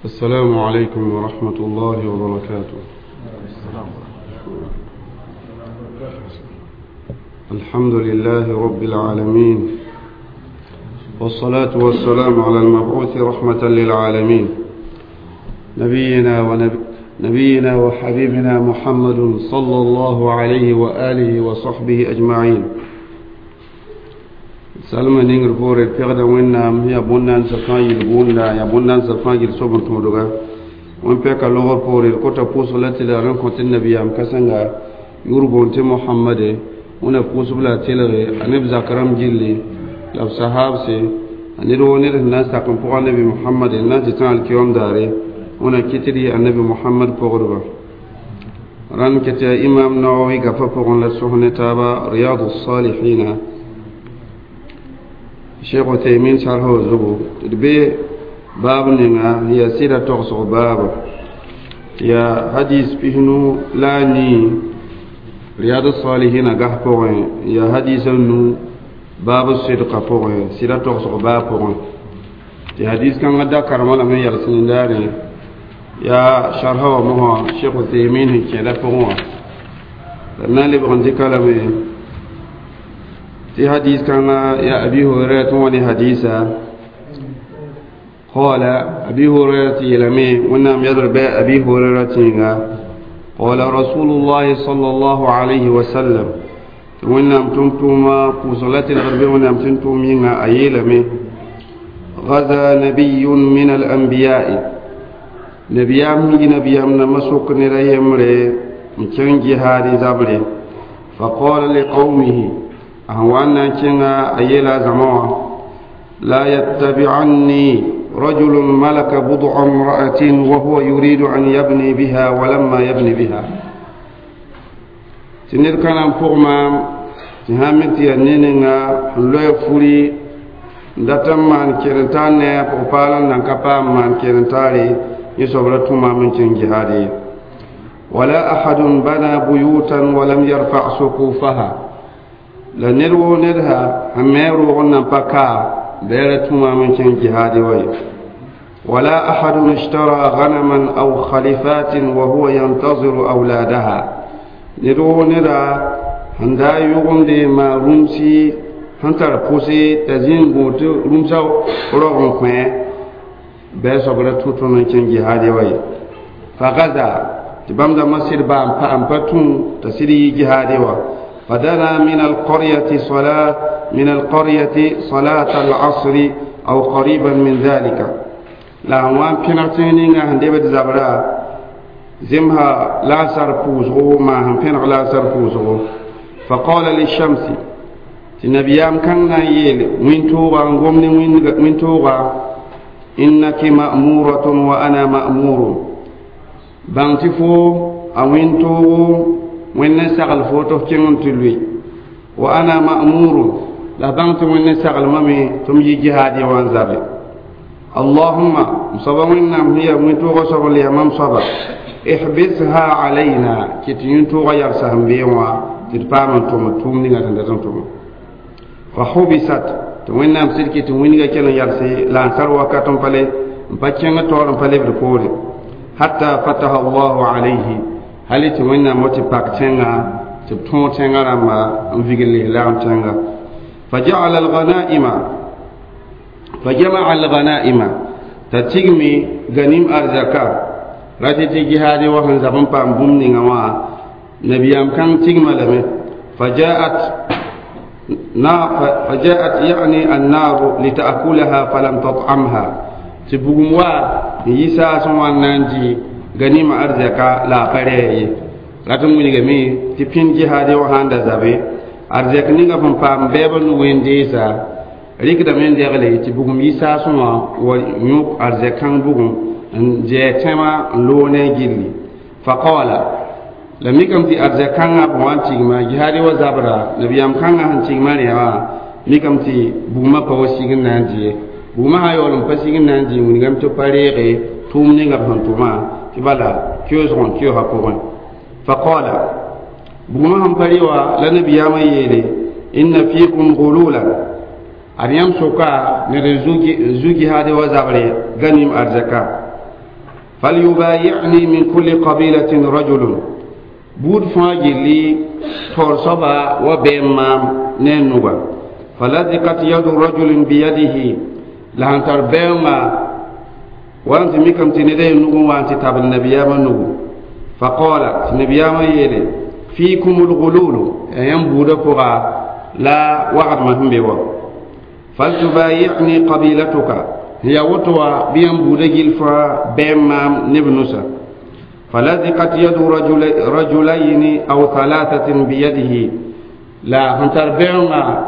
السلام عليكم ورحمة الله وبركاته. الحمد لله رب العالمين، والصلاة والسلام على المبعوث رحمة للعالمين، نبينا وحبيبنا محمد صلى الله عليه وآله وصحبه أجمعين. Salma ningr poore d pegda wẽnnaam yaa bõn-naandsã fãa yel bũunda yaa bõn-naandsã fãa yel soab n tõodga wẽn pɛka logr poore d kota pʋʋsg la tɩ la rẽn kõ tɩ nabiyaam kãsenga yʋʋr boond tɩ mohamade wẽna pʋʋsb la a telge a neb zak rãmb gilli la b sahaabse a ned woo ned sẽn na n sak n pʋga nabi mohamade n na n tɩ tã alkiyom daare wẽna kɩt d yɩ annabi mohamad pʋgdba rãnd kɩ tɩ yaa imam nawawi gapa pʋgẽ la sõs ne taaba riyadu salihina Cheikh Uthaymin sharh zugu d be baab ninga ya sɩda togsg baaba ya hadis pisnu la a nii riyad salihina gas pʋgẽ ya hadis a nu baab sidqa pʋgẽ sɩda togsg baab pʋgẽ tɩ hadis kãngã da karemã lame n yals nindaare ya sharha wã mosã Cheikh Uthaymin sẽn kẽeda pʋgẽ wã la d na n lebg n dɩka lame في حديث كان يا أبي هريرة وني حديثا قال أبي هريرة يلمي ونام يضرب أبي هريرة قال رسول الله صلى الله عليه وسلم ونام تمتما قوصلة الغرب ونام تمتم أيلمي غزا نبي من الأنبياء نبيام نبيام نمسك نريمري مكان جهاد زبري فقال لقومه أهوانا كنا أيلا زمان لا يتبعني رجل ملك بضع امرأة وهو يريد أن يبني بها ولما يبني بها تنير كان فوق تهامت ينيننا لو فوري datam man kerentan ne palan nan kapa man kerentare yisobra tuma min cin jihadi wala ahadun bana buyutan wa lam yarfa suqufaha la ned woo ned ha a me roog n nan pa kaa bɛɛra tũmaam n kẽng jihaadi wa ye wala ahadun ishtara ghanaman aw khalifatin wa huwa yantaziru awladaha ned woo neda sẽn daa yʋgemde maa rũmsi sẽn tar pʋse t'a zĩ n gũud tɩ rũmsã rog n kõ bɩ soab ra tũ tõnd n kẽng jihaadi wa ye fagaza tɩ bãmb dãmbã sɩd baa n pa tũ t'a sɩd yi jihaadi wa فدنا من القرية صلاة من القرية صلاة العصر أو قريبا من ذلك لا وان بينغتينينغا هندبت زبرا زمها لا سر بوزغو ما هم بينغ لا سر بوزغو فقال للشمس تنبيام كان يل وين توغا غومني وين توغا إنك مأمورة وأنا مأمور بانتفو أوين توغو wẽnd n sagl fo tɩ f kẽng n tɩ lʋɩ wa ana ma'muru la bãng tɩ wẽnd n saglmame tɩ m yi jihaadɩ wã n zabe allahumma m soaba wẽnnaam sẽn yaa wẽn-toogã soab n yaa mam soaba ihbisha alayna kɩ tɩ yĩn-toogã yalsa sẽn bee wã tɩ d paam n tʋm tʋʋm ninga tɩ dat n tʋma fa hubisat tɩ wẽnnaam sɩd kɩ tɩ wĩnga kell n yalse la n sar wakat n pa le n pa kẽng taoor n pa lebd poore hatta fataha allahu alayhi hali tɩ wẽnnaam wa tɩ pak tẽnga tɩ b tõog tẽngã rãmba n vigl lislaam tẽnga faja'ala alghanaima fajama'a alghanaima t'a tigmi ganim arzaka ratɩ tɩ jihaade wa sẽn zab n paam bũmb ninga wã nabiyaam kãng tigma lame فجاءت فجاءت يعني النار لتأكلها فلم تطعمها تبغم وا يسا سوان نانجي ganima arzaka la a pa rɛɛ ye rat n wilgame tɩ pĩnd jihaade wã sãn da zabe arzɛk ninga sẽn paam bɛɛbã nu-ween deesa rɩkdame n degle tɩ bugum yi saasẽ wã wa yõk arzɛk kãng bugum n zɛɛ tẽmã n loog ne a gilli faqaala la mikame tɩ arzɛk kãngã b wa n tigma jihaade wa zabra nabiyaam kãngã sẽn tigmã rẽ wã mikame tɩ bugmã pa wa sig n na n dɩ ye bugmã sã yaool n pa sig n na n dɩ wilgame tɩ pa reege tʋʋm ninga b sẽn tʋmã tɩ bala keoosg n keoosã pʋgẽ faqaala bugmã sẽn pa rɩ wã la nabiyaamã yeele inna fiikum gululan ad yãmb sʋka ned n zu jihaade wa zabre ganim arzɛka فليبايعني من كل قبيلة رجل بود فاجلي تورصبا وبيمام ننوغا فلذقت يد رجل بيده لهن تربيما وانت ميكم تندي نوغو وانت تاب النبي نوغو فقال النبي يلي فيكم الغلول ايام بودا بوغا لا وعد ما هم بيوا فلتبايعني قبيلتك هي وتوا بيام بودا جلفا بيمام نبنوسا فلذقت يد رجلين أو ثلاثة بيده لا هنتر بيما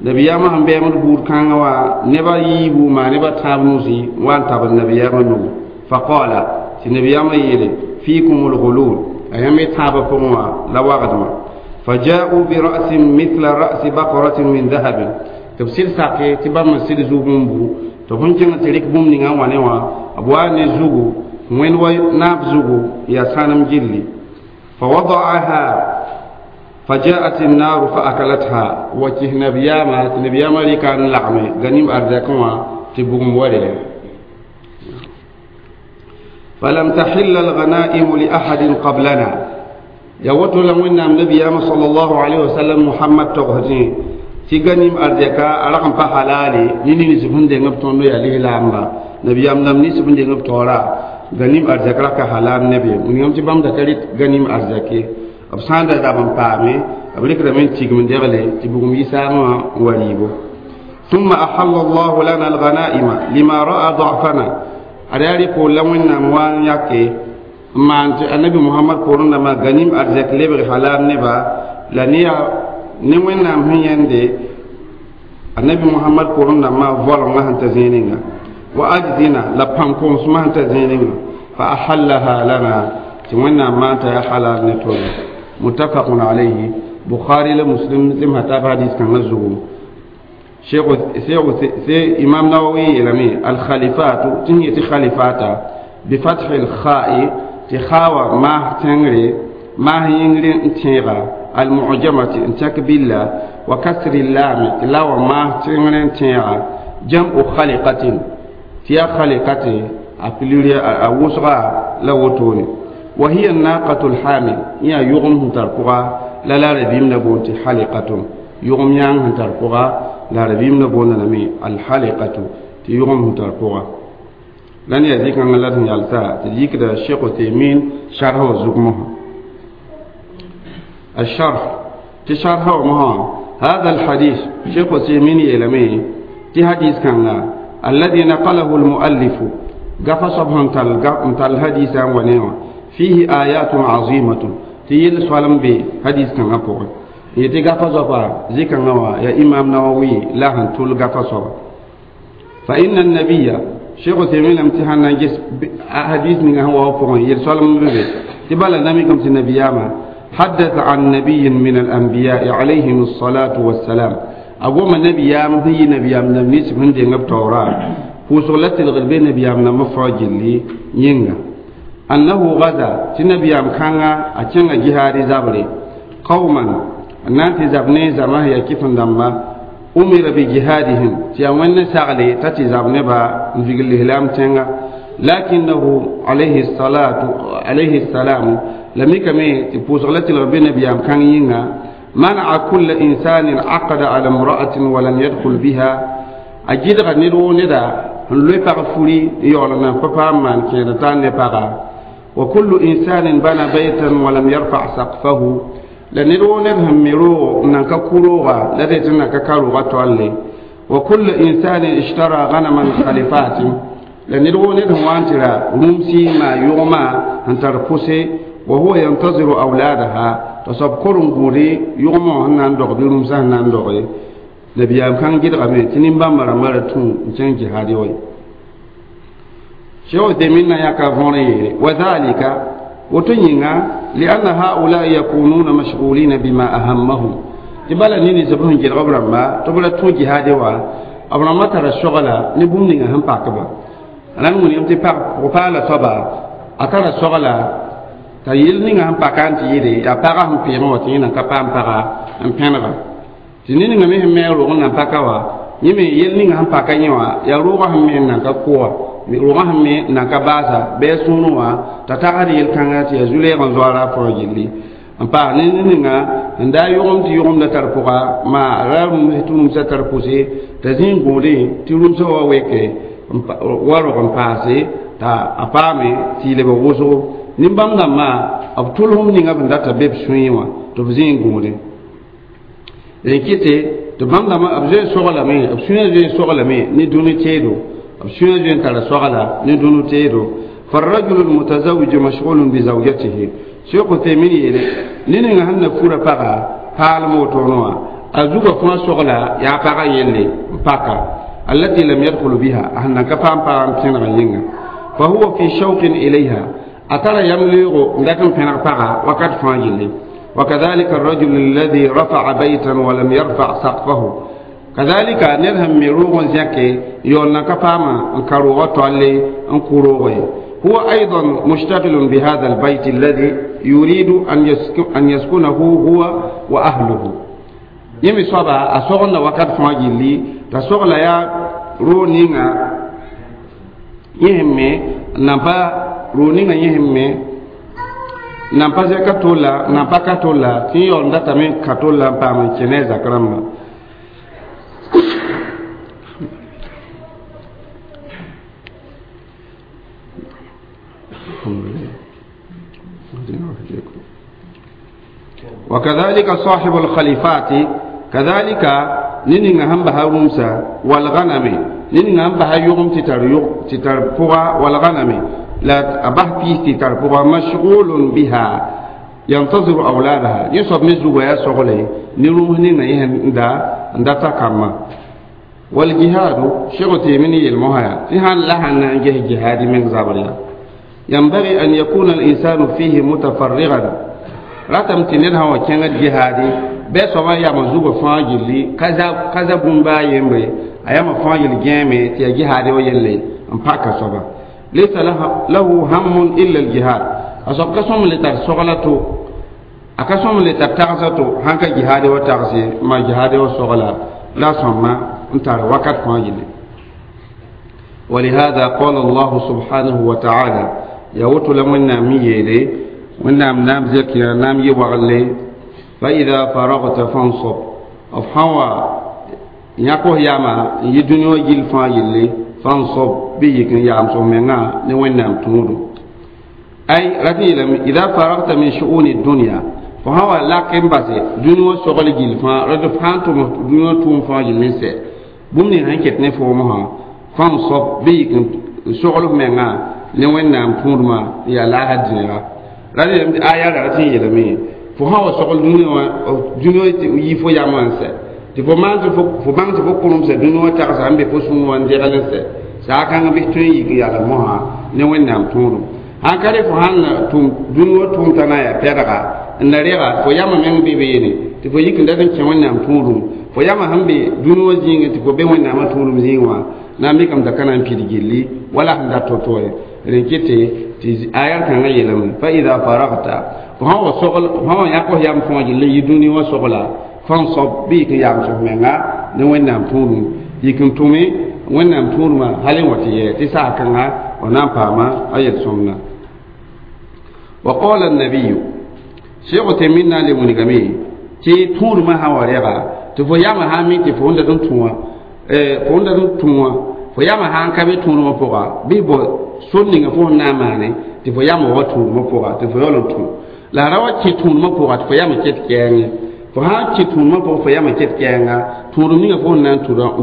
نبياما هم بيما بور كانوا نبا يبو ما نبا تابنوسي وان تاب النبياما نو فقال نبياما يلي فيكم الغلول أيام تاب فموا لا وغدما فجاءوا برأس مثل رأس بقرة من ذهب تفسير ساكي تبا مسير زوبون بو تهون كنا تريك بوم نيغا وانيوا أبواني زوبو وين ناب زوغو يا سانم جلي فوضعها فجاءت النار فأكلتها وكه نبياما نبياما لي كان لعمي غنيم أرزاكما تبغم ولي فلم تحل الغنائم لأحد قبلنا يوتو لمن نبياما صلى الله عليه وسلم محمد تغهتي تغنيم أرزاكا أرقم فحلالي نيني نسفن دي نبتونو يا ليه لامبا نبيام نم نسفن دي نبتورا غنيم أرزاك لك حلال نبي من يوم تبام دكاليت غنيم أرزاكي أبسان دا دابن پامي أبليك رمين تيغم ديغلي تبغم يساما وليبو ثم أحل الله لنا الغنائم لما رأى ضعفنا أريالي قول لوين نموان يكي ما أنت النبي محمد قولنا ما غنيم أرزاك لبغ حلال نبا لنيا نوين نام هين دي النبي محمد قولنا ما فولن هنت زينينا وأجزنا لبانكم سمهنت زينينا فأحلها لنا تمنى ما أنت يا حلال نتول متفق عليه بخاري لمسلم لم هتاب حديث كان نزغو شيخ سي إمام نووي إلمي الخليفات تنهي خليفاتا بفتح الخاء تخاوى ما تنري ما ينري انتيغا المعجمة انتك بالله وكسر اللام تلاوى ما تنري انتيغا جمع خلقة تيا خلقة أبلوريا أوسغا لوتوني وهي الناقة الحامل يا يغم تركها لا لا ربيم نبونت حلقة يغم يان تركها لا ربيم نبون نمي الحلقة تيغم تركها لن يزيك أن الله يالسا تجيك ده الشيخ تيمين شرحه زقمه الشرح تشرحه مها هذا الحديث شيخ تيمين يلمي تي حديث كان الذي نقله المؤلف قفص تل حديث ونيوه فيه آيات عظيمة تيل سوالم بي حديث كان أقوى يتي قفص ذكر نوا يا إمام نووي لا هنتول قفص فإن النبي شيخ تيمين امتحان نجس حديث من هو أقوى يل سوالم بي تبالا نميكم النبي حدث عن نبي من الأنبياء عليهم الصلاة والسلام أقوم النبي هي نبي من الناس من دين التوراة وصلت الغربين نبي من مفرج اللي ينغ أنه غزا تنبي أمكانا أتشنغ جهاري زابري قوما أنانتي زابني زما هي كيف ndamba أمر بجهادهم تيامن ساغلي تاتي زابني با نفيق الإهلام تنغ لكنه عليه الصلاة عليه السلام لم يكمي تبوسغلت الغربين نبي أمكان ينغ منع كل إنسان عقد على امرأة ولم يدخل بها أجد غنيرو ندا لوي بارفولي يولنا بابا مان كيرتان نبارا وكل إنسان بنى بيتا ولم يرفع سقفه لنرو نرهم ميرو نانكا كوروغا لديتنا كاكاروغا تولي وكل إنسان اشترى غنما خليفات لنرو نرهم وانترا رمسي ما يغمى انترفسي وهو ينتظر أولادها تصب كورن غوري يغمى هنان دوغ رمسا هنان دوغ نبيام كان جد غمي تنين بامرا مرتون جن جهادي وي شو دمنا يا كافوني وذلك وتنينا لأن هؤلاء يكونون مشغولين بما أهمهم تبالا نيني زبون جل غبرا ما تبالا تو جهادي وا أبرا ما ترى الشغلة نبوم نينا هم باكبا أنا نقول يوم تبا قبالة صبا أترى الشغلة تيل نينا هم باكان تيري يا باكا هم بيرو تينا كبام باكا هم بينغا تنين نينا مهم ميرو نان باكا يمي يل نينا هم باكا يوا يا روغا هم مينا كقوة rogã sẽn me nan ka baasa bɩ a sũurẽ wã t'a tagsd yel-kãnga tɩ yaa zu-leeg n zoaara a fãa gilli n paas ne ninga n daa yʋgemd tɩ yʋgemda tar pʋga maa ra rũms tɩ rũmsã tar pʋse t'a zĩ n gũudẽ tɩ rũmsã wa weke wa rog n paase t'a a paame tɩ y lebg wʋsgo nin-bãmb dãmbã b tʋlsem ninga b data be b sũyẽ wã tɩ b zĩ n gũudẽ rẽ kɩte tɩ bãmb dãmbã b zoe n soglame b sũyã zoe n soglame ne dũni teedo b sũyã zoe n tara sogla ne dũni teedo فالرجل المتزوج مشغول بزوجته شيخ تيمين يلي نينغا هن فورا باغا پال موتونوا ازوغا فما سوغلا يا باغا يلي باكا التي لم يدخل بها أهنا كفام بام كينغا ينغا فهو في شوق إليها أترى يمليغ لكن كان باغا وقد فاجلي وكذلك الرجل الذي رفع بيتا ولم يرفع سقفه كذلك نرهم ميروغ زكي يولنا كفاما انكروغ تولي انكروغ هو أيضا مشتغل بهذا البيت الذي يريد أن يسكنه هو وأهله يمي صبا أصغنا وقد فاجلي تصغلا يا رونينا يهمي نبا رونينا يهمي نبا زكاتولا نبا كاتولا تي يوندا تامي كاتولا بام كينيزا كرام وكذلك صاحب الخليفات كذلك نينغ هم بها رمسا والغنم نينغ هم بها يغم تتر بوغا والغنم لا أبه بيس تتر بوغا مشغول بها ينتظر أولادها يصب مزوغا يسغلي نروم نينغ يهم دا دا تكما والجهاد شغتي مني المهايا تهان لها نجه جهاد من زابريا ينبغي أن يكون الإنسان فيه متفرغا راتم تنين هو كان الجهادي بس ما يا مزوج فاجلي كذا كذا بومبا يمبي أيام فاجل جامع تيا جهادي ويلي أمباك سبا ليس له هم إلا الجهاد أصاب كسوم لتر سغلته أكسوم لتر تغزته هنك جهادي وتغزي ما جهادي وسغلا لا سما انتر وقت فاجلي ولهذا قال الله سبحانه وتعالى يا لمن ميلي ونام نام زكي نام يوغلي فإذا فرغت فانصب أفحوا يقوه ياما يدنيو جيل فاجلي فانصب بيك يام سومنا نوين تمودو أي رتي إذا فرغت من شؤون الدنيا فهو لكن بس دنيو شغل جيل فا رد فانتم دنيو توم فاجل نسي بمني هنكت نفومها فانصب بيك شغل منا نوين نام تمودما يا لا هدنيا radi aya la ti yelame fo ha wa sogol duniya wa duniya yi fo ya man se ti fo man fo bang ti fo kunum se duniya ta sa ambe fo sun wan de galen se sa kan bi tun yi ya la mo ha ne wen nam tunu han kare fo han tum duniya tum tana ya peraga ndariga fo yama men be be ne ti fo yikin da kan wen nam tunu fo yama hambe duniya jinga ti fo be wen nam tunu zinwa na mi kam da kana pidigilli wala handa totoye renkete ti ayar kan yelam fa idha faragta fa huwa sogol huwa yaqo yam fo jille yiduni wa sogola fansab bi ka yam so menga ne wennam tunu yikin tumi wennam tunu ma halen wati ye ti sa kan ha ona pama ayat somna wa qala an-nabiy shaykh taminna li munigami ti tunu ma hawarega ti fo yama ha mi ti fo nda dun tuwa fo nda dun tuwa fo yama han ka be tunu ma poga bi bo sunninga fo na maane tɩ fo yam wa tũudmã pʋga tɩ fo yaool n tũ la ra wa kẽ tũudmã pʋga tɩ fo yam n ket kɛɛngẽ fo sã n kẽ tũudmã pʋgẽ fo yam n ket kɛɛnga tũudem ninga fo sẽn na n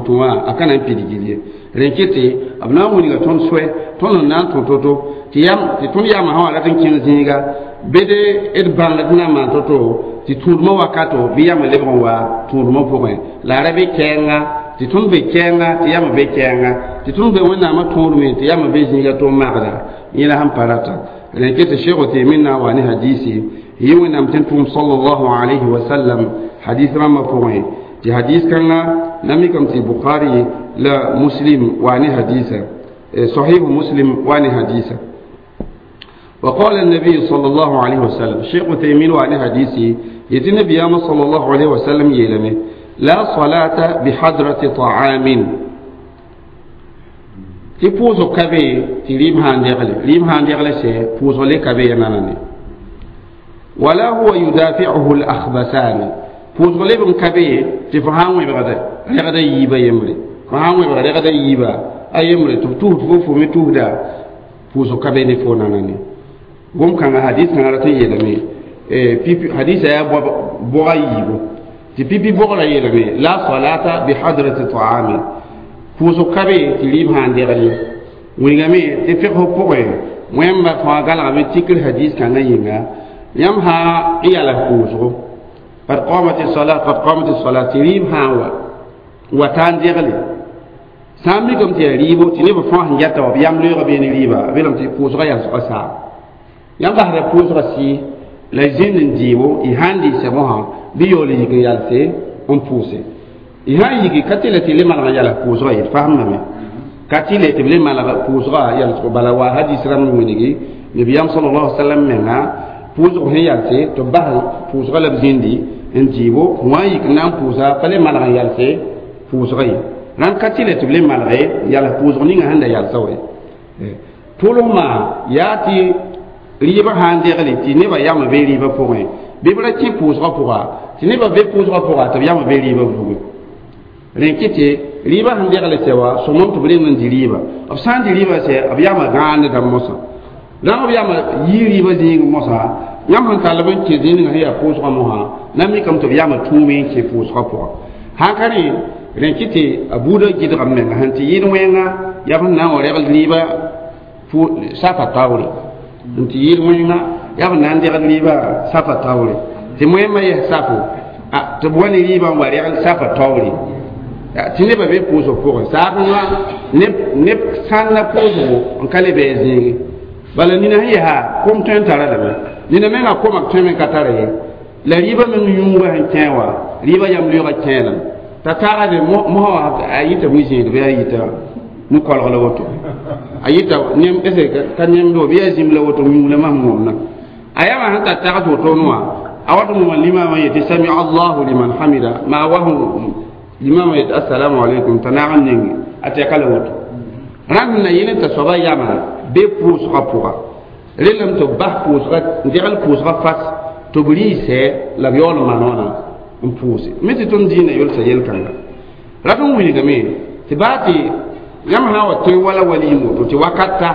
tũ wã a ka na n pidgd ye rẽ kete b na n wilga tõnd soɛ tõnd sẽn na n tũ to-to tɩ tõnd yamã sã wa rat n kẽng zĩiga bede d bãng tɩ na n maan to-to tɩ tũudmã wakato bɩ yam n lebg n wa tũudmã pʋgẽ la ra be kɛɛnga tɩ tõnd be kɛɛnga tɩ yam be kɛɛnga tɩ tõnd be wẽnnaamã tõodme tɩ yam be zĩiga tʋm magda yẽla sẽn pa rata rẽ ket tɩ sheikh Uthaymin na n wa ne hadisi yɩ wẽnnaam tɩ n tʋʋm sallallahu alayhi wa sallam hadis rãmbã pʋgẽ tɩ hadis kãngã na mikame tɩ Bukhari la Muslim wa ne hadisa صحيح مسلم وان حديثا وقال النبي صلى الله عليه وسلم شيخ عثيمين وان حديثي يتي النبي صلى الله عليه وسلم يلمي لا صلاة بحضرة طعام. Tɩ pʋʋsg ka be tɩ rɩɩb sã n degle rɩɩb sã n degle sɛ pʋʋsg le ka be ya nanane wala huwa yudafiuhu lakhbasani pʋʋsg leb n ka be tɩ fo sã n wẽbgd rɛgda yiibã yembre fo sã n wẽbg rɛgda yiibã a yembre tɩ b tusd fo fo me tusda pʋʋsg ka be ne fo nanane gom-kãngã hadis kãngã rat n yeelame pipi hadisa yaa bʋga yiibu tɩ pipi bogrã yeelame la salata bi hadrati taami pʋʋsg ka be tɩ rɩɩb sã n degl ye wingame tɩ figsg pʋgẽ wẽmba fãa galgame tikr hadis kãngã yĩnga yãmb sã n yals pʋʋsgo qad qamat salat qad qamat salat tɩ rɩɩb sã n wa wa taa n degle sã n mikame tɩ yaa rɩɩbo tɩ neb fãa sẽn yata wa b yam loeega beene rɩɩba b yeelame tɩ pʋʋsgã yalsgã saam yãmb basda pʋʋsgã sɩ la zĩnd n dɩɩbo y sã n dɩɩsɛ mosã bɩ yaool n yik n yalse n pʋʋse y sã n yiki ka tɩ la tɩ le maneg n yals pʋʋsgã ye d fasemdame ka tɩ le tɩ b le maneg pʋʋsgã yalsgo bala wa hadis rãmb wilgi nabiyaam sallallahu alaihi wasallam menga pʋʋsg sẽn yalse tɩ b bas pʋʋsgã la b zĩndi n dɩɩbo wã n yik n na n pʋʋsa pa le maneg n yalse pʋʋsgã ye rãnd ka tɩ le tɩ b le manege yals pʋʋsg ninga sẽn da yalsa wa ye tʋlsmã yaa tɩ rɩɩbã sã n degle tɩ nebã yam be rɩɩbã pʋgẽ bɩ b ra kẽ pʋʋsgã pʋga tɩ nebã be pʋʋsgã pʋga tɩ b yam be rɩɩbã vuge rẽ kɩ tɩ rɩɩbã sẽn degle sɛ wa sõmam tɩ b reng n dɩ rɩɩba b sã n dɩ rɩɩbã sɛ b yama gãandda mosã rãng b yama yii rɩɩbã zĩig mosã yãmb sẽn tall b n kẽ zĩig ninga sẽn yaa pʋʋsgã mosã na mikame tɩ b yama tũume n kẽ pʋʋsgã pʋga sã ka rẽ rẽ kɩ tɩ a buudã gɩdgame menga sẽn tɩ yɩɩd wẽnga yaa b sẽn na n wa regl rɩɩbã safa taoore n tɩ yɩɩd wẽnga yaa b na n degl rɩɩbã safa taoore tɩ moẽmã yɛs safo tɩ b wa ne rɩɩbã n wa regl safa taoore tɩ nebã be pʋʋsg pʋgẽ saasẽngã neb sãnda pʋʋsgo n ka le bɩ a zĩigi bala nina sẽn yɛsa kom tõe n tara lame nina menga koma tõe me ka tara ye la rɩɩbã meng yũuga sẽn kẽ wã rɩɩbã yam loeegã kẽe lame t'a taagde mosã wã a yɩta mu-zẽed bɩ a yɩta mu-kolg la woto a yɩta nem ese ka nemdo bɩ yaa zĩm la woto yũu la masem wõmna a yama sẽn tar tags woto wã a wat n wã limaamã yetɩ sami allahu liman hamida maa wa limaamã yetɩ assalamu alaikum t'a naag n ninge a tɛka la woto rãnd sẽn na yɩl t'a soaba yama be pʋʋsgã pʋga rellame tɩ b bas pʋʋsga n degl pʋʋsgã fas tɩ b rɩɩsɛ la b yaool n maan wãna n pʋʋse me tɩ tõnd dĩinã yolsa yel-kãnga rat n wilgame tɩ baa tɩ yãmb sã n wa tõe wala waliim woto tɩ wakat ta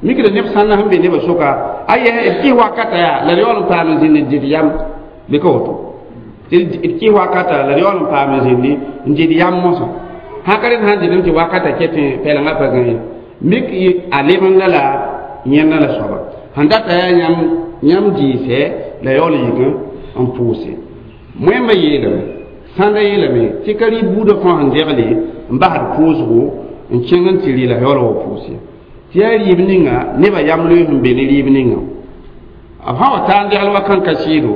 mikda neb sãnda sẽn be nebã soka a yɛ d kɩs wakata yaa la d yaool n paam n zĩnd n dɩd yam bɩ ka woto tɩ d kɩs wakata la d yaool n paam n zĩndi n dɩd yam mosã sã ka rẽnd sã n dɩdem tɩ wakata kɛ tɩ pɛlengã pa gã ye mik a lebenda la yẽnda la soaba sẽn data yaa yãmb yãmb dɩɩsɛ la yaool n yik n pʋʋse moẽmbã yeelame sãnda yeelame tɩ ka rɩ buudã fãa sẽn degle n basd pʋʋsgo n kẽng n tɩ rɩ la yaool wa pʋʋse tɩ yaa rɩɩb ninga nebã yam loees n be ne rɩɩb ninga b sã wa taa n degl wa kãn-ka sɩɩdo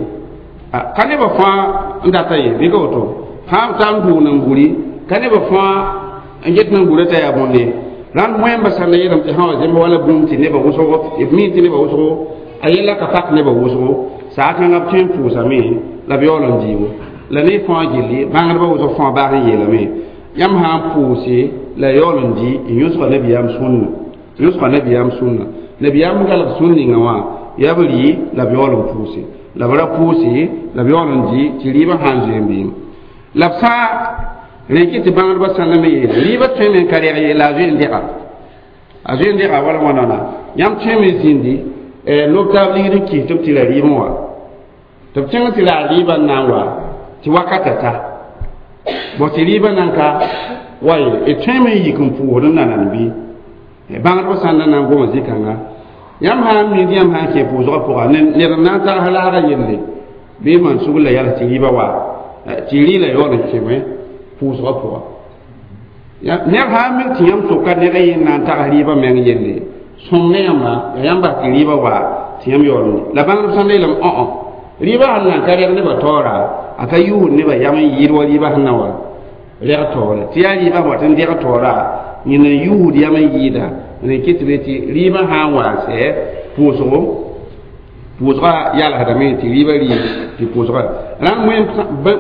ka nebã fãa n data ye bɩ ka woto fãa taa n dʋʋg n guri ka nebã fãa n get n gura t'a yaa bõnde rãnd moẽmbã sãnda yeelame tɩ sã wa zemb wala bũmb tɩ nebã wʋsgo b mi tɩ nebã wʋsgo a yella ka pak nebã wʋsgo saakãngã b tõe n pʋʋsame la b yaool n dɩɩbo la ne fãa gilli bãngdbã wʋsg fãa baag n yeelame yãmb sã n pʋʋse la yaool n dɩ n yõsga nabiyaam sũnna yõsga nabiyaam sũnna nabiyaam galg sũn ninga wã yaa b rɩ la b yaool n pʋʋse la b ra pʋʋse la b yaool n dɩ tɩ rɩɩbã sã n zoe n beem la b sã rẽ kɩ tɩ bãngdbã sãnda me yeele rɩɩbã tõe me n ka rɛg ye la a zoe n dɛga a zoe n dɛga wala wãnana yãmb tõe me zĩndi lob taab ligd n kis tɩ b tɩ la rɩɩbẽ wa tɩ b kẽng tɩ la a rɩɩbã n na n wa tɩ wakata ta bõ tɩ rɩɩbã nan ka wa ye d tõe me n yik n pʋʋsd n nanan bɩ bãngdbã sãnda na n goma zĩ-kãnga yãmb sã n mid yãmb sã n kẽ pʋʋsgã pʋga ned n na n tags laagã yelle bɩ man sugl la yals tɩ rɩɩbã wa tɩ rɩ la yaool n kẽme pʋʋsgã pʋga ned sã n mik tɩ yãmb soka ned a yen na n tags rɩɩbã meng yelle sõng ne yãmba ya yãmb bas tɩ rɩɩbã wa tɩ yãmb yaool n la bãngdb sãnda yeelame õ rɩɩbã sẽn na n ka rɛg nebã taoora a ka yuusd nebã yam n yɩɩd wa rɩɩbã sẽn na wa rɛg taoore tɩ yaa rɩɩbã wat n dɛg taoora yẽna n yuusd yam n yɩɩda rẽ kɩ tɩ be tɩ rɩɩbã sã n wa n sɛ pʋʋsgo pʋʋsgã yalsdame tɩ rɩɩbã rɩ tɩ pʋʋsgã rãnd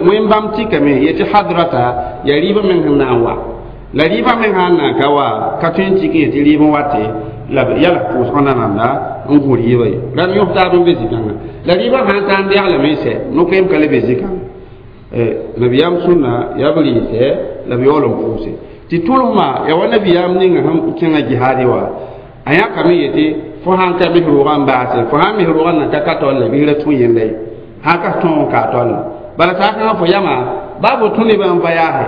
wẽn bãmb tɩkame ye tɩ hadrata yaa rɩɩbã meng sẽn na n wa La rɩɩbã meng sã n na n ka wa ka tõe n tik n yetɩ rɩɩb n wate la b yala pʋʋsgã nanamda n gũ rɩɩbã ye rãmb yõs taab n be zĩ-kãngã la rɩɩbã sã n taa n dɛglame n sɛ no-koeem ka le be zĩ-kãngã nabiyaam sũnna yaa b rɩɩsɛ la b yaool n pʋʋse tɩ tʋlsmã yaa wa nabiyaam ninga sẽn kẽngã jihaadɩ wa a yãkame yetɩ fo sãn ka mis roogã n baase fo sãn mis roogã nan ka ka taolle bɩ ra tũ yẽnda ye sãn ka tõog n kaa taolle bala saakãngã fo yamã baa fo tũ nebã n va yaase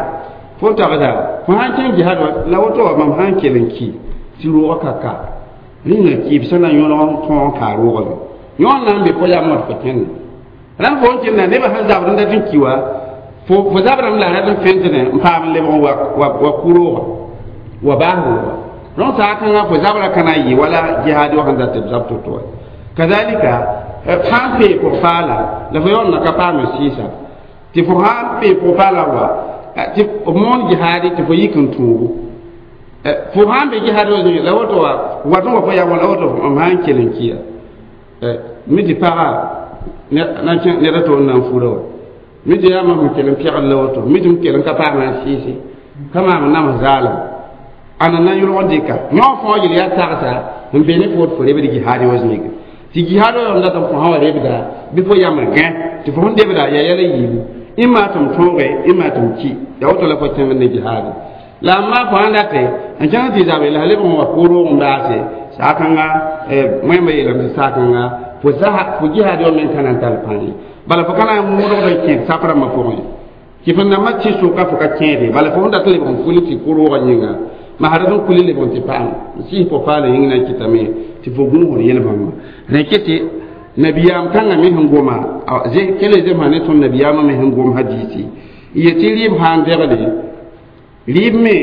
fo n tagsa fo sãn kẽng jihad wa la woto wa mam sãn kell n ki tɩ roogã ka ka rĩnga kiib sẽn na yõlg n tõog n kaa roogame yõor na n be fo yam wã tɩ fo kẽnda rãmb fo n kẽnda nebã sẽn zabd n dat n ki wa fo zabrame la rat n fẽntne n paam n lebg n wa ku-roogã wa baas roogã donc saakãngã fo zabra ka na n yɩ wala jihaad wa sẽn dat tɩ b zab to-to wa kazalika sã n pee pʋg-paala la fo yaool na ka paam n sɩɩsa tɩ fo sã n pee pʋg-paala wa tɩ b moon jihaadi tɩ fo yik n tũugu fo sã n be jihaad wa zĩig la woto wa wat n wa fo yam la woto m sã n kell n kiya mi tɩ paga ned a to n na n fura wa mi tɩ yaa mam n kell n pɛgd la woto mi tɩ m kell n ka paam n sɩɩse ka maam n nams zaalem ãna na yʋlg n dɩka yõ fõa yel yaa tagsa n be ne fo tɩ fo rebd jihaad wa zĩige tɩ jihaad wa yam dat n fo sã wa rebda bɩ fo yam n gã tɩ fo sẽn debda yaa yɛla yiibu ɩma tɩ m tõoge ɩma tɩ m ki yaa woto la fo kẽng ne jihaad la a maa fo sãn date n kẽng tɩ zabe la leb n wa ko-roog n baase saakãnga wẽmba yeelame tɩ saakãnga fo zasa fo jihaad wa meng ka na n tar pãng ye bala fo ka na n modgd n kẽed sap rãmbã pʋgẽ tɩ fo nambã tɩ soka fo ka kẽede bala fo sẽn dat n lebg n kuli tɩ ko-roogã yĩnga masd n kuli lebg n tɩ paam n sɩs po-paala yĩng na n kɩtame tɩ fo gũusd yel-bãmba rẽ tɩ nabiyaam kãngã me sẽn goma kele zemsã ne tõnd nabiyaamã me sẽn gom hadiisi yetɩ rɩɩb sã n degle rɩɩb me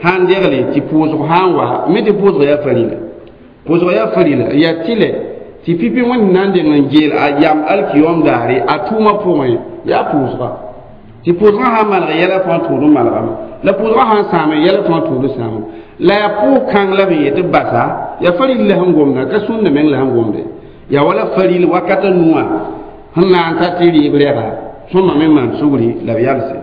sã n degle tɩ pʋʋsg sã n wa me tɩ pʋʋsg yaa farila pʋʋsg yaa farila yaa tɩlɛ tɩ pipi wẽnd na n deng n geel a yam alkiyom daare a tʋʋmã pʋgẽ yaa pʋʋsga tɩ pʋʋsgã sã n maneg yɛla fãa tũud n manegame la pʋʋsgã sã n sãame yɛla fãa tũud n sãame la yaa pʋʋg-kãng la b yetɩ basa yaa faril la sẽn gomda ka sũnda meng la sẽn gomde yaa wala faril wakata nuwã sẽn na n ta tɩ rɩɩb rɛga sõma me maan sugri la b yalse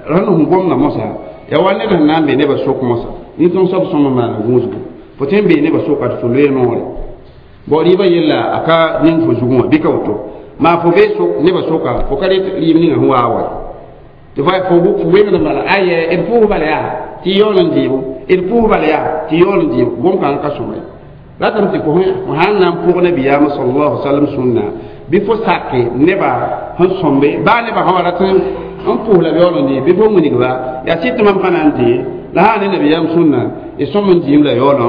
rãnd sẽn gomda mosã yaa wa ned sẽn na n be nebã sok mosã nin-tõng soab sõma maana gũusgo fo tõe n bee nebã soka tɩ fo loe noore bao rɩɩbã yella a ka ning fo zugẽ wã bɩ ka woto maa fo bee sok nebã soka fo ka ret rɩɩb ninga sẽn waa wa tɩ fo wengd bala ayɛ d pʋʋs bala yaa tɩ yaool n dɩɩbo d pʋʋs bala yaa tɩ yaool n dɩɩbo gom-kãngã ka sõma ye ratame tɩ fo sãn na n pʋg nabiyaamã sallallahu alaihi wasallam sũnna bɩ fo sake nebã sẽn sõmbe baa nebã sã wa rat n pʋʋs la b yaool n dɩɩ bɩ fo wilgba yaa sɩd tɩ mam pa na n dɩ la sã ne nabiyaam sũnna y sõm n dɩɩm la yaool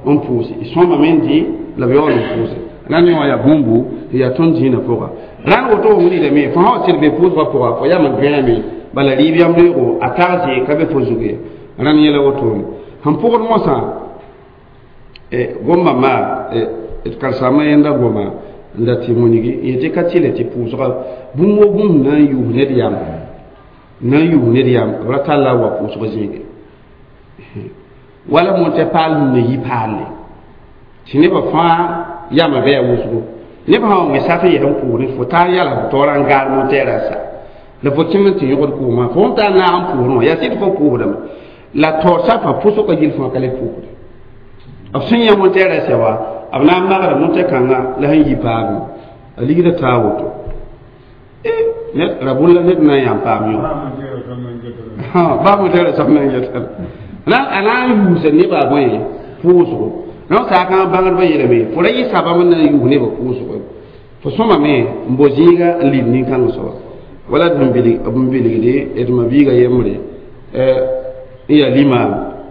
n pʋʋse y sõmame n dɩ la b yaool n pʋʋse rãnd yõ yaa bũmbu tɩ yaa tõnd dĩinã pʋga rãnd woto wa wilgdame fo sã wa sɩd be pʋʋsgã pʋga fo yam n gãame bala rɩɩb yam reego a tagse ka be fo zug ye rãnd yɛla wotone sẽn pʋgd mosã gomba maa d karsaamã yẽnda goma n dat tɩ wilgi yetɩ ka tɩle tɩ pʋʋsga bũmb wo bũmb na n yuus ned yam na n yuus ned yam b ra talla wa pʋʋsg zĩige wala montɛ paal sẽn na yi paalle tɩ nebã fãa yamã bɩ a wʋsgo nebã sã wa wẽ sat n yɛs n pʋʋsdẽ fo taa yala fo taoora n gaar montɛɛrã sa la fo kẽng n tɩ yõgd kʋʋmã fo sẽn taa naag n pʋʋsdẽ wã yaa sɩd fo pʋʋsdame la taoor sapa pʋsgã gill fãa ka le pʋʋsde b sẽn yã montɛɛrã sɛ wa b na n magra montɛ-kãngã la sẽn yi paame a ligda taa woto ned ra bũn la ned na n yãm paam yõ baa montɛɛrã soab na n yɛtara a na n yuusa nebã bõe pʋʋsgo donc saakãngã bãngdbã yeelame fo ra yɩ sabam n na n yuus nebã pʋʋsgo fo sõmame n bo zĩiga n lid nin-kãng soaba wala d n bilgde d ma-biiga yembre n yaa limaam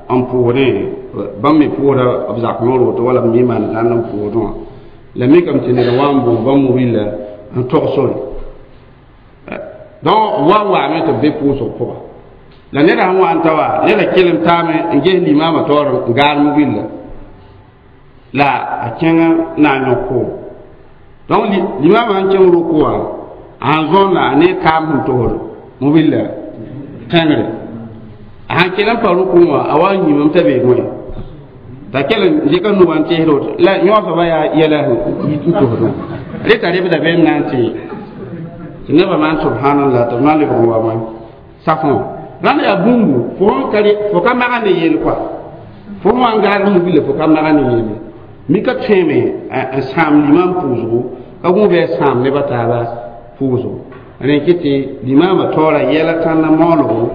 n pʋʋsdẽ bãmb me pʋʋsda b zak noor woto wala b me maan zãnd n pʋʋsdẽ wã la mikame tɩ ned wa n boon bãmb mobila n tog sore donc wa n waame tɩ b be pʋʋsg pʋga la neda sẽn wa n ta wa neda kelem taame n ges limaamã taoor n gaar mobilla la a kẽng na n yõk koom donc limaamã sẽn kẽng rʋk wã a sẽn zõnda a ne kaam sẽn tosd mobilla tẽngre a sãn kell n pa rʋkẽ wã a wa n yĩmame t'a beeg wẽ t'a kell n dɩka nu wã n teesd woto la yõosba yaa yɛla sẽn yit n tosdẽ reta rebda beem na n tɩ tɩ nebã maan subhanallah tɩ b na n lebg n wa wã safõ Rãnd yaa bũmbu fo ka maga ne yel kɔa fo sẽn wa n gaad m wila fo ka maga ne yelle mika tõeme n sãam limam pʋʋsgo ka gũud a sãam nebã taaba pʋʋsgo rẽ kɩ tɩ limaamã taoora yɛla tãnna maoolgo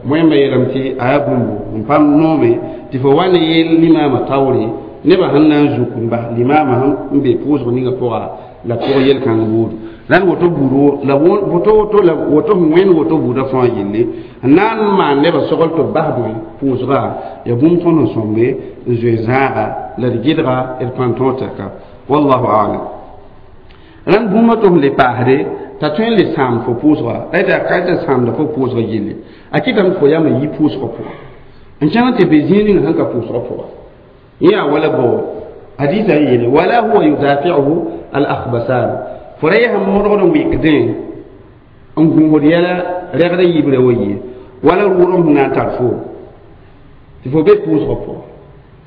wẽmba yeelame tɩ a yaa bũmbu n pam noome tɩ fo wa ne yeel limaamã taoore nebã sẽn na n zuk n bas limaamã sẽn be pʋʋsg ninga pʋga la pʋg yel-kãng buudu rãnd woto buud la woto woto la woto sẽn wẽnd woto buudã fãa yelle n na n maan nebã sogl tɩ b bas bõe pʋʋsga ya bũmb tõnd n sõmbe n zoe zãaga la d gɩdga d pãn-tõog tɛka wallahu alam rãnd bũmba tɩ f le paasde t'a tõe n le sãam fo pʋʋsga la t'a ka tɩ sãamda fo pʋʋsga yelle a kɩtame tɩ fo yama yi pʋʋsgã pʋga n kẽng tɩ be zĩig ninga sẽn ka pʋʋsgã pʋga yẽ yaa wala bo hadisa n yeele wala huwa yudafiuhu al akhbasan fo ra yaa sẽn modgd n wɩkdẽ n gũusd yɛla rɛgd yibrã wa ye wala rʋʋdem sẽn na n tar fo tɩ fo be pʋʋsgã pʋga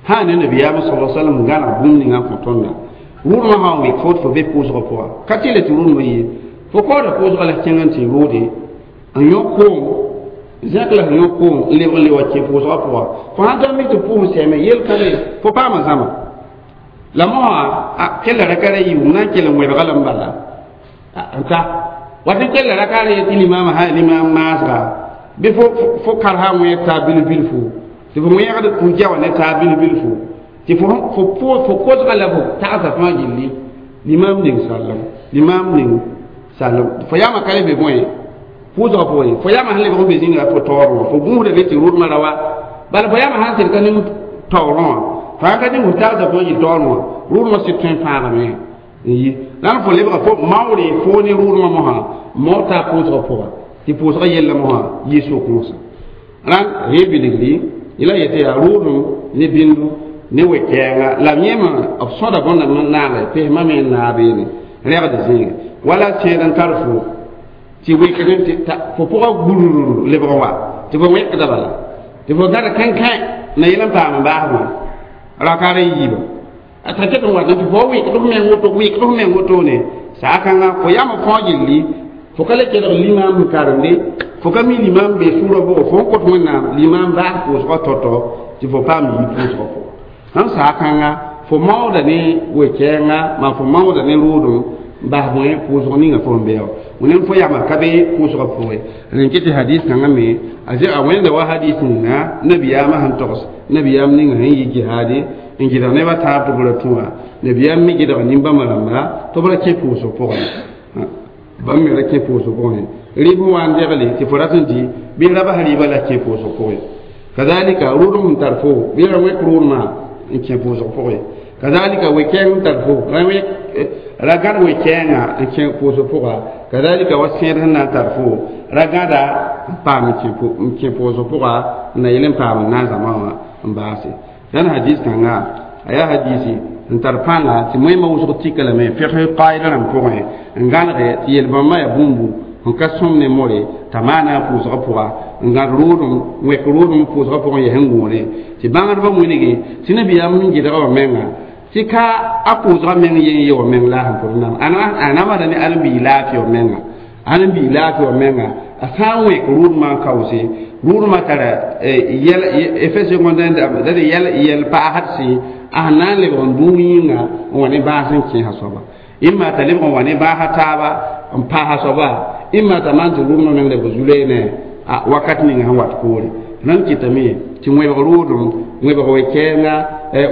sã ne nabiyaamã sala sallam gãneg bũmb ninga n kõ tõnda rʋʋdmã sã n wɩk fo tɩ fo be pʋʋsgã pʋga ka tɩ le tɩ rʋʋdmã ye fo kaooda pʋʋsgã la kẽng n tɩ rʋʋde n yõ koom zẽk la sẽn yõ koom n lebg n le wa kẽ pʋʋsgã pʋga fo sãn ta mi tɩ pʋʋs sɛme yel-kãbe fo paama zãma la mosã kella raka ra yiib n na n kell n wẽbga lame bala n ta wat n kella raka ra ye tɩ limaamã sã limaam maasga bɩ fo karsa wẽeg taa bilf-bilfu tɩ fo wẽegd pʋ-ja wã ne taa bilf-bilfu tɩ fo kosga la fo tagsa fãa gilli limaam ning sallam limaam ning sallam fo yaama ka le be bõe pʋʋsgã pʋgẽ fo yaama sẽn lebg n be zĩnga fo taoor wã fo gũusda be tɩ rʋdmã ra wa bala fo yaama sãn sɩd ka ning taoorẽ wã fo sãn ka ning fo tagsa fãa yɩ taoor wã rʋdmã sɩd tõe n fãagame n yi la n fo lebga fo maoore fo ne rʋʋdmã mosã maoor taa pʋʋsgã pʋga tɩ pʋʋsgã yella mosã yɩ sok-mosã rãnd rẽ bilgri yẽla yetɩ yaa rʋʋdem ne bĩndu ne we-kɛɛnga la yẽmã b sõda bõnda naagɛ pesmã me n naag beene rɛgd zĩige wala sẽed n tar fo tɩ wɩkd tɩ fo pʋgã gurr lebg wa tɩ fo wẽkda bala tɩ fo gãd kẽnkẽ na yel n paam n baas wã rakaar n yiiba t'a ket n wat tɩ fo wɩkd f meng woto wɩkd f meng wotone saa-kãngã fo yama fãa gilli fo ka le kelg limaam n karemde fo ka mi limaam be sʋʋrã pʋgẽ fo n kõt wẽnnaam limaam baas pʋʋsgã tɔ-tɔ tɩ fo paam yi pʋʋsgã pʋgã sãn saa-kãngã fo maooda ne we-kɛɛnga maa fo maooda ne rʋʋdem bas bõe pʋʋsg ninga fo n bɩa wẽnem fo yama ka be pʋʋsgã pʋgẽ rẽn kɩ tɩ hadis kãngã me a wẽnda wa hadis ninga nabiyaamã sẽn togs nabiyaam ninga sẽn yi jihaade n gɩdg nebã taab tɩ b ra tũ wã nabiyaam me gɩdg nin-bãmba rãmba tɩ b ra kẽ pʋʋsg pʋgẽ bãmb me ra kẽ pʋʋsg pʋgẽ rɩɩb sẽn wa n degle tɩ fo rat n dɩ bɩ ra bas rɩɩbã la kẽ pʋʋsg pʋgẽ kazalika rʋʋdem sẽn tar fo bɩ ra wẽk rʋʋdmã n kẽ pʋʋsg pʋgẽ kazalika we-kɛɛng n tar fo ra gãd we-kɛɛngã n kẽ pʋʋsg pʋga kazalika wa sẽed sẽn na n tar fo ra gãda n paam n kẽ pʋʋsg pʋga n na yel n paam n na n zãma wã n baase dãn hadis kãnga a yaa hadisi n tar pãnga tɩ moẽmã wʋsg tika lame fɩgs qaida rãmb pʋgẽ n gãnege tɩ yel-bãmbã yaa bũmbu n ka sõm ne more t'a maana a pʋʋsgã pʋga n gãd rʋʋdem wẽk rʋʋdem pʋʋsgã pʋgẽ yaa sẽn gũune tɩ bãngdbã wĩnge tɩ nabiyaam n gɩdga wã menga tɩ ka a pʋʋsgã meng yen ye wã meng la sẽn pʋd nam a namsda ne ãrem-biig laafɩ wã menga ãrem-biig laafɩ wã menga a sã n wẽk rʋʋdmã n kaoose rʋʋdmã tara effet secondaire da yɛl paasd a sẽn na n lebg n dũu yĩnga n wa ne bãas n kẽesa soaba imma t'a lebg n wa ne bãasa taaba n paasa soaba imma t'a maan tɩ rʋʋdmã meng lebg zu-reene a wakat ninga sẽn wat poore nan kɩtame tɩ wẽbg rʋʋdem wẽbg we-kɛɛnga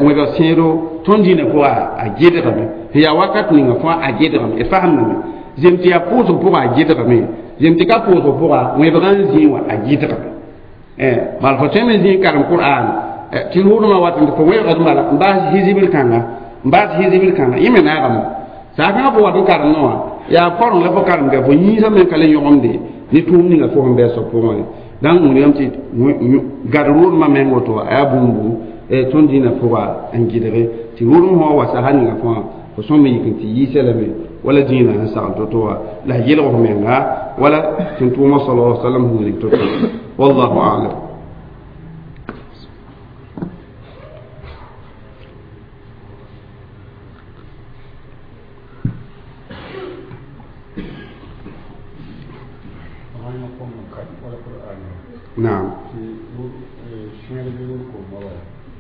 wẽbg sẽedo tõnd dĩinã pʋga a gɩdgame sẽn yaa wakat ninga fãa a gɩdgame d fasemdame zem tɩ yaa pʋʋsg pʋga a gɩdgame zem tɩ ka pʋʋsg pʋga wẽbgã n zĩig wã a gɩdgame bala fo tõe me zĩig karem qur'an tɩ rʋʋdmã wat tɩ fo wẽbgd bala n baas hizibr kãnga n baas hizibr kãnga yẽ me naagame saa-kãngã fo wat n karemdẽ wã yaa koreng la fo karem fo yĩnsã me ka le yõgemde ne tʋʋm ninga fo sẽn bɩ a soab pʋgẽ dãn wũniyame tɩ gad rʋʋdmã meng woto a yaa bũmbu tõnd dĩinã pʋga n gɩdge tɩ rʋʋdem sã wa wa sasa ninga fãa fo sõm yik n tɩ yiisa lame wala dĩinã sẽn sagl to-to wã la a yelg f menga wala tɩ tʋʋmã sala sallam sẽn wilg to-to wallahu alam.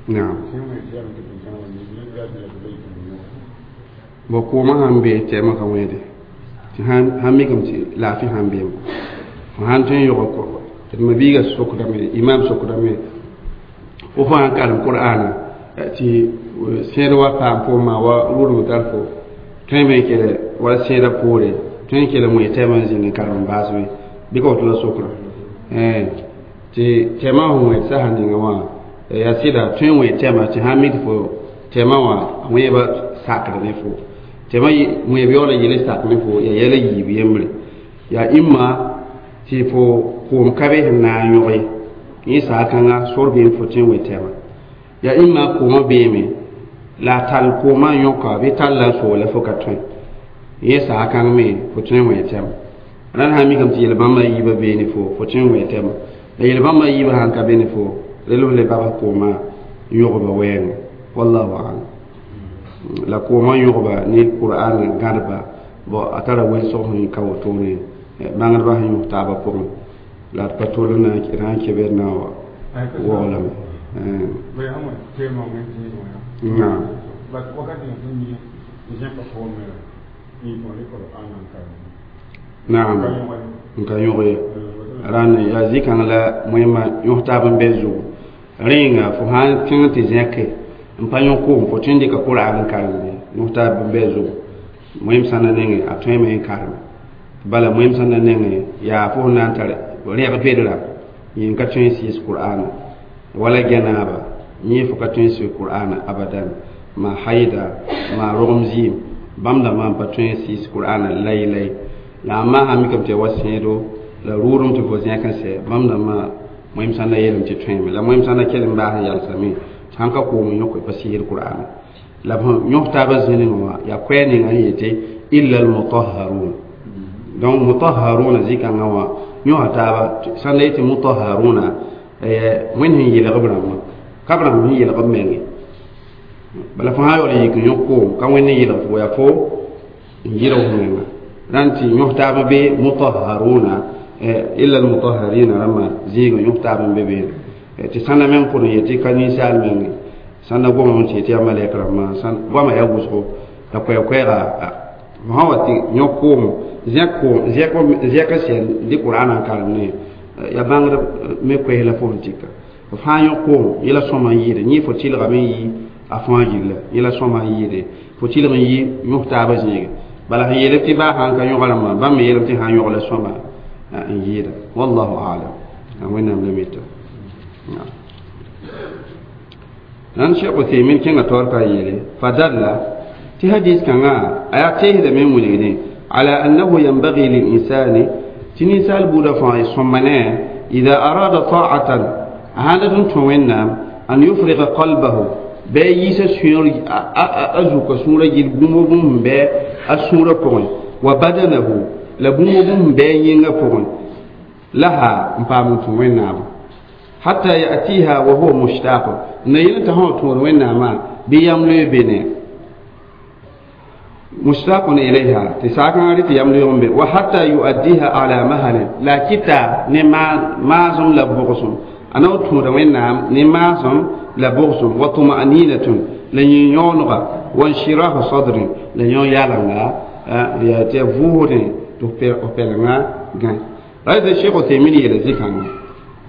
Naam bo koomã sãn be tɛɛmã ka wẽede tɩ sãn mikame tɩ laafɩ sãn beem fo sãn tõe n yõg d mabiiga sokdame imam sokdame fo fo sãn karem qur'ana tɩ sẽed wa paam fo ma wa rʋʋdem tar fo tõeme n kele wala sẽedã poore tõe n kell n wẽ tɛɛmã n zĩnd n karem n baas be bɩ ka woto la sokra tɩ tɛɛmã sẽn wẽ sasa ninga wã yaa sɩda tõe n wẽ tɛɛmã tɩ sãn mik fo tɛɛmã wã wẽeba sakr ne fo tɛɛmã wẽeb yaoola yele sak ne fo yaa yɛla yiib yembre yaa ĩmma tɩ fo koom ka be sẽn na n yõge yẽ saag-kãnga sor beem fo tõe n wẽ tɛɛmã yaa ĩmma koomã beeme la a tall koomã n yõka bɩ talla n soogla fo ka tõe yẽ saag-kãng me fo tõe n wẽ tɛɛmã rãnd sã n mikame tɩ yel-bãmbã yiibã bee ne fo fo tõe n wẽ tɛɛmã la yel-bãmbã yiibã sãn ka be ne fo rel le babs koomã n yõgba wɛɛngẽ wallahu alam la koomã yõgba ne qur'an gãdba bo a tara welsg sẽn ka wotone bãngdbã sẽn yõs taabã pʋgẽ la d pa tol n na n kebed na wa waoolame naam naam n ka yõg ye rãnd yaa zĩ-kãng la wẽmma yõs taab n be zugu rẽenga fo sãn kẽng tɩ zẽke n pa yõ koom fo tõe n dɩka qur'an n karemde yõs taab n be zugu wẽm sãnda nengẽ a tõeme n karem bala wẽm sãnda nengẽ yaa fo sẽn na n tar rẽg bedra yẽ n ka tõe n sɩɩs qur'ana wala gɛnaaba yẽ fo ka tõe n sɩɩs qur'ana abadan ma haida ma rogem zɩɩm bãmb dãmbã n pa tõe n sɩɩs qur'ana lai-lai la a maa sã mikame tɩ ya wa sẽedo la rʋʋdem tɩ fo zẽk n sɛ bãmb dãmbã wẽm sãn na yeelame tɩ tõeme la wẽm sãn na kell n baas n yalsame tɩ sãn ka koom n yõk pa sɩɩsd qur'ana la yõs taabã zĩnengẽ wã yaa koɛɛ ninga n yetɩ illa almutahharun donc mutahharuna zĩ-kãngã wã yõsa taaba sãn la yetɩ mutahharuna wẽnd sẽn yelg b rãmbã ka b rãmb sẽn yelg b menge bala fo sã yaool n yik n yõk koom ka wẽnd n yelg fo yaa fo n yelg f menga rãnd tɩ yõs taab be mutahharuna illa almutahharina rãmbã zĩigẽ yõs taab n be beene tɩ sãnda meng pʋd n yetɩ ka ninsaal menge sãnda gomame tɩ yetɩ yaa malɛk rãmbã goamã yaa wʋsgo la koɛɛ-koɛɛga fo sã wa tɩ yõk koom zẽk n sɛn dɩ qur'ana n karem ne yaa bãngd me koɛɛs la fo sẽn tɩka f fãa yõk koom yẽla sõma n yɩɩde yẽ fo tɩlgame n yi a fãa gilla yẽla sõma n yɩɩde fo tɩlg n yi yõs taabã zĩige bala sẽn yeelb tɩ baa sãn ka yõga rãmbã bãmb me yeelame tɩ sãn yõg la sõma n yɩɩda wallahu alam wẽnnaam la mita rãnd Cheikh Uthaymin kẽnga taoor ka yeele fadalla tɩ hadis kãngã a yaa teesdame n wilgdẽ ala annahu yanbagi lilinsani tɩ ninsaal buudã fãa sõma ne ida arada ta'atan a sãn dat n tõ wẽnnaam an yufriga qalbahu bɩ a yiisa sũur a zuka sũurã gill bũmb bũmb sẽn bɩ a sũurã pʋgẽ wa badanahu la bũmb bũmb sẽn bɩ a yĩngã pʋgẽ laha n paam n tũ wẽnnaamã hatta yatiha wa huwa mushtaq na yel t'a sã tõod wẽnnaamã bɩ yam loe be ne mushtaqun ilayha tɩ saakãngã rɩ tɩ yam loeeg n be wa hatta yuaddiha ala mahalin la kɩta ne maasem la bʋgsem a na w tõoda wẽnnaam ne maasem la bʋgsem wa tuma'ninatun la yẽ yõonega wa nshirahu sadrin la yõ yalenga yaa tɩ ya vʋʋsdẽ tɩ f pɛlenga gãe ra tɩ Cheikh Uthaymin yeela zĩ-kãngã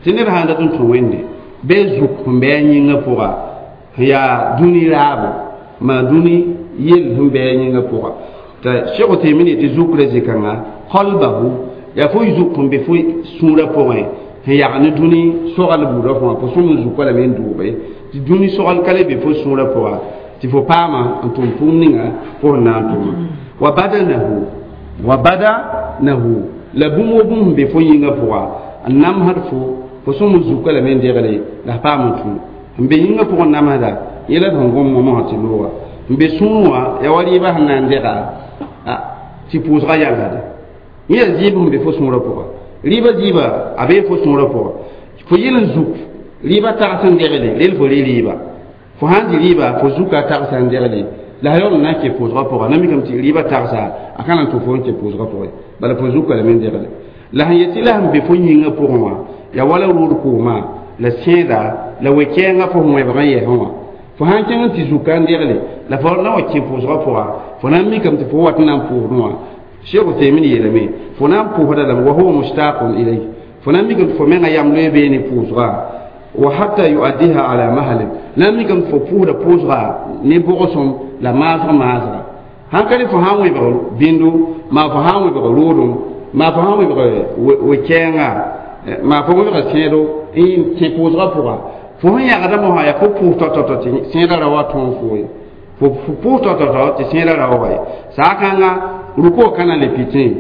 tɩ ned sãn dat n tũ wẽnde bɩ zuk sẽn bɩ a yĩngã pʋga sẽn yaa dũni raabo maa dũni yell sẽn bɩ a yĩngã pʋga t'a Cheikh Uthaymin yetɩ zukra zĩ-kãngã qalbahu yaa fo zuk sẽn be fo sũurã pʋgẽ sẽn yag ne dũni sogl buudã fãa fo sõm n zuka lame n dʋʋge tɩ dũni sogl ka le be fo sũurã pʋga tɩ fo paama n tʋm tʋʋm ninga fo sẽn na n tʋma wa badanahu wa badanahu la bũmb wo bũmb sẽn be fo yĩngã pʋga n namsd fo fo sõm n zuka lame n degle la f paam n tũ n be yĩngã pʋgẽ namsda yẽla sẽn gom momsã tɩ looga n be sũur wã yaa wa rɩɩbã sẽn na n dega tɩ pʋʋsgã yalsda yẽ yaa zɩɩb sẽn be fo sũurã pʋga rɩɩbã zɩɩba a bee fo sũurã pʋga fo yel n zuk rɩɩbã tags n degle rel fo rɩ rɩɩba fo sãn dɩ rɩɩba fo zuka tagsa n degle la a yaool n na n kẽ pʋʋsgã pʋga na mikame tɩ rɩɩbã tagsa a ka na n tʋ fo n kẽ pʋʋsgã pʋgẽ bala fo zuka lame n degle la sẽn yetɩ la sẽn be fo yĩngã pʋgẽ wã yaa wala rʋʋd koomã La sẽeda la we-kɛɛngã fo sẽn wẽbg n yɛsẽ wã fo sãn kẽng n tɩ zuka n degle la fo na wa kẽ pʋʋsgã pʋga fo na n mikame tɩ fo wat n na n pʋʋsdẽ wã Cheikh Uthaymin yeelame fo na n pʋʋsda lame wa huwa mushtaqun ilayh fo na n mikame tɩ fo menga yam loe beene pʋʋsga wa hatta yuaddiha ala mahalin la n mikame tɩ fo pʋʋsda pʋʋsga ne bogsom la maasg maasga sãn ka ne fo sãn wẽbg bĩndo maa fo sãn wẽbg roodem maa fo sãn wẽbg we-kɛɛnga maa fo wẽbga sẽedo n kẽ pʋʋsgã pʋga fo sẽn yãgda mosã yaa fo pʋʋs tao-tao tɩ sẽedã ra wa tõog fo ye fo pʋʋs tao-tao tɩ sẽedã ra wa wa ye saa-kãnga ruko kana le pitẽ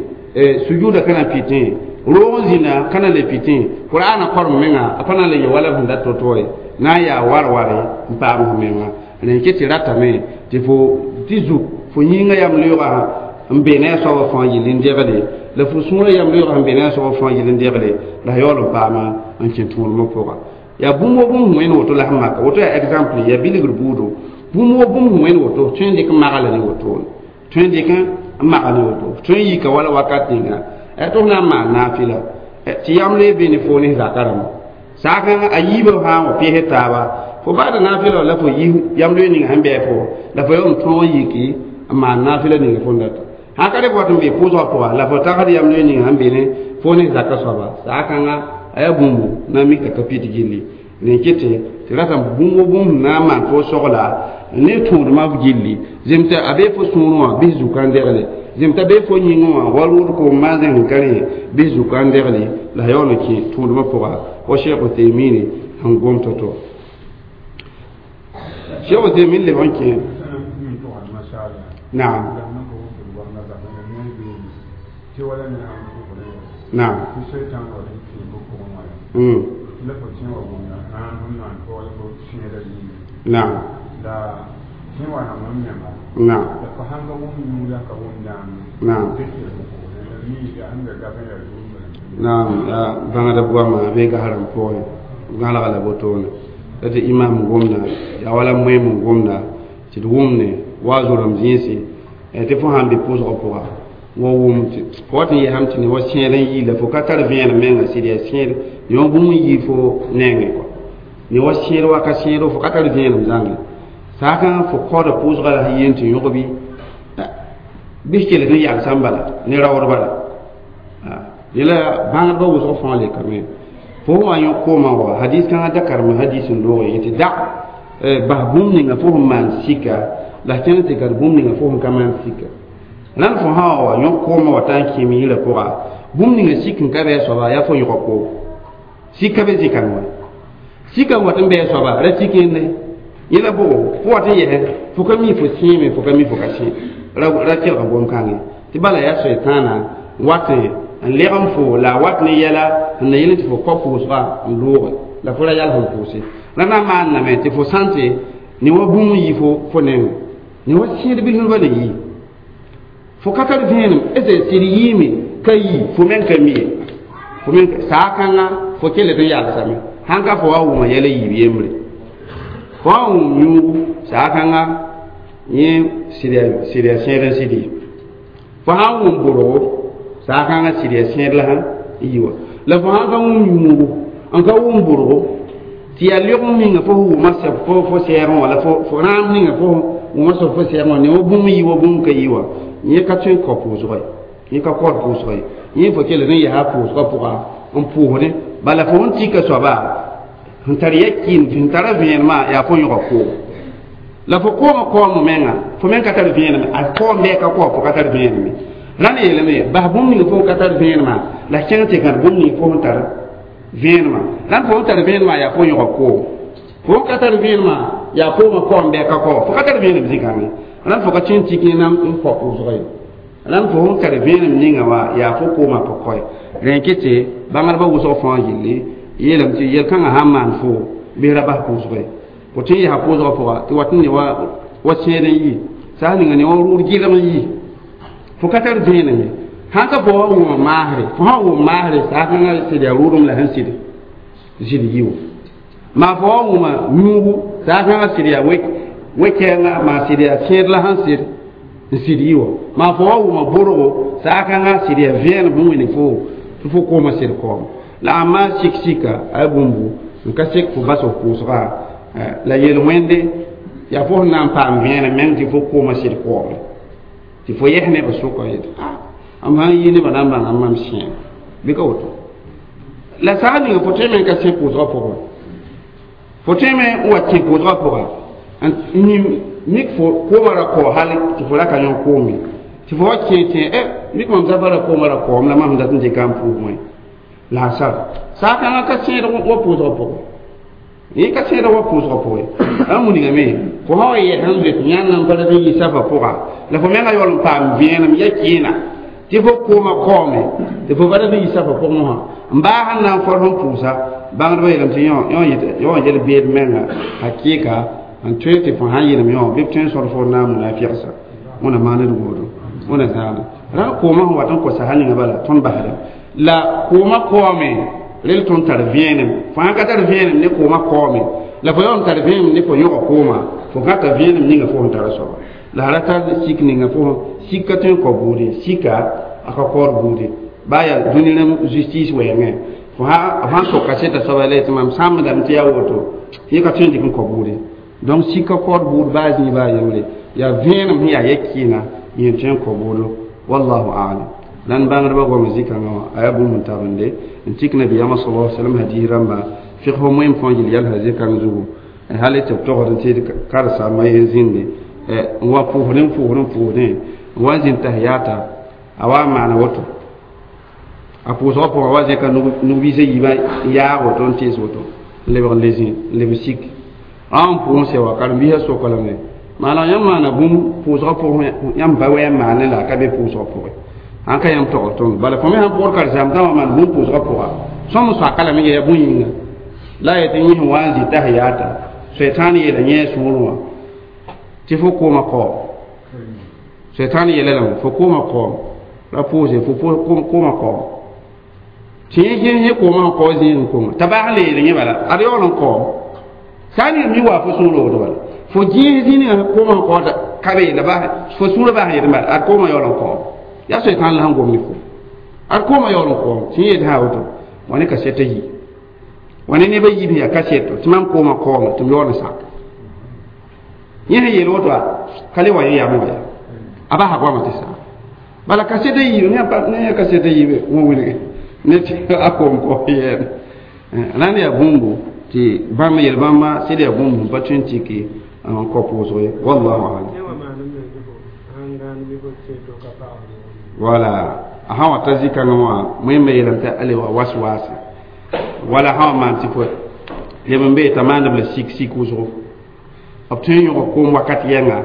sujuda kana pitẽ roog n zĩnda kana le pitẽ qur'ana korem menga a pa na n le yẽ wala sẽn dat to-to ye na n yaa war-ware n paam f menga rẽn ket tɩ ratame tɩ fo tɩ zuk fo yĩngã yam leoogã n be ne a soabã fãa yɩl n degle la fo sũurã yam leoogã sẽn be ne a soabã fãa yɩl n degle la yaool n paama n kẽ tũudmã pʋga yaa bũmb wo bũmb sẽn wẽnd woto la sẽn maka woto yaa exemple yaa bilgr buudo bũmb wo bũmb sẽn wẽnd woto tõe n dɩk n magla ne wotone tõe n dɩk n maga ne woto tõe n yika wala wakat ninga tɩ f na n maan naafɩla tɩ yam le be ne fo ne zaka rãmba saakãngã a yiibã sã n wa pɩs taaba fo baada naafɩla la fo yi yam loe ninga sẽn bɩ fo la fo yaool n tõog n yiki n maan naafɩla ninga fo n data sãn ka dɩk wat n be pʋʋsgã pʋga la fo tagsd yam loe ninga sẽn be ne fo ne zaka soaba saakãngã a yaa bũmbu na n mik t'a ka pit gilli rẽn kete tɩ rata bũmb wo bũmb na n maan fo sogla ne tũudmã gilli zem tɩ a bee fo sũurẽ wã bɩs zuka n degle zem t'a bee fo yĩngẽ wã wa rʋʋd koom maan zẽng ka rẽ bɩs zuka n degle la yaool n kẽ tũudmã pʋga wa Cheikh Uthaymin sẽn gom to-to Cheikh Uthaymin leb n kẽ naam naam naam naam naam naam bãngda goama a bee gasrãmb pʋgẽ gãlga la wotone la tɩ imam gomda yaa wala moeem n gomda tɩ d wʋmne wa zorem zĩisi tɩ fo sãn be pʋʋsgã pʋga wa wʋm fo wat n yɛsame tɩ ne wa sẽed n yii la fo ka tar vẽenem menga sɩd yaa sẽed ne wa bũmb n yii fo nengẽ kɔa ne wa sẽed waka sẽedo fo ka tar vẽenem zãnge saakã fo kaooda pʋʋsgã la sẽn yeen tɩ yõg bɩ bɩs kell n yagsã bala ne raood bala yẽla bãngdbã wʋsg fãa lekame fo sẽn wa yõ koomã wa hadis kãngã da karem hadis n loog ye tɩ da bas bũmb ninga fo sẽn maan sika la kẽnd tɩ gad bũmb ninga fo sẽn ka maan sika rãnd fo sã wa yõ koomã wa t'a n kẽem yĩrã pʋga bũmb ninga sik n ka bɩ a soaba yaa fo yõga koom sik ka be zĩ-kãng wa sika n wat n bɩ a soaba ra sik yẽnde yẽla bʋgo fo wat n yɛsɛ fo ka mi fo sẽeme fo ka mi fo ka sẽ ra kelga gom-kãngẽ tɩ bala yaa soetãana wat n leg n fo la a wat ne yɛla n na yel tɩ fo kao pʋʋsga n looge la fo ra yals n pʋʋse ra na n maanname tɩ fo sãnte ne wa bũmb n yi fo fo nengẽ ne wa sẽed bilsba ne yi fo ka tar vẽenem ese sɩd yiime ka yi fo meng ka mi ye fo meng saa-kãngã fo kell tɩ n yalsame sãn ka fo wa wʋma yɛla yiib yembre fo wa wʋm yũugu saa-kãngã yẽ sɩd yaa sẽed n sɩd ye fo sãn wʋm bʋrgo saa-kãngã sɩd yaa sẽed la sã n yi wa la fo sãn ka wʋm yũugu n ka wʋm bʋrgo tɩ yaa lɩg n ninga fo wʋma sɛb fo sɛɛgẽ wã la fo rãam ninga fo wʋma sẽb fo sɛɛgẽ wã ne wa bũmb yi wa bũmb ka yi wa yẽ ka tõe n kao pʋʋsga ye yẽ ka kaood pʋʋsga ye yẽ fo kell n yaa pʋʋsgã pʋga n pʋʋsdẽ bala fo sẽn tika soaba sẽn tar ya kɩɩm sẽn tara vẽenemã yaa fo yõga koom la fo koomã kaoom menga fo meng ka tar vẽenem a kaoom bɩ a ka kao fo ka tar vẽenem ye rãnd yeelame bas bũmb ning fo ka tar vẽenemã la kẽng tɩ gãd bũmb ning fo sẽn tar vẽenemã rãnd fo sẽn tar vẽenemã yaa fo yõga koom fo ka tar vẽenemã yaa koomã kaoom bɩ a ka kao fo ka tar vẽenem zĩ-kãngẽ rãnd fo ka tõe n tik ne n kao pʋʋsga ye rãnd fo sẽn tar vẽenem ninga wã yaa fo koomã pa kaoe rẽn ket tɩ bãngdbã wʋsg fãa yelle yeelame tɩ yel-kãngã sãn maan fo bɩ ra bas pʋʋsga ye fo tõe n yɛsa pʋʋsgã pʋga tɩ wat n ne wa sẽed n yi saa ninga ne wa rʋʋd gɩlg n yi fo ka tar vẽenem ye sãn ka fo wa wʋma maasre fo sã wʋm maasre saa-kãngã sɩd yaa rʋʋdem la sẽn sɩd sɩd yi wã maa fo wa wʋma yũugu saa-kãngã sɩd yaa we-kɛɛngã maa sɩd yaa sẽed la sẽn sɩd n sɩd yi wã maa fo wa wʋma bʋrgo saa-kãngã sɩd yaa vẽenem sẽn wẽne fo tɩ fo koomã sɩd kaoom la a maa sik-sika a bũmbu N ka sek fo bas f pʋʋsga la yel-wẽnde yaa fo sẽn na n paam vẽenem meng tɩ fo koomã sɩd koome tɩ fo yɛs nebã sʋka yetɩ m sãn yi nebã na n bãnga mam sẽem bɩ ka woto la saag ninga fo tõe me n ka sẽ pʋʋsgã pʋgẽ fo tõe me n wa kẽ pʋʋsgã pʋga n mik fo koomã ra kao hal tɩ fo ra ka yõ koome tɩ fo wa kẽ tẽ mik mam zaba ra koomã ra kaoom la mam dat n dɩka n pʋʋs wẽ la a sar saakãngã ka sẽed wa pʋʋsgã pʋgẽ yẽ ka sẽed wa pʋʋsgã pʋgẽ a wilgame fo sã wa yɛs n zoet yãnd n pa rat n yi safa pʋga la fo menga yaool n paam vẽenem ya kẽena tɩ fo koomã kaoome tɩ fo pa rat n yi safa pʋgẽ wã n baa sẽn na n fɔr sẽn pʋʋsa bãngdbã yeelame tɩ yõ yel beed menga hakɩɩka n tõe tɩ fo sãn yɩlem yõ bɩ b tõe n sõd fo n na n muna fɩgsa wẽna maand d woodo wẽna zãada rãnd koomã sẽn wat n kosa sã ninga bala tõnd basda la koomã kaoome rel tõnd tar vẽenem fo sãn ka tar vẽenem ne koomã kaoome la fo yaool n tar vẽenem ne fo yõga koomã fo gãta vẽenem ninga fo sẽn tara soaba la ra tar sik ninga fo sik ka tõe n kao buude sika a ka kaood buude baa yaa dũni rãmb justice wɛɛngẽ fo sãn sok kasɛta soaba la yetɩ mam sãmbdame tɩ yaa woto yẽ ka tõe n dɩk n kao buude donc sik ka kaood buud baa zĩig baa yembre yaa vẽenem sẽn yaa yɛ-kɩɩna yẽ tõe n kao buudo wallahu alam lan bãngdbã goam zĩ-kãngã wã a yaa bũmb n tabende n tik nabiyaamã sala salam hadis rãmba figs moem fãa yel yalsã zĩ-kãng zugu hal tɩ b togd n tɩ karsaambã yen zĩnde n wa pʋʋsdẽ n pʋʋsdẽ n pʋʋsdẽ n wa n zĩnd tahiyata a wa n maana woto a pʋʋsgã pʋgã wa zẽka nug-biisã yiibã n yaag woto n tees woto n lebg n le zĩ n leb sik rã n pʋʋs sɛ wa karen-biisã soka lame maana yãmb maana bũmb pʋʋsgã pʋgẽ yãmb ba wɛ n maane la a ka be pʋʋsgã pʋgẽ sãn ka yãmb togd tõnd bala fo me sãn pʋgd karen-saam tã wã maan bũmb pʋʋsgã pʋga sõm soaka lame yaa bũn yĩnga la a yetɩ yẽ sẽn wa n zĩ tahiyaata soetãan yeela yẽ a sũurẽ wã tɩ fo koomã kaoom soetãan yeela lame fo koomã kaoom ra pʋʋse fo koomã kaoom tɩ yẽ yẽ koomã sẽn kao zĩig n konga t'a baas le yeel yẽ bala ad yaool n kaoom sã n mi wa fo sũurã woto bala fo gẽes zĩ ninga koomã sẽn kaoota ka be la fo sũurã baas n yetɩ bala ad koomã yaool n kaoom yaa soetãan la sẽn gom ne fo ad koomã yaool n kaoom tɩ yẽ yetɩ sã woto wa ne kasɛta yi wa ne nebã yiib sẽn yaa kasɛto tɩ mam koomã kaoome tɩ m yaool n sak yẽ sẽn yeel woto ka le wa yẽ yamẽ wa yaa a basa goamã tɩ saa bala kasɛta yiib ne yaa kasɛta yiibe wã wilge ne tɩ a koom kao yɛɛm rãnd yaa bũmbu tɩ bãmb yel-bãmba sɩd yaa bũmb sẽn pa tõe n tɩke n kao pʋʋsg ye wallahu alam wala a sã wa ta zĩ-kãngã wã wẽnnaam yeelame tɩ a lebga was-waase wala sã wa maan tɩ fo leb n bee t'a maandb la sik sik wʋsgo b tõe n yõg koom wakat yɛnga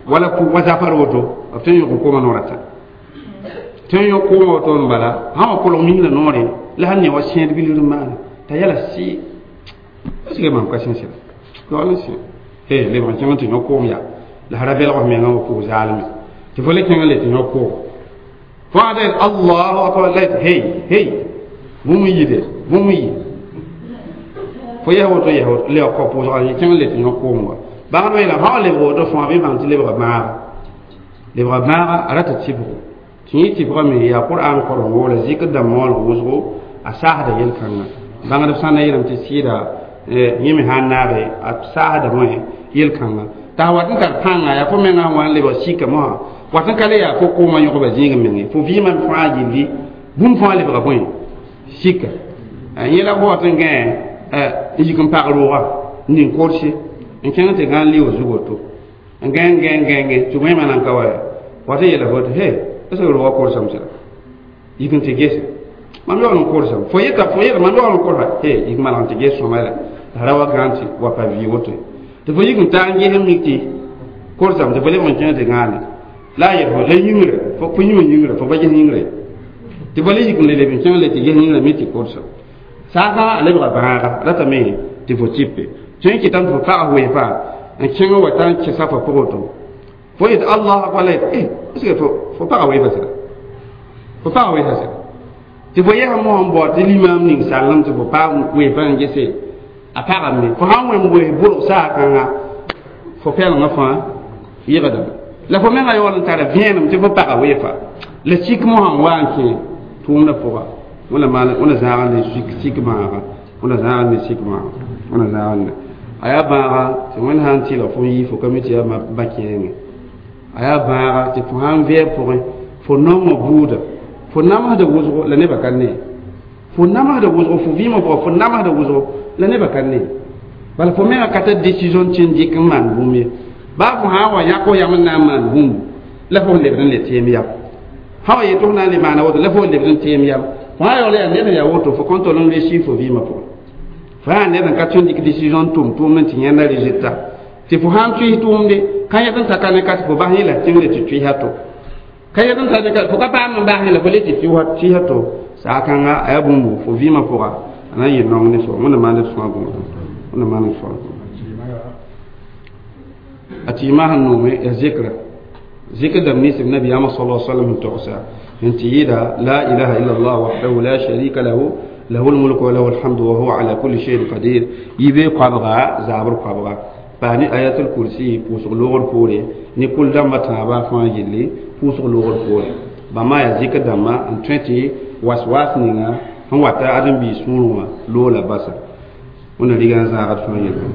wala wa zafar woto b tõe n yõg koomã noor a tã tõe n yõg koomã woto n bala sã wa kolg ming la noore la sẽn ne wa sẽed bilgr n maana t'a yɛla sɩ est-ce que mam ka sẽn sɩda yaool n sẽ he lebg n kẽng tɩ yõ koom yaa la ra belg f mengã wa pʋg zaalme tɩ fo le kẽng n le tɩ yõ koom fo sã ta allahu akbar la yetɩ hey hey bũmb n yide bũmb n yi fo yɛs woto yɛs woto lebg kao pʋʋsga yẽ kẽng n le tɩ yõ koom wa bãngdbã yeelame sã wa lebg woto fõa bɩ bãng tɩ lebga bãaga lebga bãaga a rata tɩbgo tɩ yẽ tɩbgame yaa qur'an korengo la zikr dãmb moolg wʋsgo a saasda yel-kãngã bãngdb sã na yeelame tɩ sɩɩda yẽ me sã n naage a saasdame yel-kãngã t'a wat n tar pãnga yaa fo mengã sẽn wa n lebg sika mosã wat n ka le yaa fo koomã yõgba zĩig menge fo vɩɩmã fãa gilli bũmb fãa lebga bõe sika yẽ la fo wat n gãe n yik n pag rooga n ning korse n kẽng tɩ gãn lɩ zug woto n gãe n gãe n gãe gãe tɩ wẽma nan ka wa wat n yeela fo tɩ he est ce que rooga korsame sẽda yik n tɩ gese mam yaool n korsame fo yeta fo yeta mam yaool n korsa he yik malg n tɩ ges sõma la la ra wa gãn tɩ wa pa vɩ woto tɩ fo yik n taa n ges n mik tɩ korsame tɩ fo lebg n kẽng tɩ gãane la a yet fo la yĩngre fo yĩma yĩngre fo pa ges yĩngre tɩ fo le yik n le leb n kẽng le tɩ ges yĩngrã mi tɩ korsame saasã a lebga bãaga ratame tɩ fo tɩpe tõe n kɩtame tɩ fo pag weefa n kẽng wa ta n kẽsa fo pʋgẽ to fo yet allah akbar la yet est ce que fo paga weefa sɩda fo paga weefa sɩda tɩ fo yɛsã mosã n bao tɩ limaam ning sallem tɩ fo paag weefa n gese a pagame fo sãn wẽm wees bʋlg saakãnga fo pɛlengã fãa yɩgdame la fo mengã yaool n tara vẽenem tɩ fo paga weefa la sik mosã n wa n kẽ tʋʋmdã pʋga wẽna maan wẽna zãag ne sik bãaga Wẽnna zãag ne sik wã wẽnna zãag ne a yaa bãaga tɩ wẽnd sã n tɩlg fo n yɩ fo ka mi tɩ yaa ba kẽenge a yaa bãaga tɩ fo sãn vɛɛb pʋgẽ fo nongã buuda fo namsda wʋsgo la nebã ka ne fo namsda wʋsgo fo vɩɩmã pʋgã fo namsda wʋsgo la nebã ka ne bala fo menga ka tar décision tɩ n dɩk n maan bũmb ye baa fo sã n wa yãk f yam n na n maan bũmb la fo lebd n le teem yam sã wa yet f na n le maana woto la fo lebd n teem yam fo sã yaool yaa ned n yaa woto fo kõn tol n réussir fo vɩɩmã pʋgẽ fo yaa ned n ka tõe n dɩk décision n tʋm tʋʋmd n tɩ yẽnda résultat tɩ fo sãn tʋɩs tʋʋmde ka yẽd n ta ka ne ka tɩ fo bas yẽ la tẽngre tɩ tʋɩsa to ka yẽd n ta ne ka fo ka paam n bas yẽ la fo le tɩ tʋɩsa to saa kãnga a yaa bũmbu fo vɩɩmã pʋga a na n yɩ nong ne soab wẽnna maand d sõa bũmb wẽnna maand d sõa a tɩɩmã sẽn noome yaa zikra zikr dãmb nins b nabiyaamã sala sallam sẽn togsa n tɩ yɩɩda la ilaha illa allah wahdahu la sharika lahu له الملك وله الحمد وهو على كل شيء قدير يبي قبغا زابر قبغا باني آيات الكرسي پوسغ لوغر پوري ني كل دم تابا فان يلي پوسغ لوغر پوري بما يا ذكر دم ان 20 waswas ninga sẽn wata ãdem-biis sũurẽ wã loola basa wẽnna riga n zãagd fãa yelle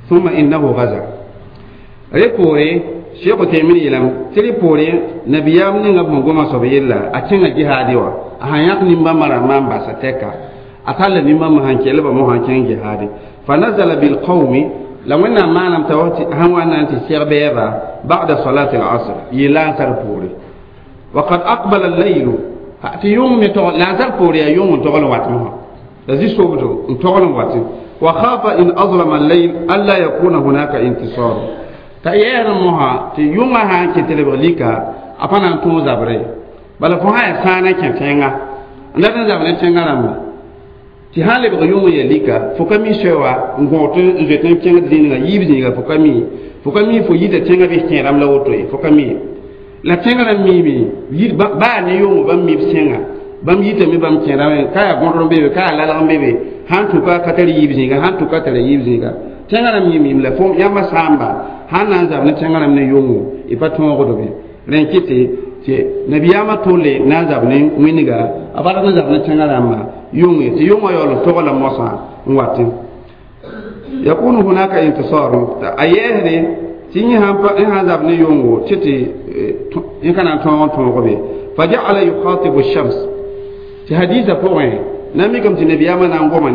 ثم إنه غزا ريبوري شيخ تيمين يلم تريبوري نبيام نيغا بون غوما sob yella a kẽnga jihaadi wã a sãn yãk nimbãmbã rãmbã n basa tɛka a talla nimbãmbã sãn kelba mosã kẽng jihaadi fa nazala bilqawmi la wẽnnaam maanam t'a sãn wa na n tɩ seg bɛɛba ba'da salati al-asr yɩ lansar poore وقد أقبل الليل tɩ yʋng me tog lansar poore yaa yʋng n togl n wat mosã la zĩ-sobdo n togl n watẽ وخاف إن أظلم الليل ألا يكون هناك انتصار t'a yɛɛr mosã tɩ yʋngã sã n kẽ tɩ lebg lika a pa na n tõog zabre bala fo sã yaa sãana kẽ tẽnga n dat n zab ne tẽngã rãmba tɩ sã n lebg yʋng n ya lika fo ka mi soɛ wa n gõog tɩ n zoet n kẽngd zĩnigã yiib zĩiga fo ka mi fo ka mi fo yita tẽngã bɩs kẽ rãmb la woto ye fo ka mi la tẽngã rãmb miime baa ne yʋngo bãmb mib sẽnga bãmb yitame bãmb kẽ rãmb ka yaa gõdr n be be ka yaa lalg n be be sãn tʋka ka tar yiib zĩiga sãn tʋka tara yiib zĩiga tẽngã rãmb yĩm la fo yãmba sãamba sãn na n zab ne tẽngã rãmb ne yʋngo y pa tõogd be rẽn kɩtɩ tɩ nabiyaamã tolle na n zab ne wĩnga a bad n zab ne tẽngã rãmbã yʋnge tɩ yʋngã yaool n togla mosã n watẽ yakunu hunaka intisar a yɛɛsde tɩ yẽ sãn zab ne yʋngo tɩ tɩ yẽ ka na n tõog n tõog be fa ja'ala yukhatibu shams tɩ hadiisã pʋgẽ na mikame tɩ nabiyaamã na n goma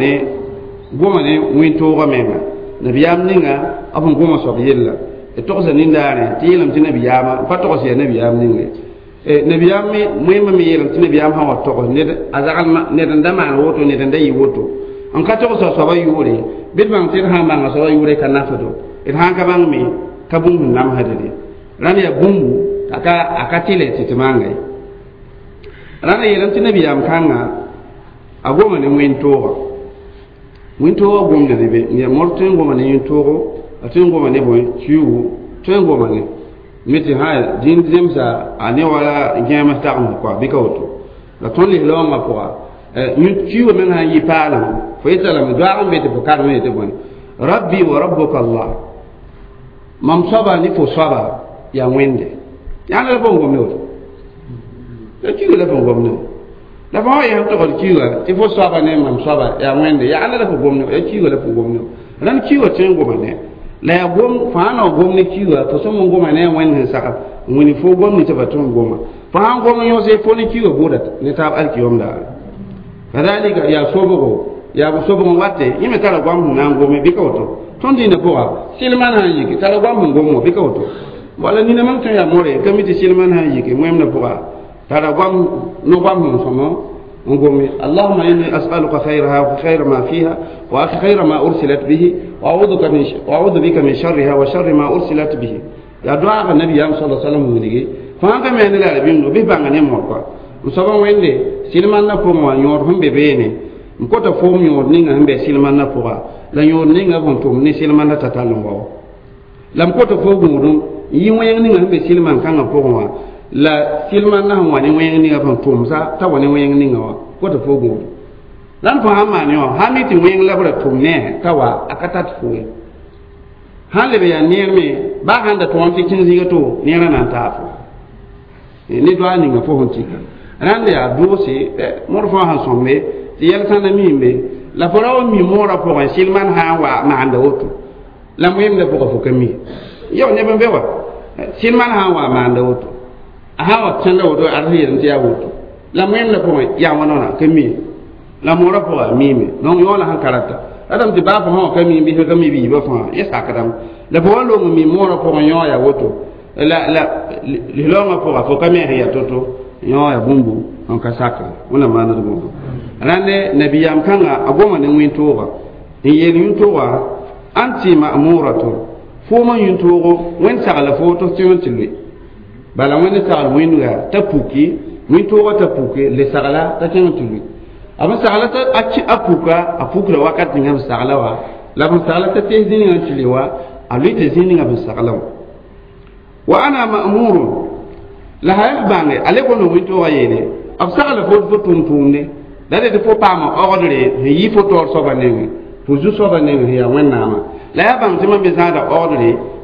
ne wẽn-toogã menga nabiyaam ninga b sẽn goma soab yella d togsa nindaarẽ tɩ yeelame tɩ nabiyaamã n pa togs yaa nabiyaam ninge nabiyaam me wẽmba me yeelame tɩ nabiyaam sã wa togs ned a zaglma ned n da maan woto ned n da yɩ woto n ka togsa soabã yʋʋre bɩ d bãng tɩ d sã n bãnga soabã yʋʋre ka nafdo d sã n ka bãng me ka bũmb sẽn namsd ye rãnd yaa bũmbu a ka tɩlɛ tɩ tɩ manga ye rãnd yeelame tɩ nabiyaam kãnga a goma ne wẽn-tooga wẽn-toogã gomda ne be n yaa mor tõe n goma ne yẽn-toogo a tõe n goma ne bõe kiuugu tõe n goma ne me tɩ sã dĩin zemsa a ne wala gẽems tagms kɔa bɩ ka woto la tõnd lislaoongã pʋga kiuugã meng sã n yɩ paalem fo yeta lame doaag n be tɩ fo karem yetɩ bõe rabbi wa rabbuka allah mam soaba ne fo soaba yaa wẽnde yãnd la fo n gom ne woto la kiuugã la fo n gom ne la fo sã yaa togd kiuugã tɩ fo soaba ne mam soaba yaa wẽnde yaa la fo gom ne yaa kiuugã la fo gom ne rãnd kiuugã tõe n goma ne la yaa gom fãa na gom ne kiuugã fo sõm n goma ne a wẽnd sẽn sagl n wĩni fo gom ne tɩ ba tõe n goma fo sãn gom n yõse fo ne kiuugã bʋʋda ne taab alkiyom daare kadalika yaa sobgo yaa sobg n wate yẽ me tara goam sẽn na n gome bɩ ka woto tõnd dĩinã pʋga sɩlmã sã n yike tara goam sẽn gom wã bɩ ka woto wala nina mam tõe yaa more ka mi tɩ sɩlmã sã n yike wẽmdã pʋga tara goam no goam sẽn sõmo n gome allahuma inni as'aluka khayraha wa khayra ma fiha wa khayra ma ursilat bihi wa a'udhu bika min sharriha wa sharri ma ursilat bihi ya doaga nabiyam sallallahu alaihi wasallam wʋnige fãa ka me ne la bĩmdo bɩ bãnga ne mor kɔa n soaba wẽnde sɩlmandã pʋgẽ wã yõod sẽn be beene n kota foom yõod ninga sẽn be sɩlmandã pʋga la yõod ninga sẽn tʋm ne sɩlmandã t'a tall n wao la m kota fo gũudum n yɩ wẽng ninga sẽn be sɩlman kãngã pʋgẽ wã la sɩlmandã sẽn wa ne wẽng ninga sẽn tʋmsa t'a wa ne wẽng ninga wã kota fo gũudum la n fo sãn maan wã sã mi tɩ wẽng la b ra tʋm ne t'a wa a ka tat fo ye sãn leb yaa neer me baa sãn da tõog tɩ kẽng zĩiga to neerã na n taa fo Ne doa ninga fo sẽn tika rãnd yaa doose moor fãa sẽn sõmbe tɩ yɛl sãnda miime la fo ra wa mi moorã pʋgẽ sɩlman sã n wa maanda woto la wẽmdã pʋgã fo ka mi yao neb n be wa sɩlman sã n wa maanda woto a sã n wa kẽnda woto ad sẽn yel tɩ yaa woto la wẽmdã pʋgẽ yaa wãnona ka mi la moorã pʋgã a miime donc yõola sẽn ka rata radame tɩ baa fo sã wã ka mi bɩ ka mi biibã fãa yẽ sakdame la fo wa loong mi moorã pʋgẽ yõ yaa woto la la lislaoongã pʋga fo ka me sẽn yaa to-to yõ yaa bũmbu n ka sakre wẽnnaam maand bũmbu rãnde nabiyaam kãnga a goma ne wẽn-tooga n yeel yũn-toogã anti ma'muratun foomã yũn-toogo wẽnd sagla fo tɩ f tɩ tɩ loe bala wẽnd sagl wĩndga t'a puki wĩn-toogã t'a puke le sagla t'a kẽng tɩ loe a b sagla t'a a puka a pukra wakat ninga b sagla wa la b sagla t'a tees zĩ ninga tɩ le wa a loe tɩ zĩ ninga b sagla wa wa ana ma'murun la ha bãnge ale gomd wĩn-toogã yeele b sagla fo fo tʋm-tʋʋmde la d fo paama ogdre sẽn yi fo taoor soabã nengẽ fo zu soabã nengẽ sẽn yaa wẽnnaamã la yaa bãng tɩ mam me zãada ogdre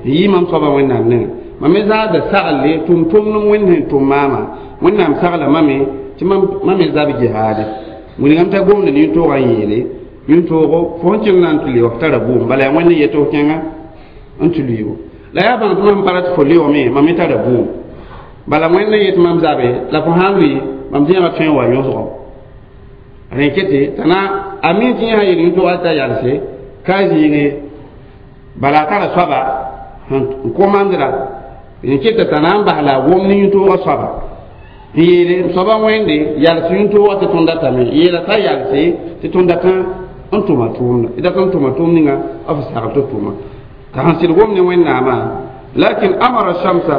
sẽn yi mam soabã wẽnnaam nengẽ mam me zãada sagle tʋm-tʋmdem wẽnd sẽn tʋm maama wẽnnaam sagla mame tɩ mam me zab jihaade wilgame t'a gomd ne yũn-toogã n yeele yũn-toogo fo sẽn kẽng na n tɩ lɩ f tara bʋʋm bala yaa wẽnd n yet f kẽnga n tɩ lʋɩɩbo la yaa bãng tɩ mam pa rat fo leoogame mam me tara bʋʋm bala wẽnd n yet mam zabe la fo sã n lʋɩ mam zẽegã tõe n wa yõsgo rẽ kete t'a na a mi tɩ yẽ sã yel yũn-toogã t'a yalse ka zĩige bala a tara soaba n komandra rẽ keta t'a na n bas la a gom ne yũn-toogã soaba n yeele soaba wẽnde yals yũn-toogã tɩ tõnd datame yeela t'a yalse tɩ tõnd dat n tʋma tʋʋmda d dat n tʋma tʋʋm ninga b sagl tɩ tʋma t'a sẽn sɩd gom ne wẽnnaamã lakin amara shamsa